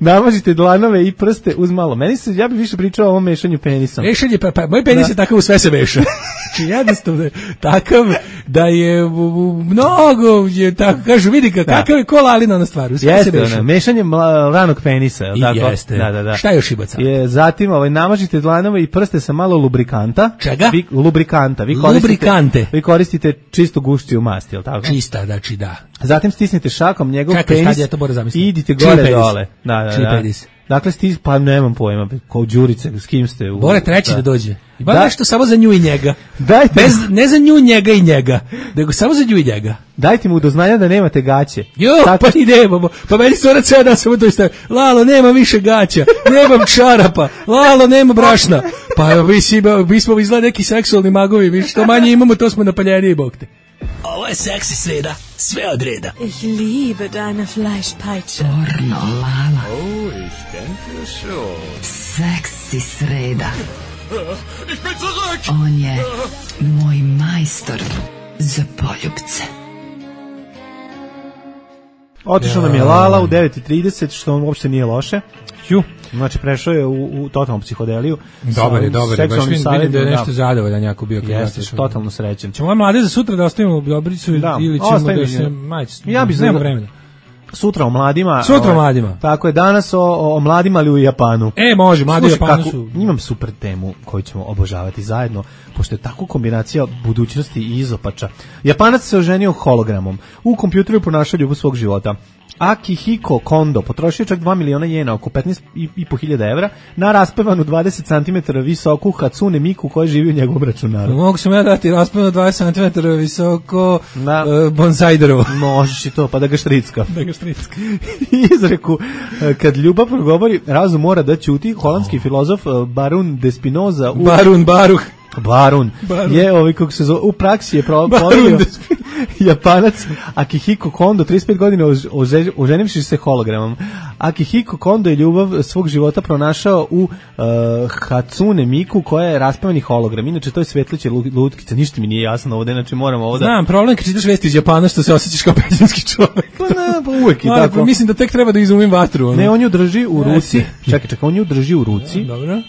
Namažite dlanove i prste uz malo. Meni se, ja bih više pričao o ovom mešanju penisom. Mešanje, pa, pa moj penis da. je takav, u sve se meša. Znači jednostavno je takav da je u, mnogo, je tako, kažu, vidi ka, da. kakav je ko lalina na stvar, u sve jeste, se meša. Ono, mešanje mla, ranog penisa. I tako? Jeste. Da, da, da. Šta još ima sad? Je, zatim ovaj, namažite dlanove i prste sa malo lubrikanta. Čega? Vi, lubrikanta. Vi koristite, Lubrikante. Vi koristite čistu gušću masti, jel tako? Čista, znači da. Zatim stisnite šakom njegov Čekaj, penis ja i idite gore dole. Da, da, da. Penis. Dakle, stis, pa nemam pojma, kao Đurice, s kim ste? U, Bore treći da, da dođe. Ima da. nešto samo za nju i njega. Dajte. Bez, ne za nju njega i njega, nego samo za nju i njega. Dajte mu do znanja da nemate gaće. Jo, tako... pa i nemamo. Pa meni se ona ceo dan samo to istavi. Lalo, nema više gaća, nemam čarapa, Lalo, nema brašna. Pa mi, si, mi smo izgleda neki seksualni magovi, mi što manje imamo, to smo napaljeniji, bog te. Ovo je seksi sreda, sve od reda. Ich liebe deine Fleischpeitsche. Pornolala. Oh, ich denke schon. Seksi sreda. Ich bin zurück. On je moj majstor za poljubce. Otišao nam je Lala u devet i trideset, što uopšte nije loše. Ju. Znači, prešao je u, u totalnu psihodeliju. Dobar je, dobar je. Baš vidim da je nešto zadovoljan jako bio. Jeste, totalno srećen. Ćemo mlade za sutra da ostavimo Dobricu da, ili ćemo da se majci. Ja bih znao vremena. Sutra o mladima. Sutra o mladima. Tako je, danas o, o mladima, ali u Japanu. E, može, mladi u Japanu su. Imam super temu koju ćemo obožavati zajedno, pošto je tako kombinacija budućnosti i izopača. Japanac se oženio hologramom. U kompjuteru ponašao ljubav svog života. Akihiko Kondo potrošio čak dva miliona jena, oko petnaest i po hiljada evra, na raspevanu dvadeset centimetara visoku Hatsune Miku koja živi u njegovom računaru. Mogu sam ja dati raspevanu dvadeset centimetara visoko da. uh, bonsaiderovo. Možeš i to, pa da ga štricka. Da ga štricka. Izreku, kad ljubav progovori, razum mora da ćuti. Holandski oh. filozof Barun de Spinoza. U... Barun, Baruh. Barun. Barun. Je, ovaj, kako se zove, u praksi je pro, proverio, Japanac Akihiko Kondo, trideset pet godina oženivši se hologramom. Akihiko Kondo je ljubav svog života pronašao u uh, Hatsune Miku, koja je raspevani hologram. Inače, to je svetliće lutkica, ništa mi nije jasno ovde, znači moramo ovde... Znam, problem kad čitaš vesti iz Japana što se osjećaš kao pećinski čovjek. Pa ne, pa uvek je Ali, tako. Mislim da tek treba da izumim vatru. Ono. Ne, on ju drži u ruci, čekaj, čekaj, on ju drži u ruci. Dobro.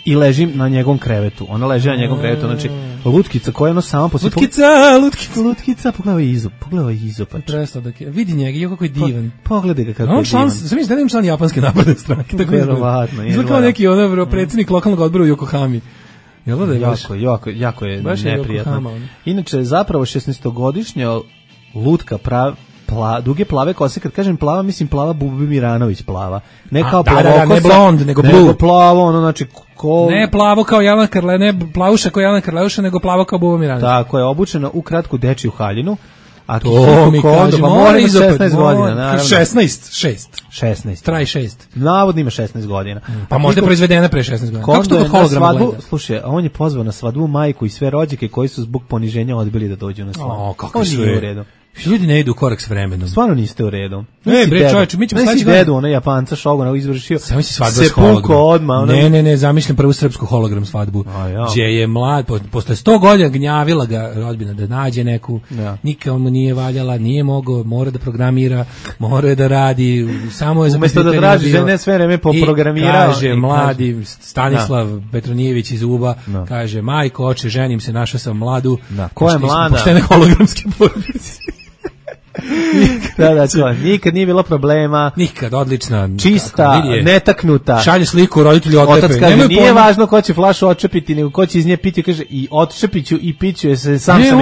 I leži na njegovom krevetu. Ona leži na njegovom krevetu, znači lutkica koja je ono sama po sebi. Lutkica, lutkica, lutkica, pogledaj izop, pogledaj izop. Presla da ke, vidi njega, jo kako je divan. Po, pogledaj ga kako on je član, divan. Sam mislim da je član japanske napredne stranke, tako je. Verovatno, je. Izgleda kao neki ono predsjednik lokalnog odbora u Yokohami. Jel da je baš? Jako, jako, jako je baš neprijatno. Je inače, zapravo šesnaestogodišnja lutka prav, Pla, duge plave kose, kad kažem plava, mislim plava Bubi Miranović plava. Ne kao da, da, da, ne blond, nego blue. Nego plavo, ono, znači, ko... Ne plavo kao Jelena Karle, ne plavuša kao Jelena Karleuša, nego plavo kao Buba Miranović. Tako je, obučena u kratku dečiju haljinu. A to mi kaže, mora ima šesnaest godina, naravno. šesnaest, šest. šesnaest. Traj šest. Navodno ima šesnaest godina. Mm, pa možda je proizvedena pre šesnaest godina. Kako što kod holograma gleda? Slušaj, on je pozvao na svadbu majku i sve rođake koji su zbog poniženja odbili da dođu na svadbu. O, kako su u redu. Ljudi ne idu u korak s vremenom. Stvarno niste u redu. Ne, bre, čovječe, mi ćemo sledeći godin. Dedu, ona Japanca Šogona izvršio. Samo si svadba s hologramom. Ona... Ne, ne, ne, zamišljam prvu srpsku hologram svadbu. Ja. Gdje je mlad, po, posle sto godina gnjavila ga rodbina da nađe neku, ja. Nikad mu nije valjala, nije mogao, mora da programira, mora da radi, samo je za umesto da traži žene sve vreme poprogramirao. Kaže i mladi kaže, Stanislav da. Petronijević iz Uba, da. Kaže, majko, oče, ženim se, našao sam mladu. Da. Ko je mlada? Poštene hologramske porodice. da, da, to, nikad nije bilo problema. Nikad, odlična. Čista, netaknuta. Šalje sliku, roditelji odlepe. Otac kaže, nije pojma. Važno ko će flašu odčepiti, nego ko će iz nje piti, kaže, i odčepiću i piću je se, sam ne, sam,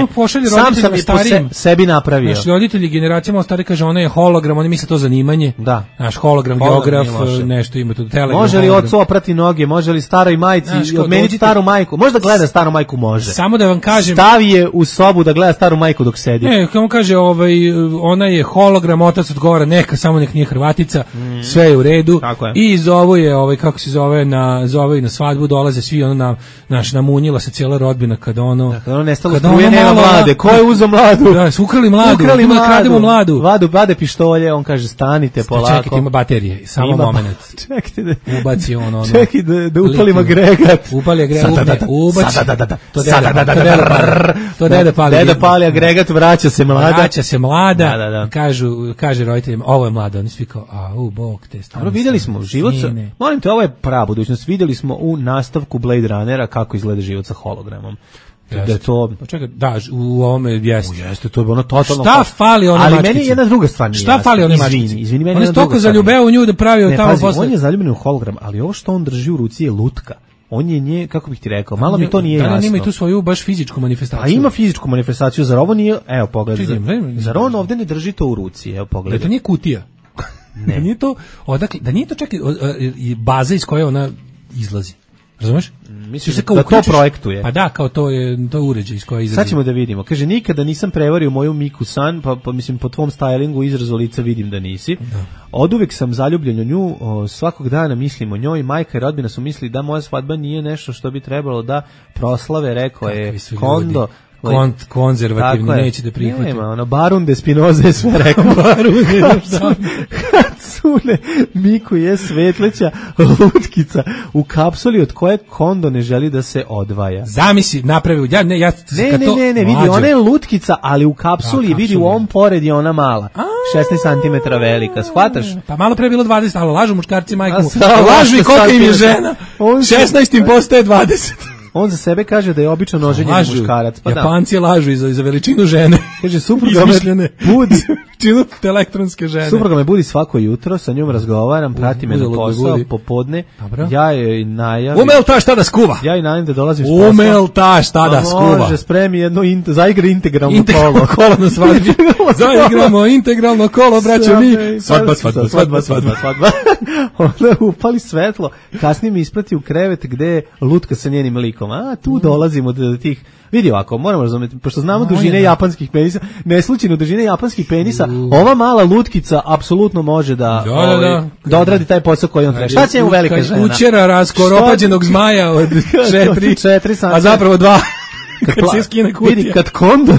sam sam je po se, sebi napravio. Znači, roditelji generacijama stari kaže, ona je hologram, oni misle to zanimanje. Da. Naš hologram, hologram geograf, nešto ima tu telegram. Može li ocu oprati noge, može li staroj majci, odmeniti staru majku, možda gleda staru majku, može. Samo da vam kažem. Stavi je u sobu da gleda staru majku dok sedi. Ne, kako kaže, ovaj, ona je hologram, otac odgovara, neka, samo nek nije Hrvatica, mm. sve je u redu. Je. I zovu je, ovaj, kako se zove, na, zove na svadbu, dolaze svi, ono, na, naš, namunjila se cijela rodbina, kada ono... Da, kada ono nestalo struje, nema mlade, ko je uzeo mladu? Da, su ukrali mladu, ukrali mladu, krademo mladu. Vladu, vade pištolje, on kaže, stanite polako. Čekajte, ima baterije, samo ima, moment. Čekajte da... Ubaci on, ono... Čekaj da, da upalim agregat. Upali agregat, ubaci. Sada, da, da, to deda, to deda pali. Deda pali agregat, vraća se mlada. Vraća se mlada, da, da, da. Kažu, kaže roditeljima, ovo je mlada, oni svi kao, a u bog te stane. Vidjeli smo život sa, molim te, ovo je prava budućnost, vidjeli smo u nastavku Blade Runnera kako izgleda život sa hologramom. Jeste. Da to, pa čekaj, da, u ovome jeste. Jeste, to je ono totalno. Šta fali ona mačkica? Ali meni je jedna druga stvar nije. Šta fali ona mačkica? Izvini, izvini, meni on je toliko zaljubeo u nju da pravio ne, tamo pazi, posle. On je zaljubljen u hologram, ali ovo što on drži u ruci je lutka. On je nje, kako bih ti rekao, malo mi to nije jasno. Da, ima i tu svoju baš fizičku manifestaciju. A ima fizičku manifestaciju, zar ovo nije, evo pogledaj, zar, zar on ovde ne drži to u ruci, evo pogledaj. Da to nije kutija. Ne. Da nije to, odakle, da nije to čak i baza iz koje ona izlazi. Razumeš? Misliš da to projektuje? Pa da, kao to je, to je uređaj iz koje izlazi. Sad ćemo da vidimo. Kaže, nikada nisam prevario moju Miku San, pa, pa mislim po tvom stylingu izrazu lica vidim da nisi. Da. Oduvek sam zaljubljen u nju, o, svakog dana mislim o njoj, majka i rodbina su mislili da moja svadba nije nešto što bi trebalo da proslave, rekao je Kondo. Kont, konzervativni, neće da prihvati. Nema, ono, Barun de Spinoza je sve rekao. Barun de Hatsune Miku je svetleća lutkica u kapsuli od koje Kondo ne želi da se odvaja. Zamisli, napravi, ja, ne, ja, ne, ne, ne, ne, vidi, ona je lutkica, ali u kapsuli, da, vidi, u ovom pored je ona mala. šesnaest centimetara velika, shvataš? Pa malo pre je bilo dvadeset, ali lažu muškarci majku. Lažu i koliko im je žena. šesnaest im postaje dvadeset. On za sebe kaže da je obično noženje muškarac. Pa Japanci da. Lažu i za, za veličinu žene. Kaže, supruga me budi. Veličinu elektronske žene. Supruga me budi svako jutro, sa njom razgovaram, prati me na posao, popodne. Dobro. Ja joj najavim. Umel ta šta da skuva? Ja joj najavim da dolazim s posla. Umel ta šta da skuva? Može, spremi jedno, in, zaigra integralno integralno kolo. kolo na svadbi. Zaigramo integralno kolo, braćo mi. Svadba, svadba, svadba, svadba, svadba. Onda upali svetlo. Kasnije mi isprati u krevet gde je lutka sa njenim likom. A tu dolazimo do tih. Vidi ovako, moramo razumjeti, pošto znamo dužine japanskih penisa, neslučajno dužine japanskih penisa, ova mala lutkica apsolutno može da, da, ovaj, da, da odradi taj posao koji on treba. Šta će mu velika žena? Učera raskoropađenog zmaja od četiri, a zapravo dva. kad, kad pla, se skine kutija. vidi, kad Kondor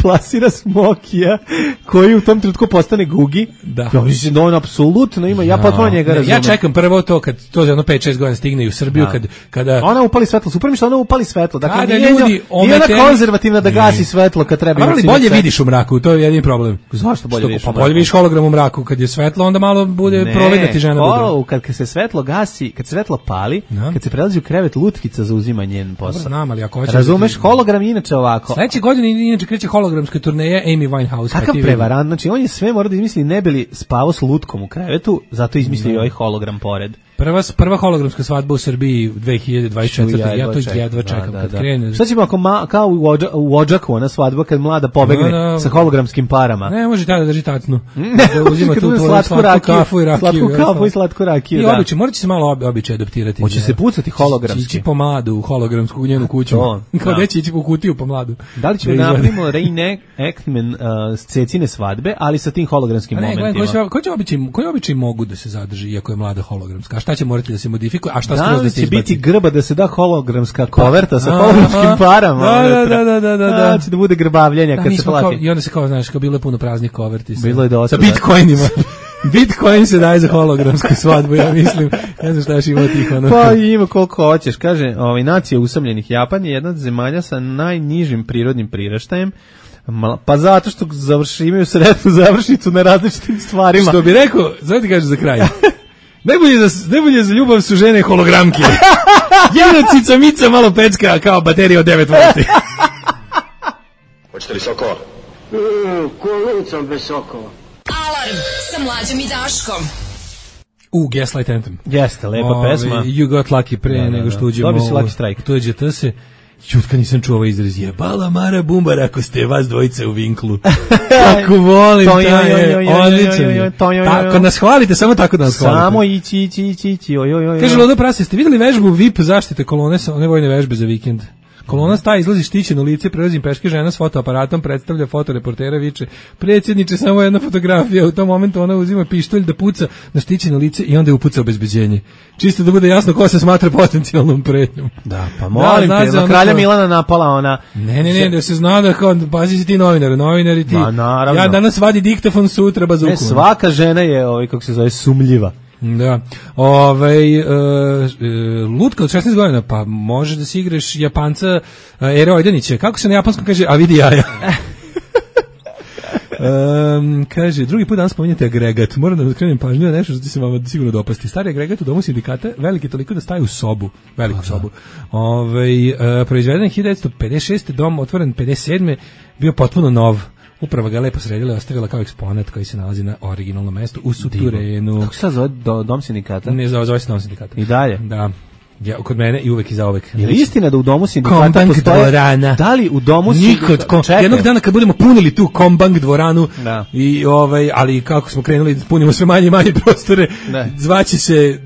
plasira Smokija, koji u tom trenutku postane Gugi, da. Ja mislim da on apsolutno ima, ja potpuno njega razumem. Ja čekam prvo to, kad to za jedno pet šest godina stigne u Srbiju, da. kad, kada... Ona upali svetlo, super mi što ona upali svetlo, dakle kada nije, ljudi nije ometeni... ona konzervativna da gasi svetlo kad treba. Ali bolje vidiš u mraku, to je jedini problem. Zašto bolje što, vidiš? Pa bolje vidiš hologram u mraku, kad je svetlo, onda malo bude ne, providna ti žena. O, kad, kad se svetlo gasi, kad se svetlo pali, no. kad se prelazi u krevet, lutkica zauzima njen posao. Dobro, znam, ali ako hoćeš... Razumeš, da ti... hologram je inače ovako. Sledeće godine inače kreće hologramska turneja Amy Winehouse. Kakav prevarant, znači on je sve mora da izmisli, ne bi li spavao s lutkom u krevetu, zato izmislio no. ovaj hologram pored. Prva, prva hologramska svadba u Srbiji dve hiljade dvadeset četvrte. Ja, ja to čekam, jedva čekam da, da, kad da. krene. Šta ćemo ako ma, kao u, Ođa, u Odžaku, ona svadba kad mlada pobegne no, no, sa hologramskim parama? Ne, može tada da drži tacnu. Da uzima tu tvoju slatku kafu i rakiju. Slatku kafu i slatku rakiju, I da. običaj, morat će se malo običaj adaptirati. Hoće se pucati hologramski. Ići po mladu u hologramsku u njenu kuću. Kao da će ići po kutiju po mladu. Da li ćemo napravimo reenactment uh, Cecine svadbe, ali sa tim hologramskim momentima? Koji običaj mogu da se zadrži iako je mlada hologramska? A šta će morati da se modifikuje, a šta da skroz da se će izbaci? Biti grba da se da hologramska koverta sa hologramskim parama. Da, da, da, da, da, da. Će da bude grbavljenja da, kad se plati. Kao, I onda se kao, znaš, kao bilo je puno praznih koverti. Bilo je dosta. Sa bitcoinima. Bitcoin se daje za hologramsku svadbu, ja mislim. Ne znam šta još ima tih ono. Pa ima koliko hoćeš. Kaže, ovaj, nacija usamljenih Japan je jedna od zemalja sa najnižim prirodnim priraštajem. Pa zato što završi, imaju sretnu završnicu na različitim stvarima. Što bi rekao, zato ti kaže za kraj. Najbolje za, najbolje za ljubav su žene hologramke. Jedna cica mica malo pecka kao baterija od devet volti. Hoćete li sokova? Mm, kolicom bez sokova. Alarm sa Mlađom i Daškom. U, Gaslight Anthem. Jeste, lepa Ove, pesma. You got lucky pre da, da, nego što uđemo. Dobio si Lucky Strike. Tuđe T se. Jutka nisam čuo ovaj izraz. Jebala Mara Bumbar ako ste vas dvojice u vinklu. Kako volim taj je. Odličan. Tako nas hvalite, samo tako da nas hvalite. Samo ići, ići, ići, ići. Oj, oj, oj. Kaže Lodo Prase, ste vidjeli vežbu V I P zaštite kolone sa one vojne vežbe za vikend? Kolona staje, izlazi štićeno lice, prelazim peške, žena s fotoaparatom, predstavlja fotoreportera, viče, predsjedniče, samo jedna fotografija, u tom momentu ona uzima pištolj da puca na štićeno lice i onda je upuca obezbeđenje. Čisto da bude jasno ko se smatra potencijalnom pretnjom. Da, pa molim da, te, na kralja ko... Milana napala ona. Ne, ne, ne, da se zna da kao, pazi si ti novinar, novinari ti. Ma, naravno. Ja danas vadi diktafon, sutra bazuku. Ne, svaka žena je, ovaj, kako se zove, sumljiva. Da. Ovaj uh, uh, lutka od šesnaest godina, pa možeš da si igraš Japanca uh, Ere Ojdanića. Kako se na japanskom kaže? A vidi jaja. Um, kaže, drugi put danas spominjate agregat. Moram da vam skrenem pažnju na nešto što će se vam sigurno dopasti. Stari agregat u domu sindikata veliki toliko da staje u sobu, veliku Aha. sobu. Ovaj uh, proizveden hiljadu devetsto pedeset šeste, dom otvoren pedeset sedme, bio potpuno nov. Uprava ga lepo sredila i ostavila kao eksponat koji se nalazi na originalnom mestu u suterenu. Kako se zove do, dom sindikata? Ne, zove, zove se dom sindikata. I dalje? Da. Ja, kod mene i uvek i zauvek. Je li istina da u domu sindikata Kombank postoje... dvorana. Da li u domu sindikata... Kom, jednog dana kad budemo punili tu Kombank dvoranu, da. I ovaj, ali kako smo krenuli, punimo sve manje i manje prostore, da. Zvaće se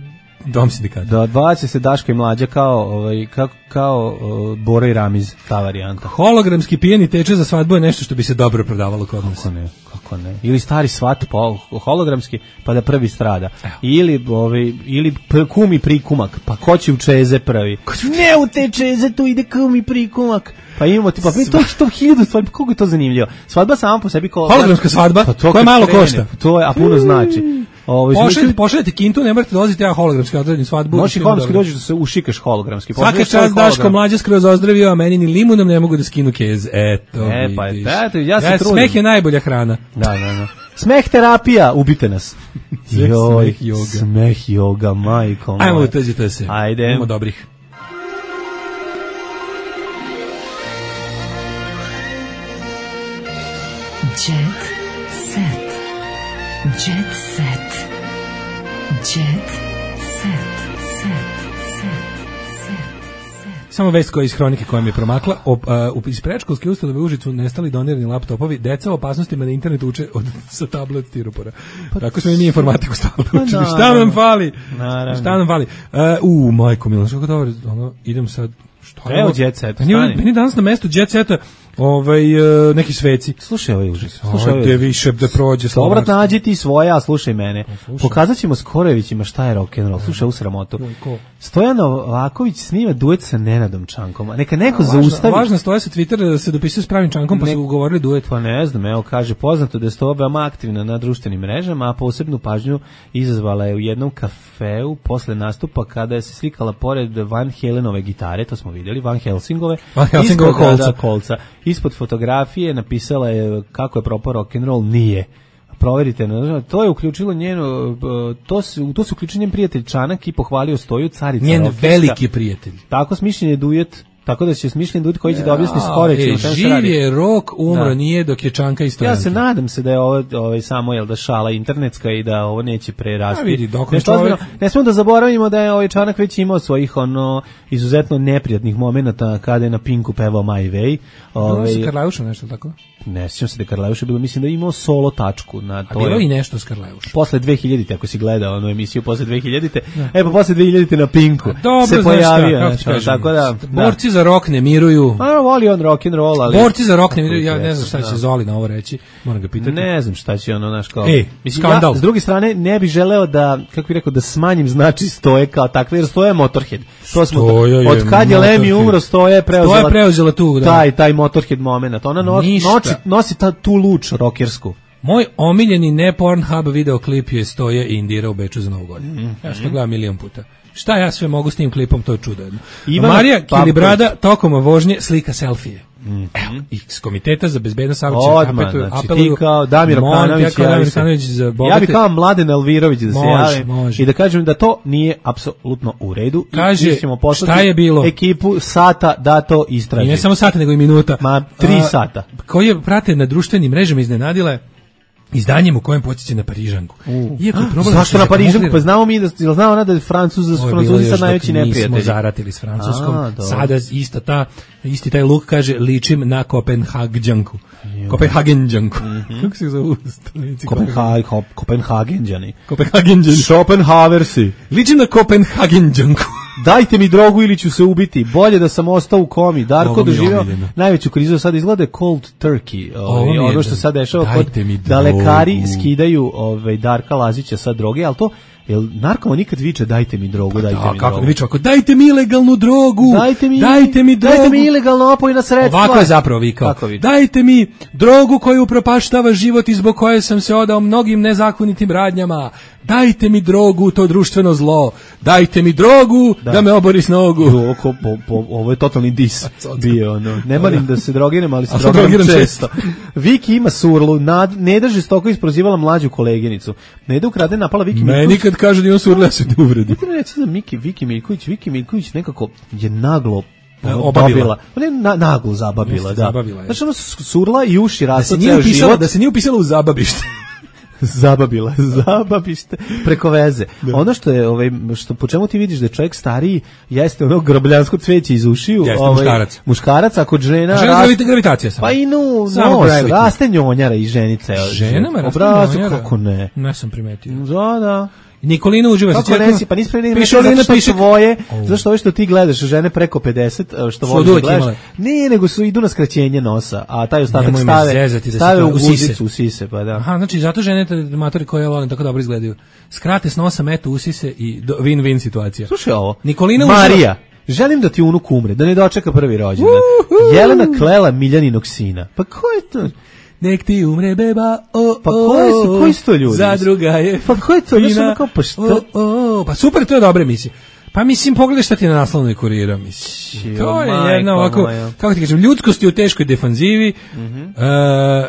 dom sindikata. Da, odbaće se Daško i Mlađa kao, ovaj, kao, kao uh, Boro i Ramiz, ta varijanta. Hologramski pijeni teče za svadbu je nešto što bi se dobro prodavalo kod nas. Kako ne, kako ne. Ili stari svat po hologramski, pa da prvi strada. Evo. Ili, ovaj, ili kum i prikumak, pa ko će u čeze prvi? Ne u te čeze, tu ide kum i prikumak. Pa imamo ti, pa mi to što hiljadu stvari, pa koliko je to zanimljivo. Svadba sama po sebi ko... Hologramska svadba, pa koja malo krene, košta. To je, a puno znači. Pošaljete, pošaljete kintu, ne morate dolaziti, ja hologramski odredim svadbu. Možeš i hologramski dođeš da se ušikaš hologramski. Svaka čast Daško Mlađa skroz ozdravio, a meni ni limunom ne mogu da skinu kez. Eto, e, pa, vidiš. Da, ja se ja, trudim. Smeh je najbolja hrana. Da, da, da. Smeh terapija, ubite nas. Joj, smeh joga. Smeh joga, majko moja. Ajmo, uteđite se. Ajde. Imamo dobrih. Jet set. Jet set. Jet set. Set. Set. Set. Samo vest koja iz hronike koja mi je promakla. Op, uh, iz predškolske ustanove u Užicu nestali donirani laptopovi. Deca o opasnostima na internetu uče od, sa tablet stiropora. Pa, tako smo i mi informatiku stalno učili. Šta nam fali? Naravno. Šta nam fali? Uh, u, majko Milan, što dobro, ono, idem sad. Što Evo Jet Set, meni, meni danas na mestu Jet Seta ovaj, uh, neki sveci. Slušaj ovaj užas. Slušaj ovaj više da prođe slovo. Dobro, nađi ti svoje, a slušaj mene. Pokazat ćemo Skorojevićima šta je rock'n'roll. Slušaj u sramotu. Stojan Novaković snima duet sa Nenadom Čankom. Neka neko zaustavi. Važno Stoja sa Twittera da se dopisuje s pravim Čankom, pa su ugovorili duet. Pa ne znam, evo kaže, poznato da je Stoja veoma aktivna na društvenim mrežama, a posebnu pažnju izazvala je u jednom kafeu posle nastupa kada je se slikala pored Van Halenove gitare, to smo vidjeli, Van Helsingove. Van Helsingove kolca. kolca. Ispod fotografije napisala je kako je propao rock'n'roll, nije. Proverite, to je uključilo njeno, to su, to su uključio njen prijatelj Čanak i pohvalio Stoju, carica njen rokerska. Veliki prijatelj. Tako smišljen je duet, tako da će smišljen duet koji će da objasni Skoreći. E, živ je rok, umro da. Nije dok je Čanka i Stojanka. Ja se nadam se da je ovo ovaj, samo jel da šala internetska i da ovo neće prerasti. Vidi, dok ne, čovjek... ne smemo da zaboravimo da je ovaj Čanak već imao svojih ono izuzetno neprijatnih momenata kada je na Pinku pevao My Way. Ovaj, bilo se Karlajuša nešto tako? Ne sjećam se da je Karlajuša bilo, mislim da je imao solo tačku. Na to A bilo je, i nešto s Karlajušom. Posle dve hiljadite, ako si gledao onu emisiju posle dve hiljadite, e pa posle dve hiljadite na Pinku dobro, se pojavio. Šta, znači, tako da, borci da. za rock ne miruju. A voli on rock and roll, ali borci za rock ne miruju. Ja ne znam šta će Zoli na ovo reći. Moram ga pitati. Ne znam šta će ono naš kao. Ej, mislim, skandal. Ja, s druge strane ne bih želeo da, kako bih rekao, da smanjim znači Stoje kao takve, jer Stoje je Motorhead. To smo Stoja od kad je Lemmy umro, Stoje je preuzela. Stoja je preuzela tu, da. Taj taj Motorhead momenat. Ona no, noći, nosi ta tu luč rokersku. Moj omiljeni ne Pornhub videoklip je Stoje i Indira u Beču za Novu godinu. Mm -hmm. Ja sam to gledao milion puta. Šta ja sve mogu s tim klipom, to je čudo jedno. Marija Kilibrada tokom vožnje slika selfije. Mm-hmm. Evo, iz Komiteta za bezbednost saobraćaja apeluju, znači, ti kao Damir Okanović, ja, ja bi kao Mladen Elvirović da se javi i da kažem da to nije apsolutno u redu. Kaže, ćemo šta je bilo? Ekipu sata da to istraži. I ne samo sata, nego i minuta. Ma, tri A, sata. Koji je prate na društvenim mrežama iznenadile izdanjem u kojem podsjeća na Parižanku. Iako problem zašto na Parižanku? Pa znamo mi da znamo ona da je Francuz, da su Francuzi sad najveći neprijatelji. Mi smo zaratili s Francuskom. A, sada ista ta isti taj luk kaže ličim na Kopenhagenđanku. Kopenhagenđanku. Mm-hmm. Kako se zove? Kopenhag, Kopenhagenđani. Kopenhagenđani. Schopenhaversi. Ličim na Kopenhagenđanku. Dajte mi drogu ili ću se ubiti. Bolje da sam ostao u komi. Darko doživio najveću krizu. Sad izgleda cold turkey. Ovaj, ono što sad dešava kod da lekari skidaju ovaj, Darka Lazića sa droge, ali to jel narkoman nikad viče dajte mi drogu, dajte da, mi kako drogu. Viče ako dajte mi ilegalnu drogu. Dajte mi, dajte mi drogu. Dajte mi ilegalno opojna sredstva. Ovako je zapravo vikao. Dajte mi drogu koju upropaštava život i zbog koje sam se odao mnogim nezakonitim radnjama. Dajte mi drogu, to društveno zlo. Dajte mi drogu da, da me obori s nogu. Ovo, po, po, ovo je totalni dis bio. No. Ne marim da se drogiram, ali se drogiram često. Viki ima surlu. Nad, Neda žestoko isprozivala mlađu koleginicu. Neda ukrade napala Viki Miljković. Meni kad kaže da je on surla, ja se ne uvredi. Ne reći za Miki, Viki Miljković. Viki Miljković nekako je naglo obavila. Ne, na, naglo zabavila, da. Zabavila, znači ono surla i uši rasta da ceo život. Da se nije upisala u zabavište. Zababila, zababište preko veze. Da. Ono što je ovaj što po čemu ti vidiš da je čovjek stariji jeste ono grobljansko cveće iz ušiju, jeste, ovaj muškarac. Muškarac a kod žena žena rast... gravitacija samo. Pa i no, no raste njonjara i ženice. Ženama raste njonjara. Kako ne? Ne sam primetio. Da, da. Nikolina uživa se čekam. Pa nisi pre nego što piše svoje, zašto ove što ti gledaš žene preko pedeset, što voliš da gledaš. Ne, nego su idu na skraćenje nosa, a taj ostatak stave stave u sise, u sise, pa da. Aha, znači zato žene matori koje volim tako dobro izgledaju. Skrate s nosa, metu u sise i win-win situacija. Slušaj ovo. Nikolina Marija, želim da ti unuk umre, da ne dočeka prvi rođendan. Jelena klela Miljaninog sina. Pa ko je to? Nek ti umre beba, o, o, pa koji su, koji su to ljudi? Zadruga je. Pa ko je to? Fina, kao, pa što? O, o, pa super, to je dobra emisija. Pa mislim, pogledaj šta ti na naslovnoj Kurira, mislim. To je jedna ovako, kako ti kažem, ljudskost je u teškoj defanzivi. Mm-hmm. uh,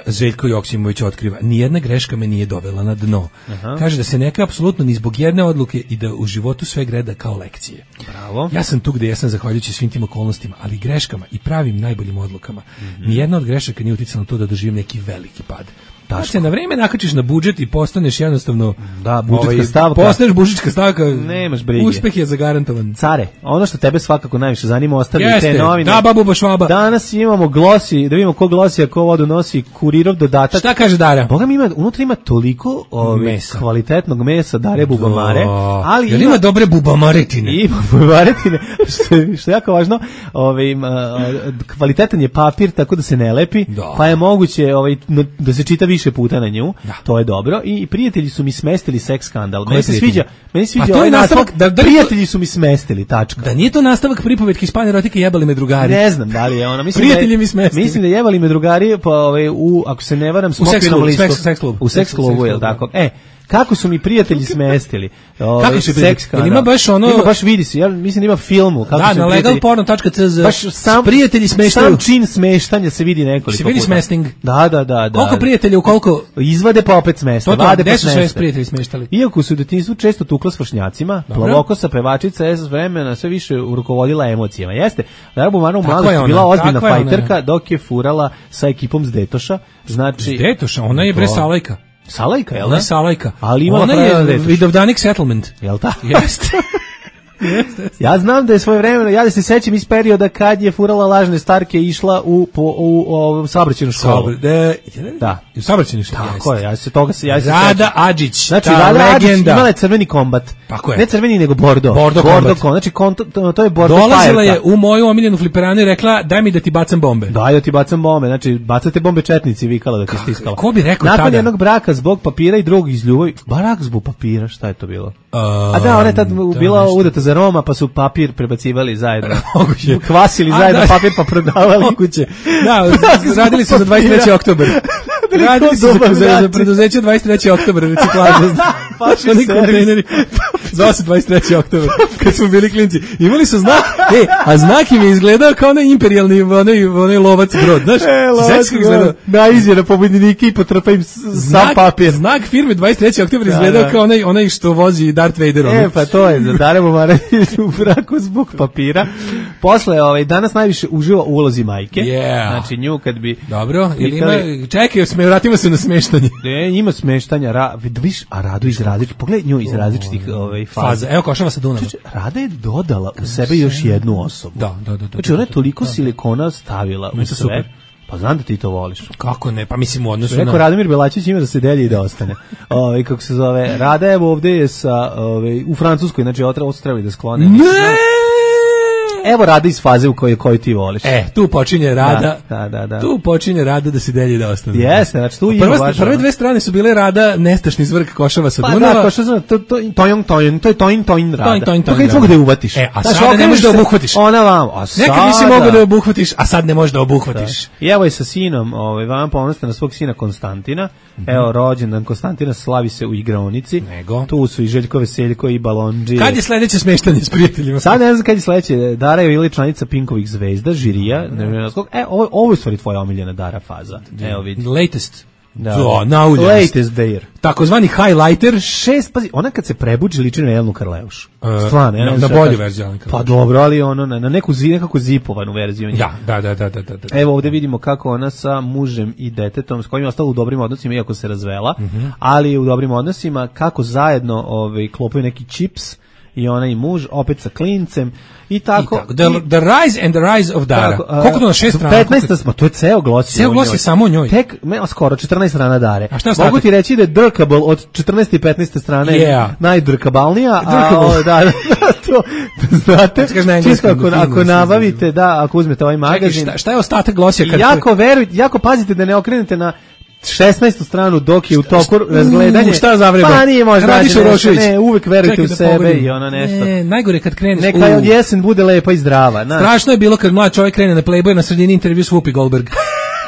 Željko Joksimović otkriva, nijedna greška me nije dovela na dno. Aha. Kaže da se neka apsolutno ni zbog jedne odluke i da u životu sve greda kao lekcije. Bravo. Ja sam tu gde ja sam zahvaljujući svim tim okolnostima, ali greškama i pravim najboljim odlukama. Mm-hmm. Nijedna od grešaka nije uticala na to da doživim neki veliki pad. Daško. se na vreme nakačiš na budžet i postaneš jednostavno da, budžetska ovaj, stavka. Postaneš budžetska stavka. Nemaš brige. Uspeh je zagarantovan. Care, ono što tebe svakako najviše zanima, ostavi Jeste, te novine. da, babu bašvaba. Danas imamo glosi, da vidimo ko glosi, a ko vodu nosi, kurirov dodatak. Šta kaže Dara? Boga mi ima, unutra ima toliko ove, kvalitetnog mesa Dare Bubamare, ali ima, ima dobre bubamaretine. Ima bubamaretine, što je, što je jako važno, ove, ima, kvalitetan je papir, tako da se ne lepi, da. Pa je moguće ovaj, da se čita više puta na nju, da. To je dobro. I prijatelji su mi smestili seks skandal. Meni se sviđa, meni se sviđa ovaj nastavak, da, da prijatelji su mi smestili, tačka. Da nije to nastavak pripovetke Hispane erotike jebali me drugari. Ne znam da li je ona. Mislim prijatelji da je, mi smestili. Mislim da jebali me drugari, pa ovaj, u, ako se ne varam, smokvinom listu. Seks, seks klub. U seks klubu, je li tako? E, kako su mi prijatelji smestili. Ovaj, kako su seks skandal. Ima baš ono, ima baš vidi se. Ja mislim da ima filmu kako da, su na legal porno tačka c z. Baš sam prijatelji smeštaju. Sam čin smeštanja se vidi nekoliko se vidi puta. smesting. Da, da, da, da. Koliko prijatelja u koliko izvade pa opet smesta. Vade pa smesta. Su prijatelji smeštali. Iako su u detinjstvu često tukla s vršnjacima, plavokosa pevačica je s vremena sve više rukovodila emocijama. Jeste. Dara Bubamara u mladosti bila ozbiljna fajterka dok je furala sa ekipom s Detoša. Znači, s Detoša, ona je bre Salajka. Salajka, jel da? Ona Salajka. Ali ima ona je Vidovdanik Settlement. Jel tako? Jeste. Ja znam da je svoje vremeno, ja da se sećam iz perioda kad je furala lažne starke i išla u po u, u, u saobraćajnu školu. Sabr, de, da, u saobraćajnu školu. Tako je, ja se toga se ja se Rada Adžić, znači ta Rada legenda. Adžić imala je crveni kombat. Tako je. Ne crveni nego bordo. Bordo, bordo kombat. Kom, znači konto, to, to je bordo. Dolazila je u moju omiljenu fliperanu i rekla daj mi da ti bacam bombe. Daj da ti bacam bombe, znači bacate bombe četnici vikala da ti stiskala. Ko bi rekao nakon tada? Nakon jednog braka zbog papira i drugog iz ljubavi, barak zbog papira, šta je to bilo? Uh, A da, ona je tad bila udata za Roma, pa su papir prebacivali zajedno. Kvasili zajedno papir pa prodavali. Moguće. Da, radili su za dvadeset treći oktobar. Radili su za, za, za preduzeće dvadeset treći oktobar reciklaža. Oni kontejneri za osam dvadeset treći oktobar kad smo bili klinci. Imali su znak, e, a znak im je izgledao kao onaj imperijalni onaj, onaj lovac brod, znaš? E, lovac brod. Da, izjera pobednike i potrpa im sam papir. Znak firme dvadeset treći oktobar izgledao kao onaj, onaj što vozi Darth Vader. E, pa to je, za Dara Bubamara u braku zbog papira. Posle, ovaj, danas najviše uživa u ulozi majke. Yeah. Znači, nju kad bi... Dobro, ili ima... Čekaj, sme, vratimo se na smeštanje. Ne, ima smeštanja. Ra, viš, a Radu iz različitih... Pogledaj nju iz različitih ovaj, faza. faza. Evo, Košava sa Dunava. Znači, Rada je dodala u sebe još jednu osobu. Da, da, da. da znači, ona je toliko da, silikona stavila u sve. Super. Pa znam da ti to voliš. Kako ne? Pa mislim u odnosu na... Rekao Radomir Belačić ima da se delje i da ostane. Ove, kako se zove, Rada je ovde je sa, ove, u Francuskoj, znači ovo su trebali da sklone. Ne! Evo Rada iz faze u kojoj koju ti voliš. E, tu počinje Rada. Da, da, da. Tu počinje Rada da se delje i da ostane. Jeste, znači tu ima baš. Prve dve strane su bile Rada nestašni zvrk Košava sa Dunava. Pa da, Košava, to to tojong tojong, to je tojing tojing Rada. Tojing tojing. To kad mogu da je uvatiš. E, a sad ne možeš da obuhvatiš. Ona vam, a sad. Nekad nisi mogao da obuhvatiš, a sad ne možeš da obuhvatiš. I evo je sa sinom, ovaj vam ponosite na svog sina Konstantina. Evo rođendan Konstantina slavi se u igraonici. Nego. Tu su i Željko Veseljko i Balondži. Kad je sledeće smeštanje s prijateljima? Sad ne znam kad je sledeće. Dara je ili članica Pinkovih zvezda, žirija, ne znam skog. E, ovo ovo je stvari tvoja omiljena Dara faza. Evo vidi. Latest. Da, so, nauljast. Latest there. Takozvani highlighter. Šest, pazi, ona kad se prebuđi liči na Jelenu Karleuš. Uh, Stvarno, ja na, na bolju verziju Jelenu Karleuš. Pa dobro, ali ono, na, na neku zi, nekako zipovanu verziju. Ja, da, da, da, da, da, da. Evo ovdje vidimo kako ona sa mužem i detetom, s kojim je ostala u dobrim odnosima, iako se razvela, mm-hmm. ali u dobrim odnosima, kako zajedno ovaj, klopaju neki čips, i ona i muž, opet sa klincem, i tako. I tako. The, the Rise and the Rise of Dara. Tako, uh, koliko to na šest strana? petnaest smo, to je ceo glos. Ceo glos je samo o njoj. Tek, me, skoro, četrnaest strana Dare. A šta mogu ti reći da je drkable od četrnaeste i petnaeste strane yeah. najdrkabalnija. A, da, da, to, znate, čisto ako, ako nabavite, da, ako uzmete ovaj magazin. Čekaj, šta, šta je ostatak glosija? Kad jako verujte, jako pazite da ne okrenete na šesnaestu stranu dok je u toku razgledanje. Šta zavreba? Pa nije možda. Radiš Urošević. Ne, uvek verujte Čekaj u da sebe pogledam. i ono nešto. Ne, najgore kad kreneš. Neka je od jesen bude lepa i zdrava. Na. Strašno je bilo kad mlad čovjek krene na Playboy na sredini intervju s Whoopi Goldberg.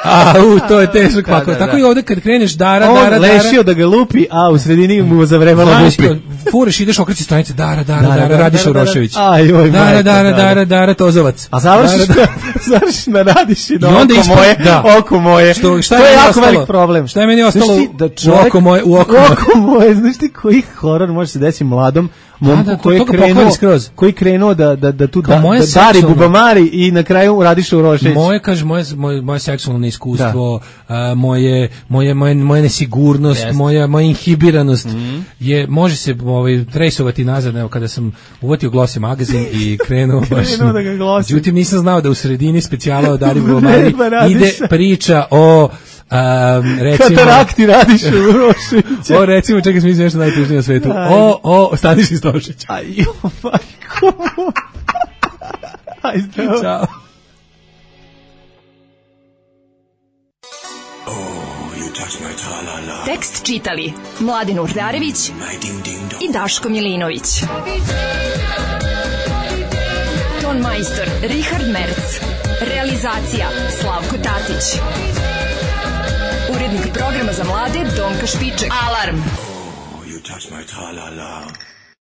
A, u, to je teško kako. Da, da, Tako da. I ovde kad kreneš Dara, on Dara, Dara. On lešio da ga lupi, a u sredini mu zavrebala Whoopi. Fureš, ideš okreći stranice, Dara, Dara, Dara, Dara Radiš Urošević. Dara, Dara, Dara, Dara, Dara, Tozovac. A završiš završiš na Radiš i oko moje, oko moje. Što, šta to je jako ostalo? velik problem. Šta je meni ostalo da u oko moje, u oko moje. Znaš ti koji horor može se desiti mladom momku da, koji je krenuo, koji krenuo da, da, da tu da, da dari bubamari i na kraju Radiša Urošević. Moje, kaže, moje, moje, moje seksualno neiskustvo, a, moje, moje, moje, moje nesigurnost, yes. moja, moja inhibiranost mm. je, može se ovaj, trejsovati nazad, evo, kada sam uvatio Glossy magazin i krenuo baš, krenuo da ga glosim. Međutim, nisam znao da u sredini specijala o Dari bubamari ide priča o Um, recimo, katarakti Radiša Uroševića. O, recimo, čekaj, sam mislim nešto najtužnije na svetu. O, o, Staniši Stošić. Aj, jo, majko. Aj, zdravo. Ćao. Tekst čitali Mladin Urdarević i Daško Milinović. Ton majstor Richard Merc. Realizacija Slavko Tatić. Urednik programa za mlade Donka Špiček. Alarm! Oh, you touch my tra-la-la.